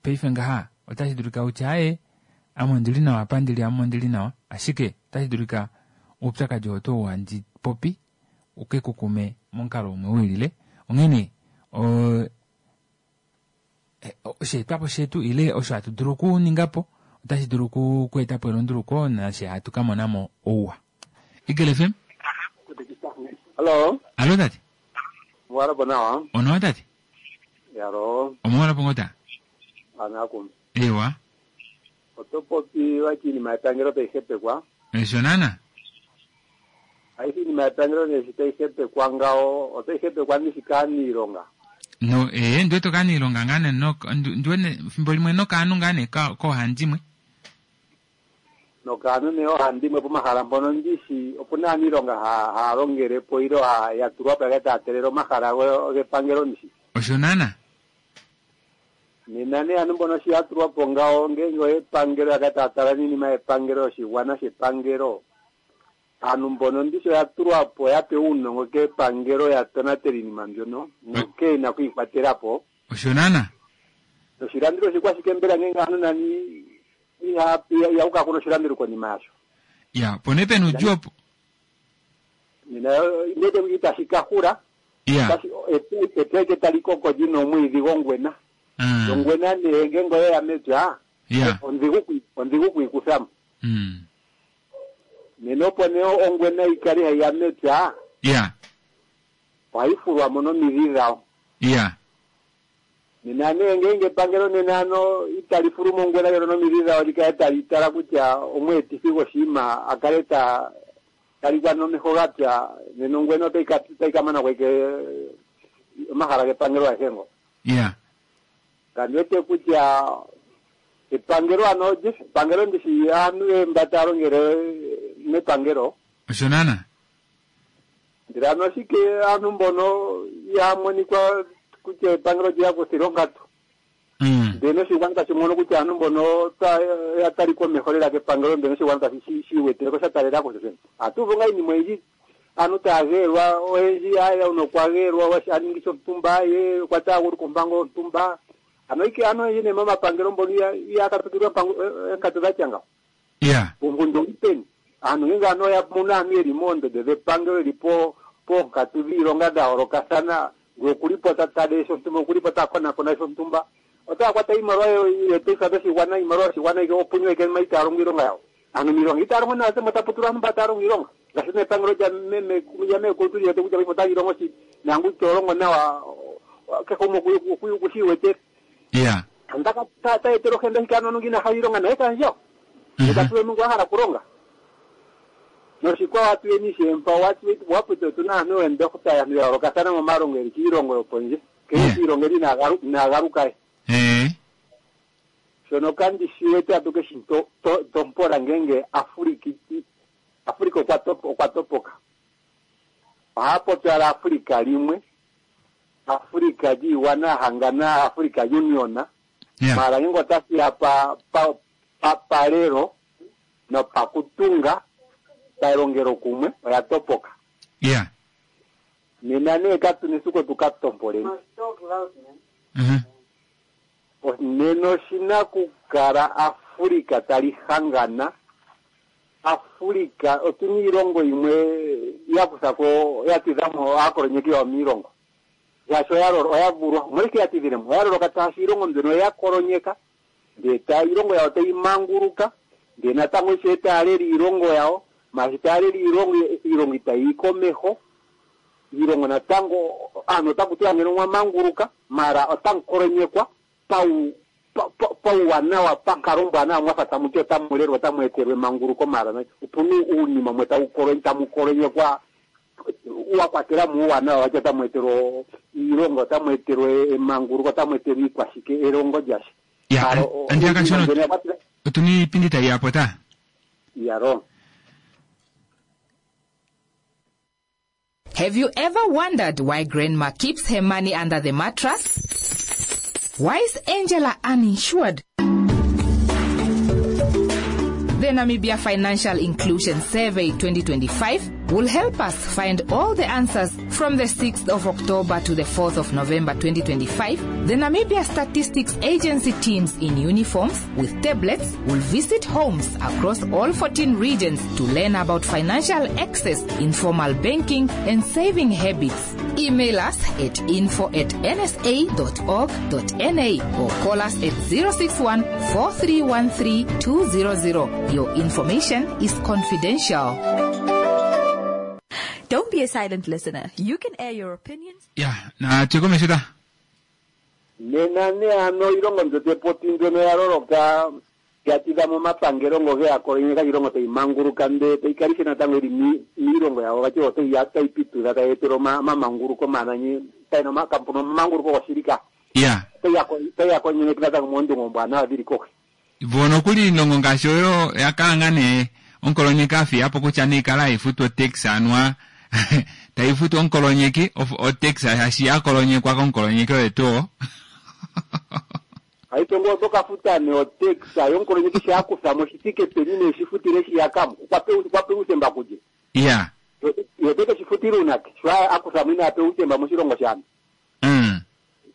paife ngaha otashi dulika utye aye ame ondili nawa apa ndili ame ondili nawa ashike otashi dulika oupyakadi oo tuu handi popi uke ku kume momukalo umwe wilile onghene osheetwapo shetu ile osho hatu dulu okuninga po otashi dulu okueta po elunduluko nashe hatu ka mona mo ouwa. Eagle FM? Hallo. Hallo tate. Omwala po nawa. Onawa tate. Yalo. Omwala po ngota. Anakum. Ewa. Oto popi wati iinima yepangelo tayi hepekwa. Osho naana. Ayihe iinima yepangelo nee shi tayi hepekwa ngawo, otayi hepekwa ndishi kaaniilonga. No, ee, ndi wete okaaniilonga ngaa nee no, ndi wete thimbo limwe nokaantu ngaa nee koohandimwe. Nokaantu nee oohandimwe pomahala mpono ndishi opu na aaniilonga haa longele po ilo ya tulwa po ya kale taya telele omahala gepangelo ndishi. Osho naana. Nena nee aantu mbono shi ya tulwa po ngawo, ngenge oyepangelo ya kale taya tala niinima yepangelo yoshigwana shepangelo, aantu mbono ndishi oya tulwa po ya pewa uunongo kepangelo ya tonatele iinima mbyono nokee na oku yi kwatela po. Osho naana. Noshilanduli oshikwashike mbela ngenge aantu nani iha ihaku kala kuna oshilanduli konima yasho? Ya, opo nee pena uudjuu opo. Nena ndete itashi ka hula. Ya. Otashi epya ike tali koko li na omwiidhi gongwena. Ongwena nee ngenge oye ya mepya, Ya. ondhigu ondhigu oku yi kutha mo. Nena opo nee ongwena yi kale hayi ya mepya, Ya. ohayi fulwa mo nomidhi dhawo. Ya. Nena nee ngeenge epangelo nena ano itali fulu mo ongwena ndjono nomidhi dhawo li kale tali tala kutya omweetithi goshinima a kale ta talikwa nomeho ga pya, nena ongwena otayi ka otayi ka mana ko ike omahala gepangelo agehe ngo. Ya. Kandi wete kutya epangelo ano olye, epangelo ndishi aantu mba taya longele mepangelo. Osho naana. Ndele ano oshike aantu mbono ihaya monikwa kutya epangelo olye ya kuthila onkatu? Ndele noshigwana tashi mono kutya aantu mbono oya talikwa omeho lela kepangelo, ndele noshigwana tashi shi shi iwetele ko sha talela ko shoshene. Ohatu uvu ngaa iinima oyindji, aantu taya geelwa, oyendji aya uno okwa geelwa a ningi shontumba, ye okwa taaguluka ompango yontumba. Ano ike aantu oyendji nee momapangelo mbono ihaya katukilwa oonkatu dha tya ngawo. Ya. Uunkundi ouli peni? Aantu ngele ano oya mono aantu yeli moondondo dhepangelo yeli po poonkatu dhiilonga dha yoolokathana, ngele okuli po ta tale shontumba, okuli po ta konakona shontumba, otaya kwata iimaliwa yootaifa dhoshigwana, iimaliwa yoshigwana ike opunyu ike ma itaya longo iilonga yawo. Aantu miilonga itaya longo nawa, tse tapu tulwa aantu mba taya longo iilonga. Ngaashi nee epangelo lya meme lya meekulu tuli wete kutya paife otali longo shili, naangu ito longo nawa kehe gumwe oku shi iwetele. Ya. Andaka ta ta etele ohenda ashike aantu inaa hala iilonga naye kaandjawo. Ye ta tulemo ngu a hala okulonga. Noshikwawo atuyeni ishewe mpa wapwete otuna aantu yoondohotola aantu ya yoolokathana momalongo yeli kiilongo yopondje. Nkene kiilongo eli inaa galuka we. Shono kandi shi wete atu keshi tompola ngenge Africa Africa okwa topoka. Ohaya popi owala Africa limwe Africa lyiigwana ya hangana, Africa Union, maala ngenge otashi ya pa, pa, pa, palelo nopakutunga palongelokumwe oya topoka. Nena nee katu na esiku tu ka tompoleni. Nena oshi na okukala Africa tali hangana Africa otuna iilongo yimwe ya kutha ko ya tidha mo aakolonyeki yawo miilongo shaashi oya lolo oya vulwa omolwashike ya tidhile mo oya loloka shaashi iilongo mbyono oya kolonyeka ndee ta iilongo yawo tayi manguluka ndee natango ishewe taya lele iilongo yawo maashi taya lele iilongo iilongo itayi yi komeho iilongo natango aantu otaku tiwa ngeno omwa manguluka maala otamu kolonyekwa pau pauwanawa pankalo ombwanawa mwa fa tamu ti otamu lelwa otamu etelwa emanguluko maala opuna uunima mwe tamu kolonyekwa. Wa kwatela mo uuwanawa watya otamu etelwa iilonga, otamu etelwa emanguluko, otamu etelwa iikwashike, elongo lyasha. Ya, Mara Andiya iinima kashona mbyono oya kwatela otuna iipindi tayi ya po ta. Iyaloo. Have you ever wondered why grandma keeps her money under the mattress? Why is Angela uninsured? The Namibia Financial Inclusion Survey 2025 will help us find all the answers from the 6th of October to the 4th of November 2025. The Namibia Statistics Agency teams in uniforms with tablets will visit homes across all 14 regions to learn about financial access, informal banking, and saving habits. Email us at info at nsa.org.na or call us at 061 4313 200. Your information is confidential. Don't be a silent listener. You can air your opinions. Ya, na tuye ta. Nena nee ano iilongo mbyo te popi mbyono ya loloka ya tidha mo omapangelo ngo ge ya kolonyeka iilongo tayi manguluka ndee tayi kala ishewe natango ili miilongo yawo vati otayi ya tayi pitudha tayi etele omamanguluko omananye tayi na kampuna omamanguluko goshili ka Ya. Otayi ya otayi ya kolonyeke natango moondunge oombwanawa dhili kohi. Vo nokuli iilongo ngaashi oyo ya kala ngaa nee omukolonyeki a fiya po kutya nee kala hayi futu otax anuwa tayi futu omukolonyeki otax shaashi ya kolonyekwa komukolonyeki oye tuu oo. Paife ngoye oto ka futa nee otax yomukolonyeki sho a kutha mo shi thike peni nee shi futile shiyaka mo? Okwa pewa okwa pewa uuthemba kulye? Iya. Ye ote ke shi futila uunake sho a kutha mo inaa pewa uuthemba moshilongo shaantu?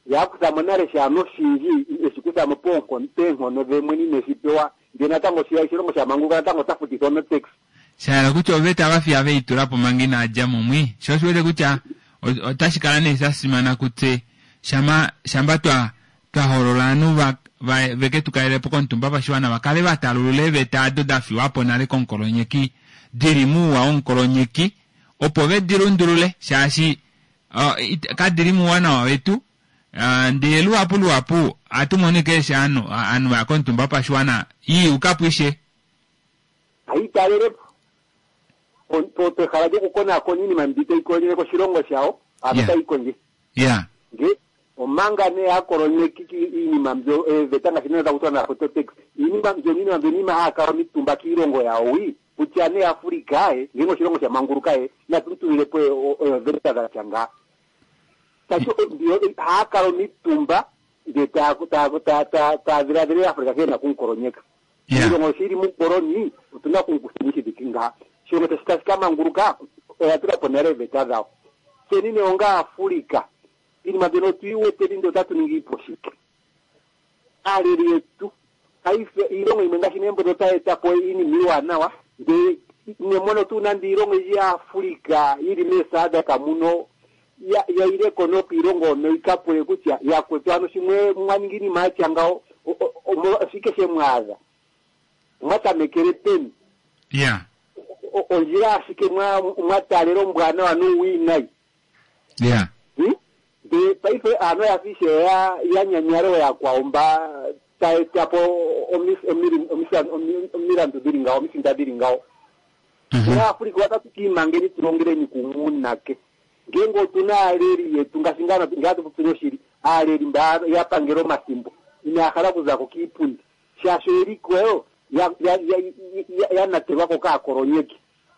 Ye a kutha mo nale shaantu oshindji e shi kutha mo peenkono dhe mwene ine shi pewa ndele natango sho oshilongo sha manguluka natango ota futithwa notax. Sha hala kutya oveta va fiya ve i tula po manga inaa dja mo mwi. Sho osho wete kutya otashi kala nee sha simana kutse shama shamba twa twa hoolola ovanhu va va veke tu kalele po komutumba pashiwana va kale va talulula eeveta ado da fiwa po nale komukolonyeki di li muuwa womukolonyeki opo ve di lundulule shaashi kadi li muuwanawa wetu. Ndele luhapu luhapu ohatu mono ashike eshi ovanhu va ya komutumba wopashiwana ya yuka po ishe. Hayi talele po pehala lyokukonaakona iinima mbi tayi kolonyeke oshilongo shawo, ano tayi kondjitha. Nge omanga nee aakolonyeki iinima mbyo eeveta ngaashi nee taku tiwa na photo tax, iinima mbyono iinima mbyono iinima haya kala omitumba kiilongo yawo wi, kutya nee Africa e, ngenge oshilongo sha manguluka e, natu mu tulile po ooveta dha tya ngaa. Tashi mbiyo haya kala omitumba ndee taya taya taya taya dhiladhilile Africa nkene ena okumukolonyeka. Oshilongo shi li muukoloni otu na okumukutheni shi thike ngaha. Oshilongo tashi tashi ka manguluka oya tula po nale ooveta dhawo. Tseni nee onga Aafulika iinima mbyono otu yi weteni ndele otatu ningi po shike? Aaleli yetu paife iilongo yimwe ngaashi nee mbono otayi eta po iinima iiwanawa ndele ine mono tuu nande iilongo oyindji yaAfulika yi li meeSADC muno ya ya yile ko nokiilongo hono yi ka pule kutya yakwetu ano shi mwe mwa ningi iinima ya tya ngawo oshike she mu adha? Omwa tamekele peni? Ya. Ondjila ashike mwa mwa taalela ombwanawa nuuwiinayi? Ya. Ndele paife aantu oya fa ishewe ya ya nyanyala ooyakwawo mba taya eta po omilandu dhili ngawo, omisinda dhili ngawo. Tse Aafrika otatu ki imangeni tu longeleni kumwe uunake? Ngeenge otu na aaleli yetu, ngaashi ngaa ngele atu popile oshili, aaleli mba ya pangela omathimbo inaya hala okuza ko kiipundi shaashi oye li ko ya, ya, ya, ya, ya natelwa ko kaakolonyeki.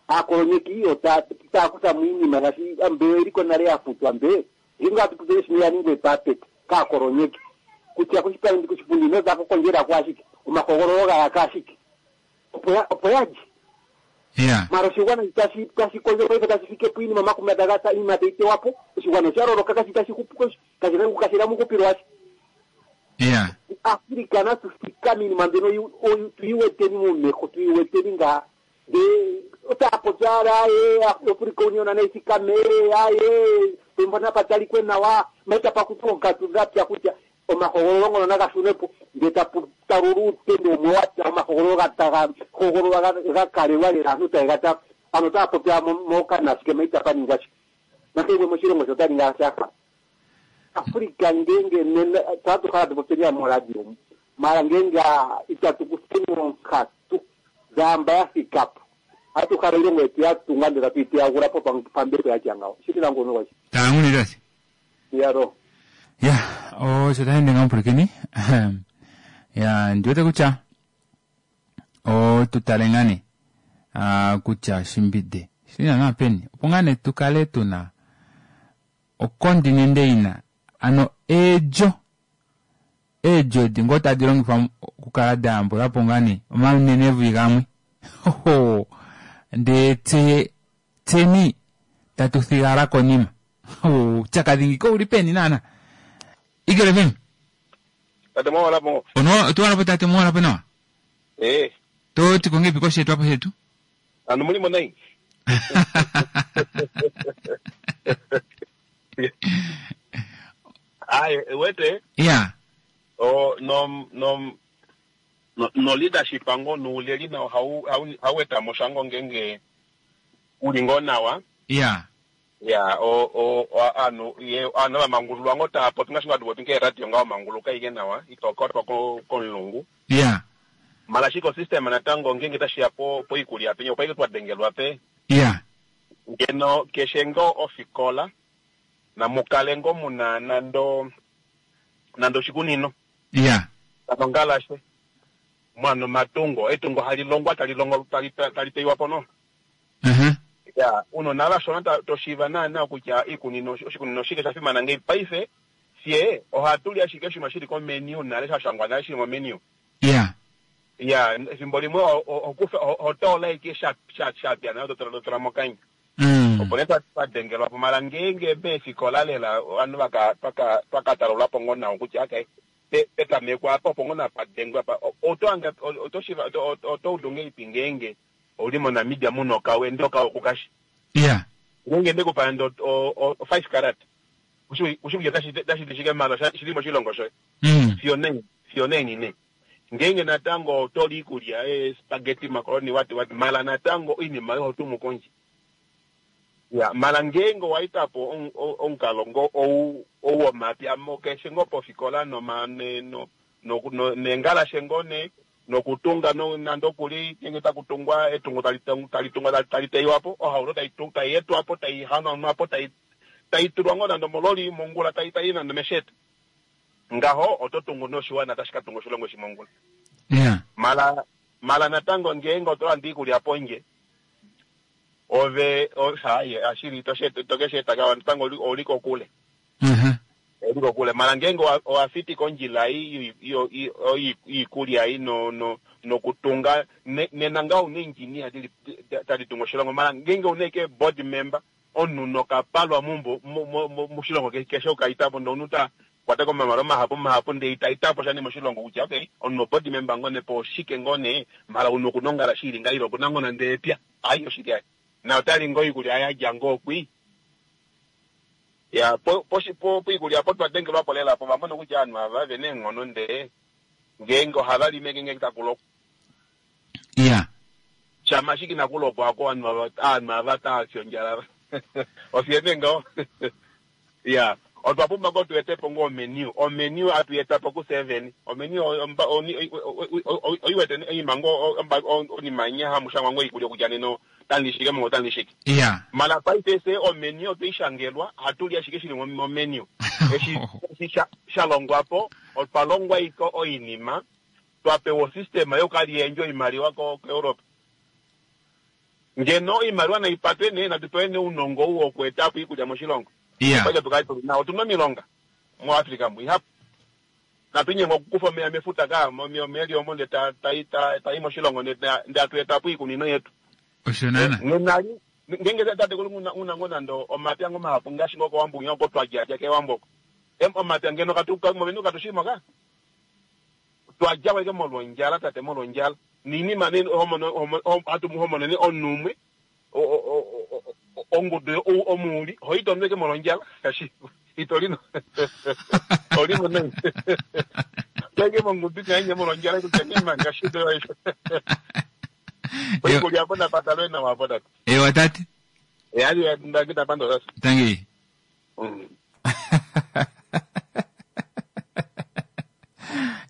Aakolonyeki otaya taya kutha mo iinima ngaashi mbe oye li ko nale ya futwa mbe, ngeenge atu popile oshili oya ningwa epapeta kaakolonyeki kutya koshipundi ino za ko kondjela ko ashike, omahogololo ga yaka ashike. Opo ya, opo ya lye. Yeah. Mara oshigwana itashi tashi kondjo paife tashi fike po iinima omakuma taga ta iinima tayi tewa po. Oshigwana osha loloka kashi tashi hupu kashi na kashi na muhupilo washa. Yeah. Africa natu thikame iinima mbyono tu yi weteni momeho, tu yi weteni ngaa. Ndee otaya popi owala aye Africa Union nayi thikame aye pembo napa talikwe nawa maita pa kuthwa oonkatu dha pya kutya omahogololo ngono naga shunwe po ndele tapu talulwa uutendo wumwe wa tya omahogololo ga taga hogololwa ga ga kalelwa lela aantu taye ga tala. Ano otaya popi owala mokana ashike ma itapa ningwa sha. Nakehe gumwe moshilongo she ota ningi owala sha hala. Africa ngeenge nena tse ohatu kala tatu popyeni moradio mu mara ngeenge itatu kutheni oonkatu dhaamba ya thika po. Hatu hala iilongo yetu ya tunga ndele tatu yi teyagula po pambepo ya tya ngawo. Shili nangu omunhu gwashe. Taanguni tate. Iyalo. Ya, osho tashi ende ngaho mupulakeni. Ya, ndi wete kutya otu tale ngaa nee ah, kutya shimbide shili naanaa peni opo ngaa nee tu kale tu na okondinende yina ano eedjo Eedjo edi ngoo tadi longifwa okukala da yambula po ngaa nee omanenevi gamwe. Hoho, ndee tse tseni tatu thigala konima. Uupyakadhi ngika ouli peni naana? Eagle FM. Tate mwawala po. Ono otu wala po tate mwawala po nawa. Eh. To ti konge piko shetu apo shetu. Anu mulimo nai. Aye, wete. Ya. O no no no, no leadership ango nuuleli nawo hau hau hau eta mo sha ngo ngenge uli ngoo nawa. Ya. Ya, o o aanhu ye aanhu ava mangululwa ngo tava popi ngaashi ngo hatu popi keeradio ngaho manguluka ike nawa ito kwatwa ko komulungu. Ya. Mala ashike osystem natango ngenge tashiya po poikulya penya opo ashike twa dengelwa pe. Ya. Ngeno keshe ngoo ofikola namukale ngoo muna nando nande oshikunino. Ya. Nongalashe mwana omatungo etungo hali longwa tali longo tali tali teywa po no. Ya, unona vashona toshiiva naana kutya iikunino oshikunino oshike sha fimana ngei paife fye ohatu li ashike oshinima shili komenu nale sha shangwa nale shili momenu. Ya. Ya, efimbo limwe ohokufa ohotoola ashike sha sha shapya nale to tula mokanya. Opo nee twa dengelwa po mala ngeenge meefikola lela ovanhu vaka twaka twakatalulwa po ngoo nawa kutya okay petameko apa opo ngoo napa dengwe apa oto hanga oto shiva oto udu ngahelipi ngeenge ouli moNamibia muna okawe ndee okawe okukashi. Ya. Ngeenge ndekupa nande o 5 karat ushi kutya otashi ti shike mala shili moshilongo shoye. Fiyo naini fiyo naini nee. Ngeenge natango oto li iikulya spaghetti macaroni what what mala natango oinima oyo oho tumu kondje. Ya, mala ngeenge owa eta po omukalo ngo ou ou womapya mo keshe ngoo pofikola noma ne no no no neengalashe ngoo nee nokutunga no nande okuli ngeenge taku tungwa etungo tali tali tungwa tali teywa po ohauto tai tai etwa po tai hanaunwa po tai tai tulwa ngoo nande omololi mongula tai tai nande omeshete. Ngaho oto tungu noshiwana tashi ka tunga oshilongo eshi mongula. Ya. Mala mala natango ngeenge oto lande iikulya pondje Ove, haye, ashili, to ke shi eta ngaho, natango ouli kokule. Ouli kokule. Mala ngeenge owa fitika ondjila ei yoikulya ei nokutunga, nena ngaho ouna engineer tali tungu oshilongo. Mala ngeenge ouna ashike board member, omunhu nokapalwa moshilongo keshe okaita po, ndee omunhu ta kwata komamalo mahapu mahapu ndee ita etapo sha nee moshilongo kutya okay, omunhu oboard member ngoo nee po oshike ngoo nee, mala omunhu okuna ongala shi ili ngaho ile okuna ngoo nande epya. Ai oshili ai. Na otali ngoo oikulya yadja ngoo kwii. Ya po po po poikulya opo twa dengelwa po lela po va mona kutya ovanhu ava ve na eenghono ndee ngeenge ohava lime ngeenge taku lokwa. Ya. Shama ashike inaku lokwa oko ovanhu ava ovanhu ava tava fi ondjala ava. Ofye nee ngaho. Ya. Otwa pumbwa ngoo tu ete po ngoo omenu. Omenu hatu i eta po kufye vene. Omenu oi wete oinima ngoo onima inya hamu shangwa ngoo oikulya kutya nena otamu li shike mongula otamu li shike. Ya. Mala paife fye omenu otwe i shangelwa, ohatu li ashike shili momenu. Eshi eshi sha sha longwa po, otwa longwa ashike oinima, twa pewa osystema yokukaliyendja oimaliwa koEurope. Ngeno oimaliwa nai patwe nee, natu pewe nee ounongo ou woku eta po oikulya moshilongo. Iya. Opo tu kale tuli nawa. Otuna omilonga muAfrica mu ihapu. Natu nyengwa okukufa omeya mefuta kaa, omeya eli omo ndee ta, ta, ta, ta i moshilongo ndee, ndee hatu eta po oikunino yetu. Osho naana. Nena li, ngeenge tate kuli una, una ngoo nande omapya ngoo mahapu ngaashi ngoo kOwambo winya oko twa dja, dja kEwambo oko. Em, omapya ngeno katu, ka, moVenduka katu shii mo kaa. Twa dja ko ashike molwondjala tate, molwondjala. Noinima nee ho mono, ho, hatu ho mono nee omunhu umwe, ongudu omuuli, ho i tondo ashike molwondjala, shaashi ito li no, ho li mo nai. To ashike mongudu inyainye molwondjala kutya nee manga shito yoye. Oikulya apo napatalwe nawa apo tate. Ewa tate. Eya, ndapandula tate. Tangi.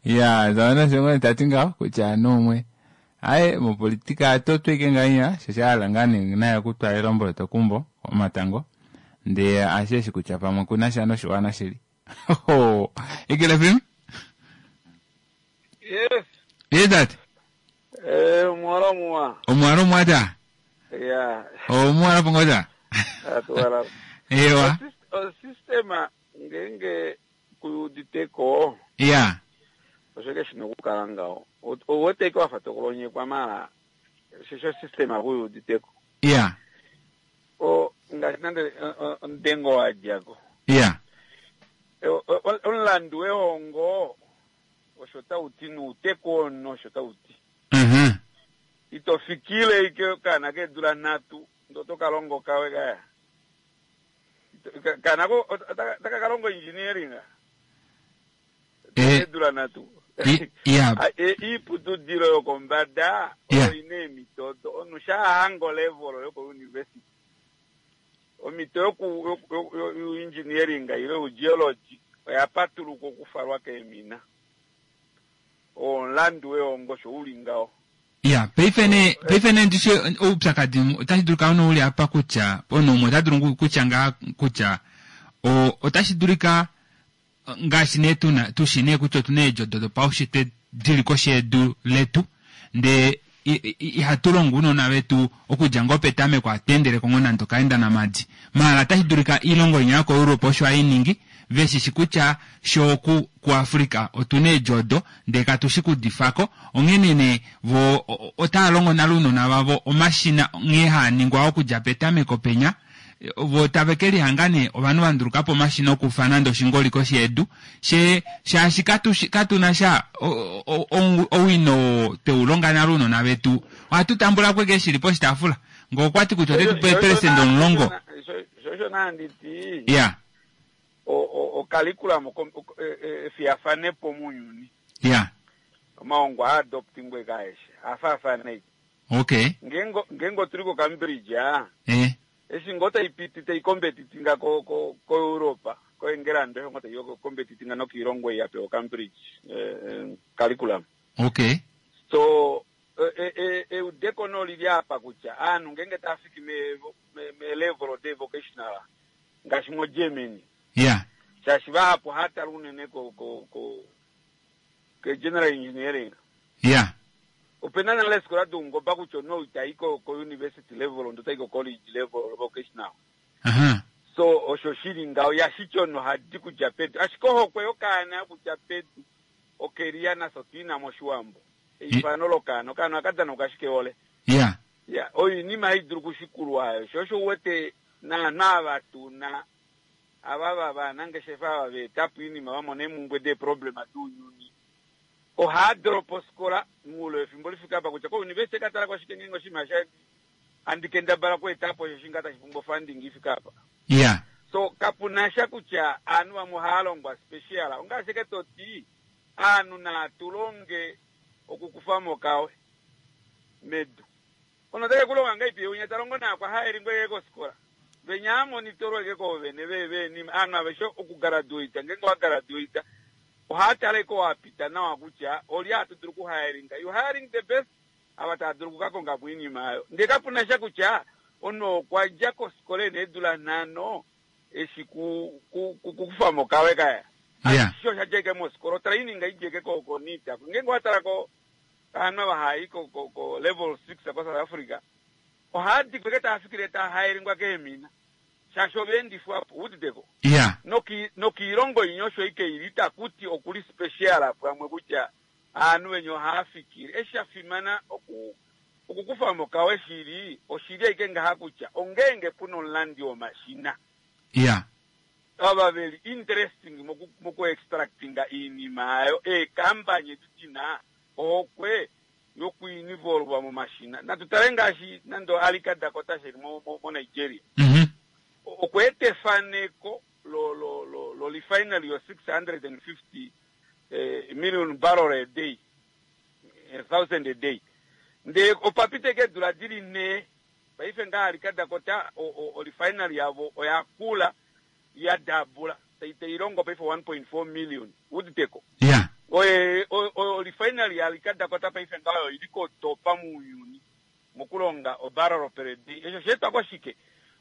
Ya, zaona shongo tati ngaho kutya anu umwe Aye mopolitika atotweke ngainya shosha hala ngaa nee naye okutwala elombwelo tokumbo omatango ndee asheshi kutya pamwe kunasha noshiwana shili. Eagle FM? Yes. Yes, tate. Eh, omwala muwa. Omwala omwa ta? Yeah. Omwala pongota? Atuwala. Ewa. Osystema ngenge kuyuditeko. Yeah. Osho ke shina okukala ngaho. Owete ke wafa tokulonyekwa mala. Shosho systema kuyuditeko. Yeah. O ngaashi nande omudengo wa djako. Yeah. Omulandu wehongo osho tau ti nuuteko ono osho tau ti. Ito fikile ike okaana keedula nhatu ndee oto ka longo okawe kaya. Okaana ko otaka ka longo engineering. Eedula nhatu. Iiputudilo yokombada oyo ina eemhito odo. Omunhu shaa hanga olevel yokouniversity, omhito yoku yoengineering ile yougeology oya patuluka okufalwa keemina. Oo omulandu wehongo osho uli ngaho. Ya, paife nee, paife nee ndishi oupyakadi otashi dulika ono uli apa kutya omunhu umwe ota dulu kutya ngaa kutya o, otashi dulika ngaashi nee tuna tushi nee kutya otuna eedjo odo dopaushitwe dili koshi yedu letu ndee ihatu longo ounona vetu okudja ngoo petameko hatu endeleko ngoo nande okaenda namadi maala otashi dulika oilongo inya yokoEurope osho hai ningi veshishi kutya shoo ku kuAfrica otuna eedjo odo ndee katushi kudifako onghene nee vo otava longo nale ounona vavo omashina nghee haa ningwa okudja petameko penya Vo tave ke lihanga nee ovanhu va nduluka po omashina okufa nande oshingoli koshi yedu, she, shaashi katu shi, katu na sha o, o, o, owino oo twe u longa nale ounona vetu. Ohatu tambula ko ashike shi li poshitaafula. Ngee okwa ti kutya ote tu pe eepelesenda omulongo. Sho osho naa ndi ti, Ya. o, o, ocurriculum, o, o, efiyafanepo mounyuni. Ya. Omahongo aa adoptingwe kaeshe, a faafana ei. Okay. Ngeenge, ngeenge otu li koCambridge, a, Eh. Eshi ngoo tai piti tai kombetitinga ko, ko, koEuropa, koEngelanda osho ngoo tai kombetitinga nokiilongo ei ya pewa oCambridge eh, eh, curriculum. Okay. So, e, e, eudeko no lili apa kutya aanhu ngeenge tava fiki me, me, me level de vocational ngaashi moGermany. Yeah. Shaashi vahapu ohava tala unene ko, ko, ko, ke general engineering. Yeah. Opena nale eefikola doungoba kutya omunhu ou itayi ko ko university level ndee otayi ko college level vocational. Aha. So osho shili ngaho yashiti omunhu ohadi kudja pedu ashike ohokwe yokaana yokudja pedu okeliya nafye otuina moshiwambo eifano lokaana okaana ohaka danauka ashike ole. Yeah. Yeah, oyo oinima hai dulu kushikulwa ayo sho osho uwete naanhu ava tuna ava va vanangeshefa ava va etapo oinima va mona eemumbwe deeproblema dounyuni ohaa drop ofikola moule wefimbo li fike apa kutya kouniversity ka talako ashike ngeenge oshinima sha handi kendabala oku etapo osho shinga tashi pumbwa funding i fike apa. Yeah. So kapu na sha kutya aanhu vamwe ohaa longwa special ongaashi ashike to ti aanhu naa tu longe okukufa mo okawe medu. Ono otake ku longa ngahelipi ye winya ta longo naakwa haeli ngoo ye kofikola? Venya haa monitorwa eke koovene ve veenima. Aanhu aveshe oku graduata ngeenge owa graduata ohaa tale ko wa pita nawa kutya olye hatu dulu ku hiringa. You hiring the best ava tava dulu oku ka konga po oinima aayo. Ndee kapu na sha kutya omunhu oo okwa dja kofikola ena eedula nhano eshi ku ku ku kufa mo okawe kaya. Yeah. Ashishe osha dja eke mofikola. Otraining idja eke ko ko NITA. Ngeenge owa tala ko Ovanhu ava hava i ko, ko, ko level six koSouth Africa, ohava dikwa eke tava fikile tava haelingwa keemina, shaashi ova endifwa po, uditeko? Yeah. Noki, nokiilongo inya osho ike ili, itaku ti oku li special pamwe kutya ovanhu venya ohava fikile. Eshi sha fimana oku, okukufa mo okawe shili, oshili ashike ngaha kutya ongeenge pu na omulandi womashina. Yeah. Ava veli interesting moku, moku extractinga iinima aayo, eekampany edi dina ohokwe yoku involva momashina. Natu tale ngaashi nande Alika Dakota sheli mo, mo, mo Nigeria. Okwa eta efaneko lo, lo, lo, lo refinery yo 650 eh, million barrel a day, eh, thousand a day. Ndee opa pita eke eedula dili nhee, paife ngaha Alika Dakota o, o, o refinery yavo oya kula, ya dabula, tai, tai longo paife 1.4 million. Uditeko? Yeah. Oye o refinery yaArika Dakota paife ngaho oyo ili kotopa muuyuni mokulonga obarrel per day. Eshi osheetwa koshike?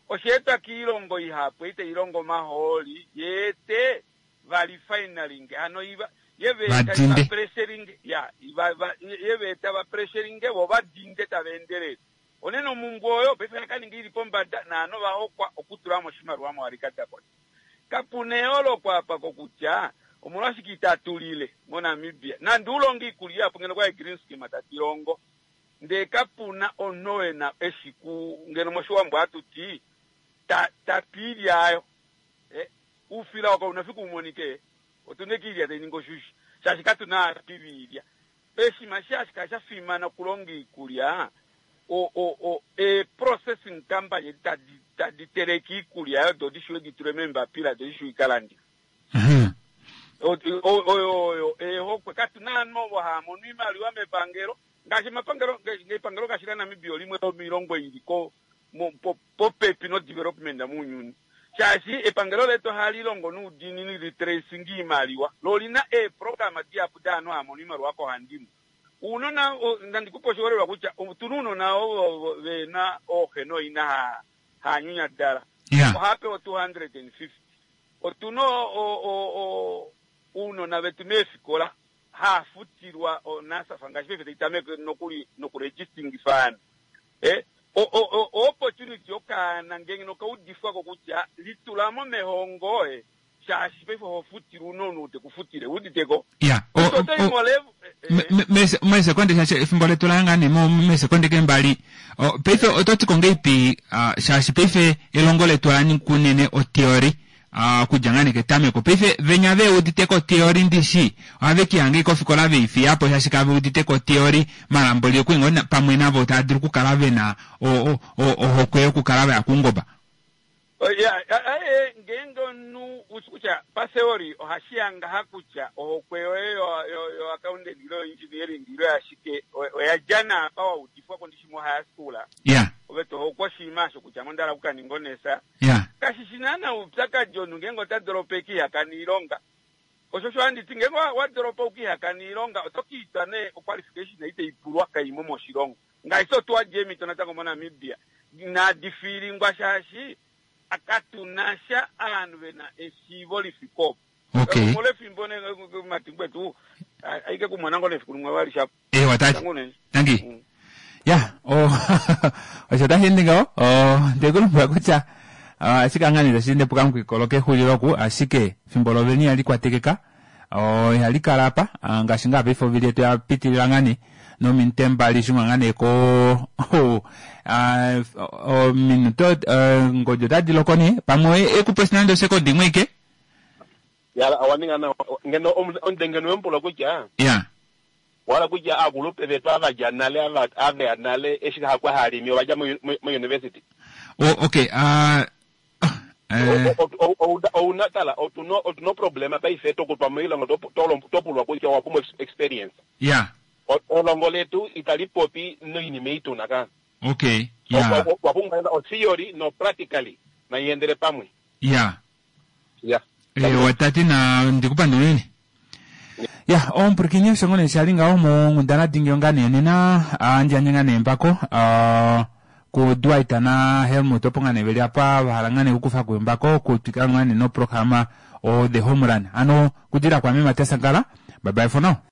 Osheetwa kiilongo ihapu ei tai longo omahooli yeete va refinery hano iva ye va eta Vadinde. va pressuring ya va va ye va eta va pressuring vo va dinde tava endelele. Onene omumbwe oyo paife oya ka ninga ili pombada naanhu ova hokwa okutula mo oshimaliwa moArika Dakota. Kapuna eyooloko apa kokutya omolwashike itatu lile moNamibia. Nande ulonge iikulya ihapu ngeno okwali green scheme tadi longo ndee kapuna omunhu ena eshiku ngeno moshiwambo hatu ti ta tapi iilya ayo. Eh, oufila oo kauna fiku umonike otuna eke iilya tai ningi oshushi shaashi katuna aapi viilya. Oshinima eshi hashi kala sha fimana okulonga iikulya o o o ee processing company edi tadi tadi teleke iikulya oyo do di shiwe di tulwe meembapila do di shiwe ikalandifwe. Oyo oyo eehokwe katuna ovanhu ovo hava mono oimaliwa mepangelo ngaashi omapangelo epangelo ngaashi laNamibia olimwe lomoilongo ili ko popepi no development mounyuni shaashi epangelo letu ohali longo noudiinini li tracing iimaliwa lo olina eeprograma dihapu daanhu hava mono oimaliwa kohandimwe. Uunona nandi kupe oshiholelwa kutya otuna uunona ovo vena ooxe nooina ha haanyunyadala ohava pewa 250. Otuna uunona vetu meefikola haafutilwa o NSFAF ngaashi paife tai tameke nokuli noku registingifa ovanhu. Eh, o, o, o, o opportunity yokaana ngenge nokaudifwako kutya litulamo mehongo eh, shaashi paife oho futilwa una omunhu te ku futile, uuditeko? Ya, o, Oto o, i o, molev- meesekonde shaashi efimbo letu la nga nee meesekonde ke mbali. O, paife oto ti ko ngeipi, ah, shaashi paife elongo letu ola ninga unene otheory, ah, okudja ngaa nee ketameko. Paife venya ve udite ko theory ndishi, ohave ki hanga ashike ofikola vei fiya po shaashi kave udite ko theory. Mara mboli okuli ngoo pamwe navo tava dulu okukala vena o, o, o, ohokwe yokukala vaya koungoba. Ya, aye, ngeenge omunhu u shi kutya patheory ohashi ya ngaha kutya ohokwe yoye yo, yo, yo accountant ile yo engineering ile yashike oya dja naapa wa udifwa ko ndishi mo high school. Ya. Ove to hokwa oshinima osho kutya ame onda hala okukaninga onesa. Ya. Kashi shi naana oupyakadi omunhu ngeenge ota doropa e ke ihakana oilonga. Osho osho handi ti ngeenge wa, wa doropa u ke ihakana oilonga oto ka itwa nee oqualification ei tai pulwa kai mo moshilongo. Ngaashi otua jeemhito natango moNamibia inadi fiilingwa shaashi katu na sha ovanhu ve na eshiivo li fike opo. Okay. Omolwefimbo ne matimbu etu aike kumona ngoo nefiku limwe vali shapo. Ewa tati. Tangu unene. Tangi. Ya, o osho tashi ende ngaho. O nde ku lombwela kutya ashike angani tashi ende pukamukikolo kexulilo oku ashike efimbo loveni ihali kwatekeka. O ihali kala apa ngaashi ngaa paife ovili yetu ya pitilila ngaa nee nominute mbali shunga ngaa nee ko ominute ngodi otadi loko nee pamwe ekupe nande osekondi imwe ike. Ya, owa ninga nawa. Ngeno omunde ngeno wemupula kutya. Ya. Wala kutya aakulupe vetu ava dja nale ava aveya nale eshi hakwa halimi ova dja mo university. Oh, okay. Ouna tala otuna otuna problema paife tokutwa moilonga topulwa kutya owa pumbwa experience. Ya. Elongo letu itali popi noinima ei tuna ka. Okay. Ya. Wa pumbwa o theory no practically nai endele pamwe. Ya. Ya. Ewa tati na ndikupandula unene. Ya, omupulakeni osho ngoo nee sha li ngaho monghundana dingi onga nee nena handi yandje ngaa nee embako ku Dwight na Helmut opo ngaa nee veli apa va hala ngaa nee okukufa ko embako okutwikila ngaa nee noprograma o The Home Run. Ano kudila kwame Matias Sankara. Bye bye for now.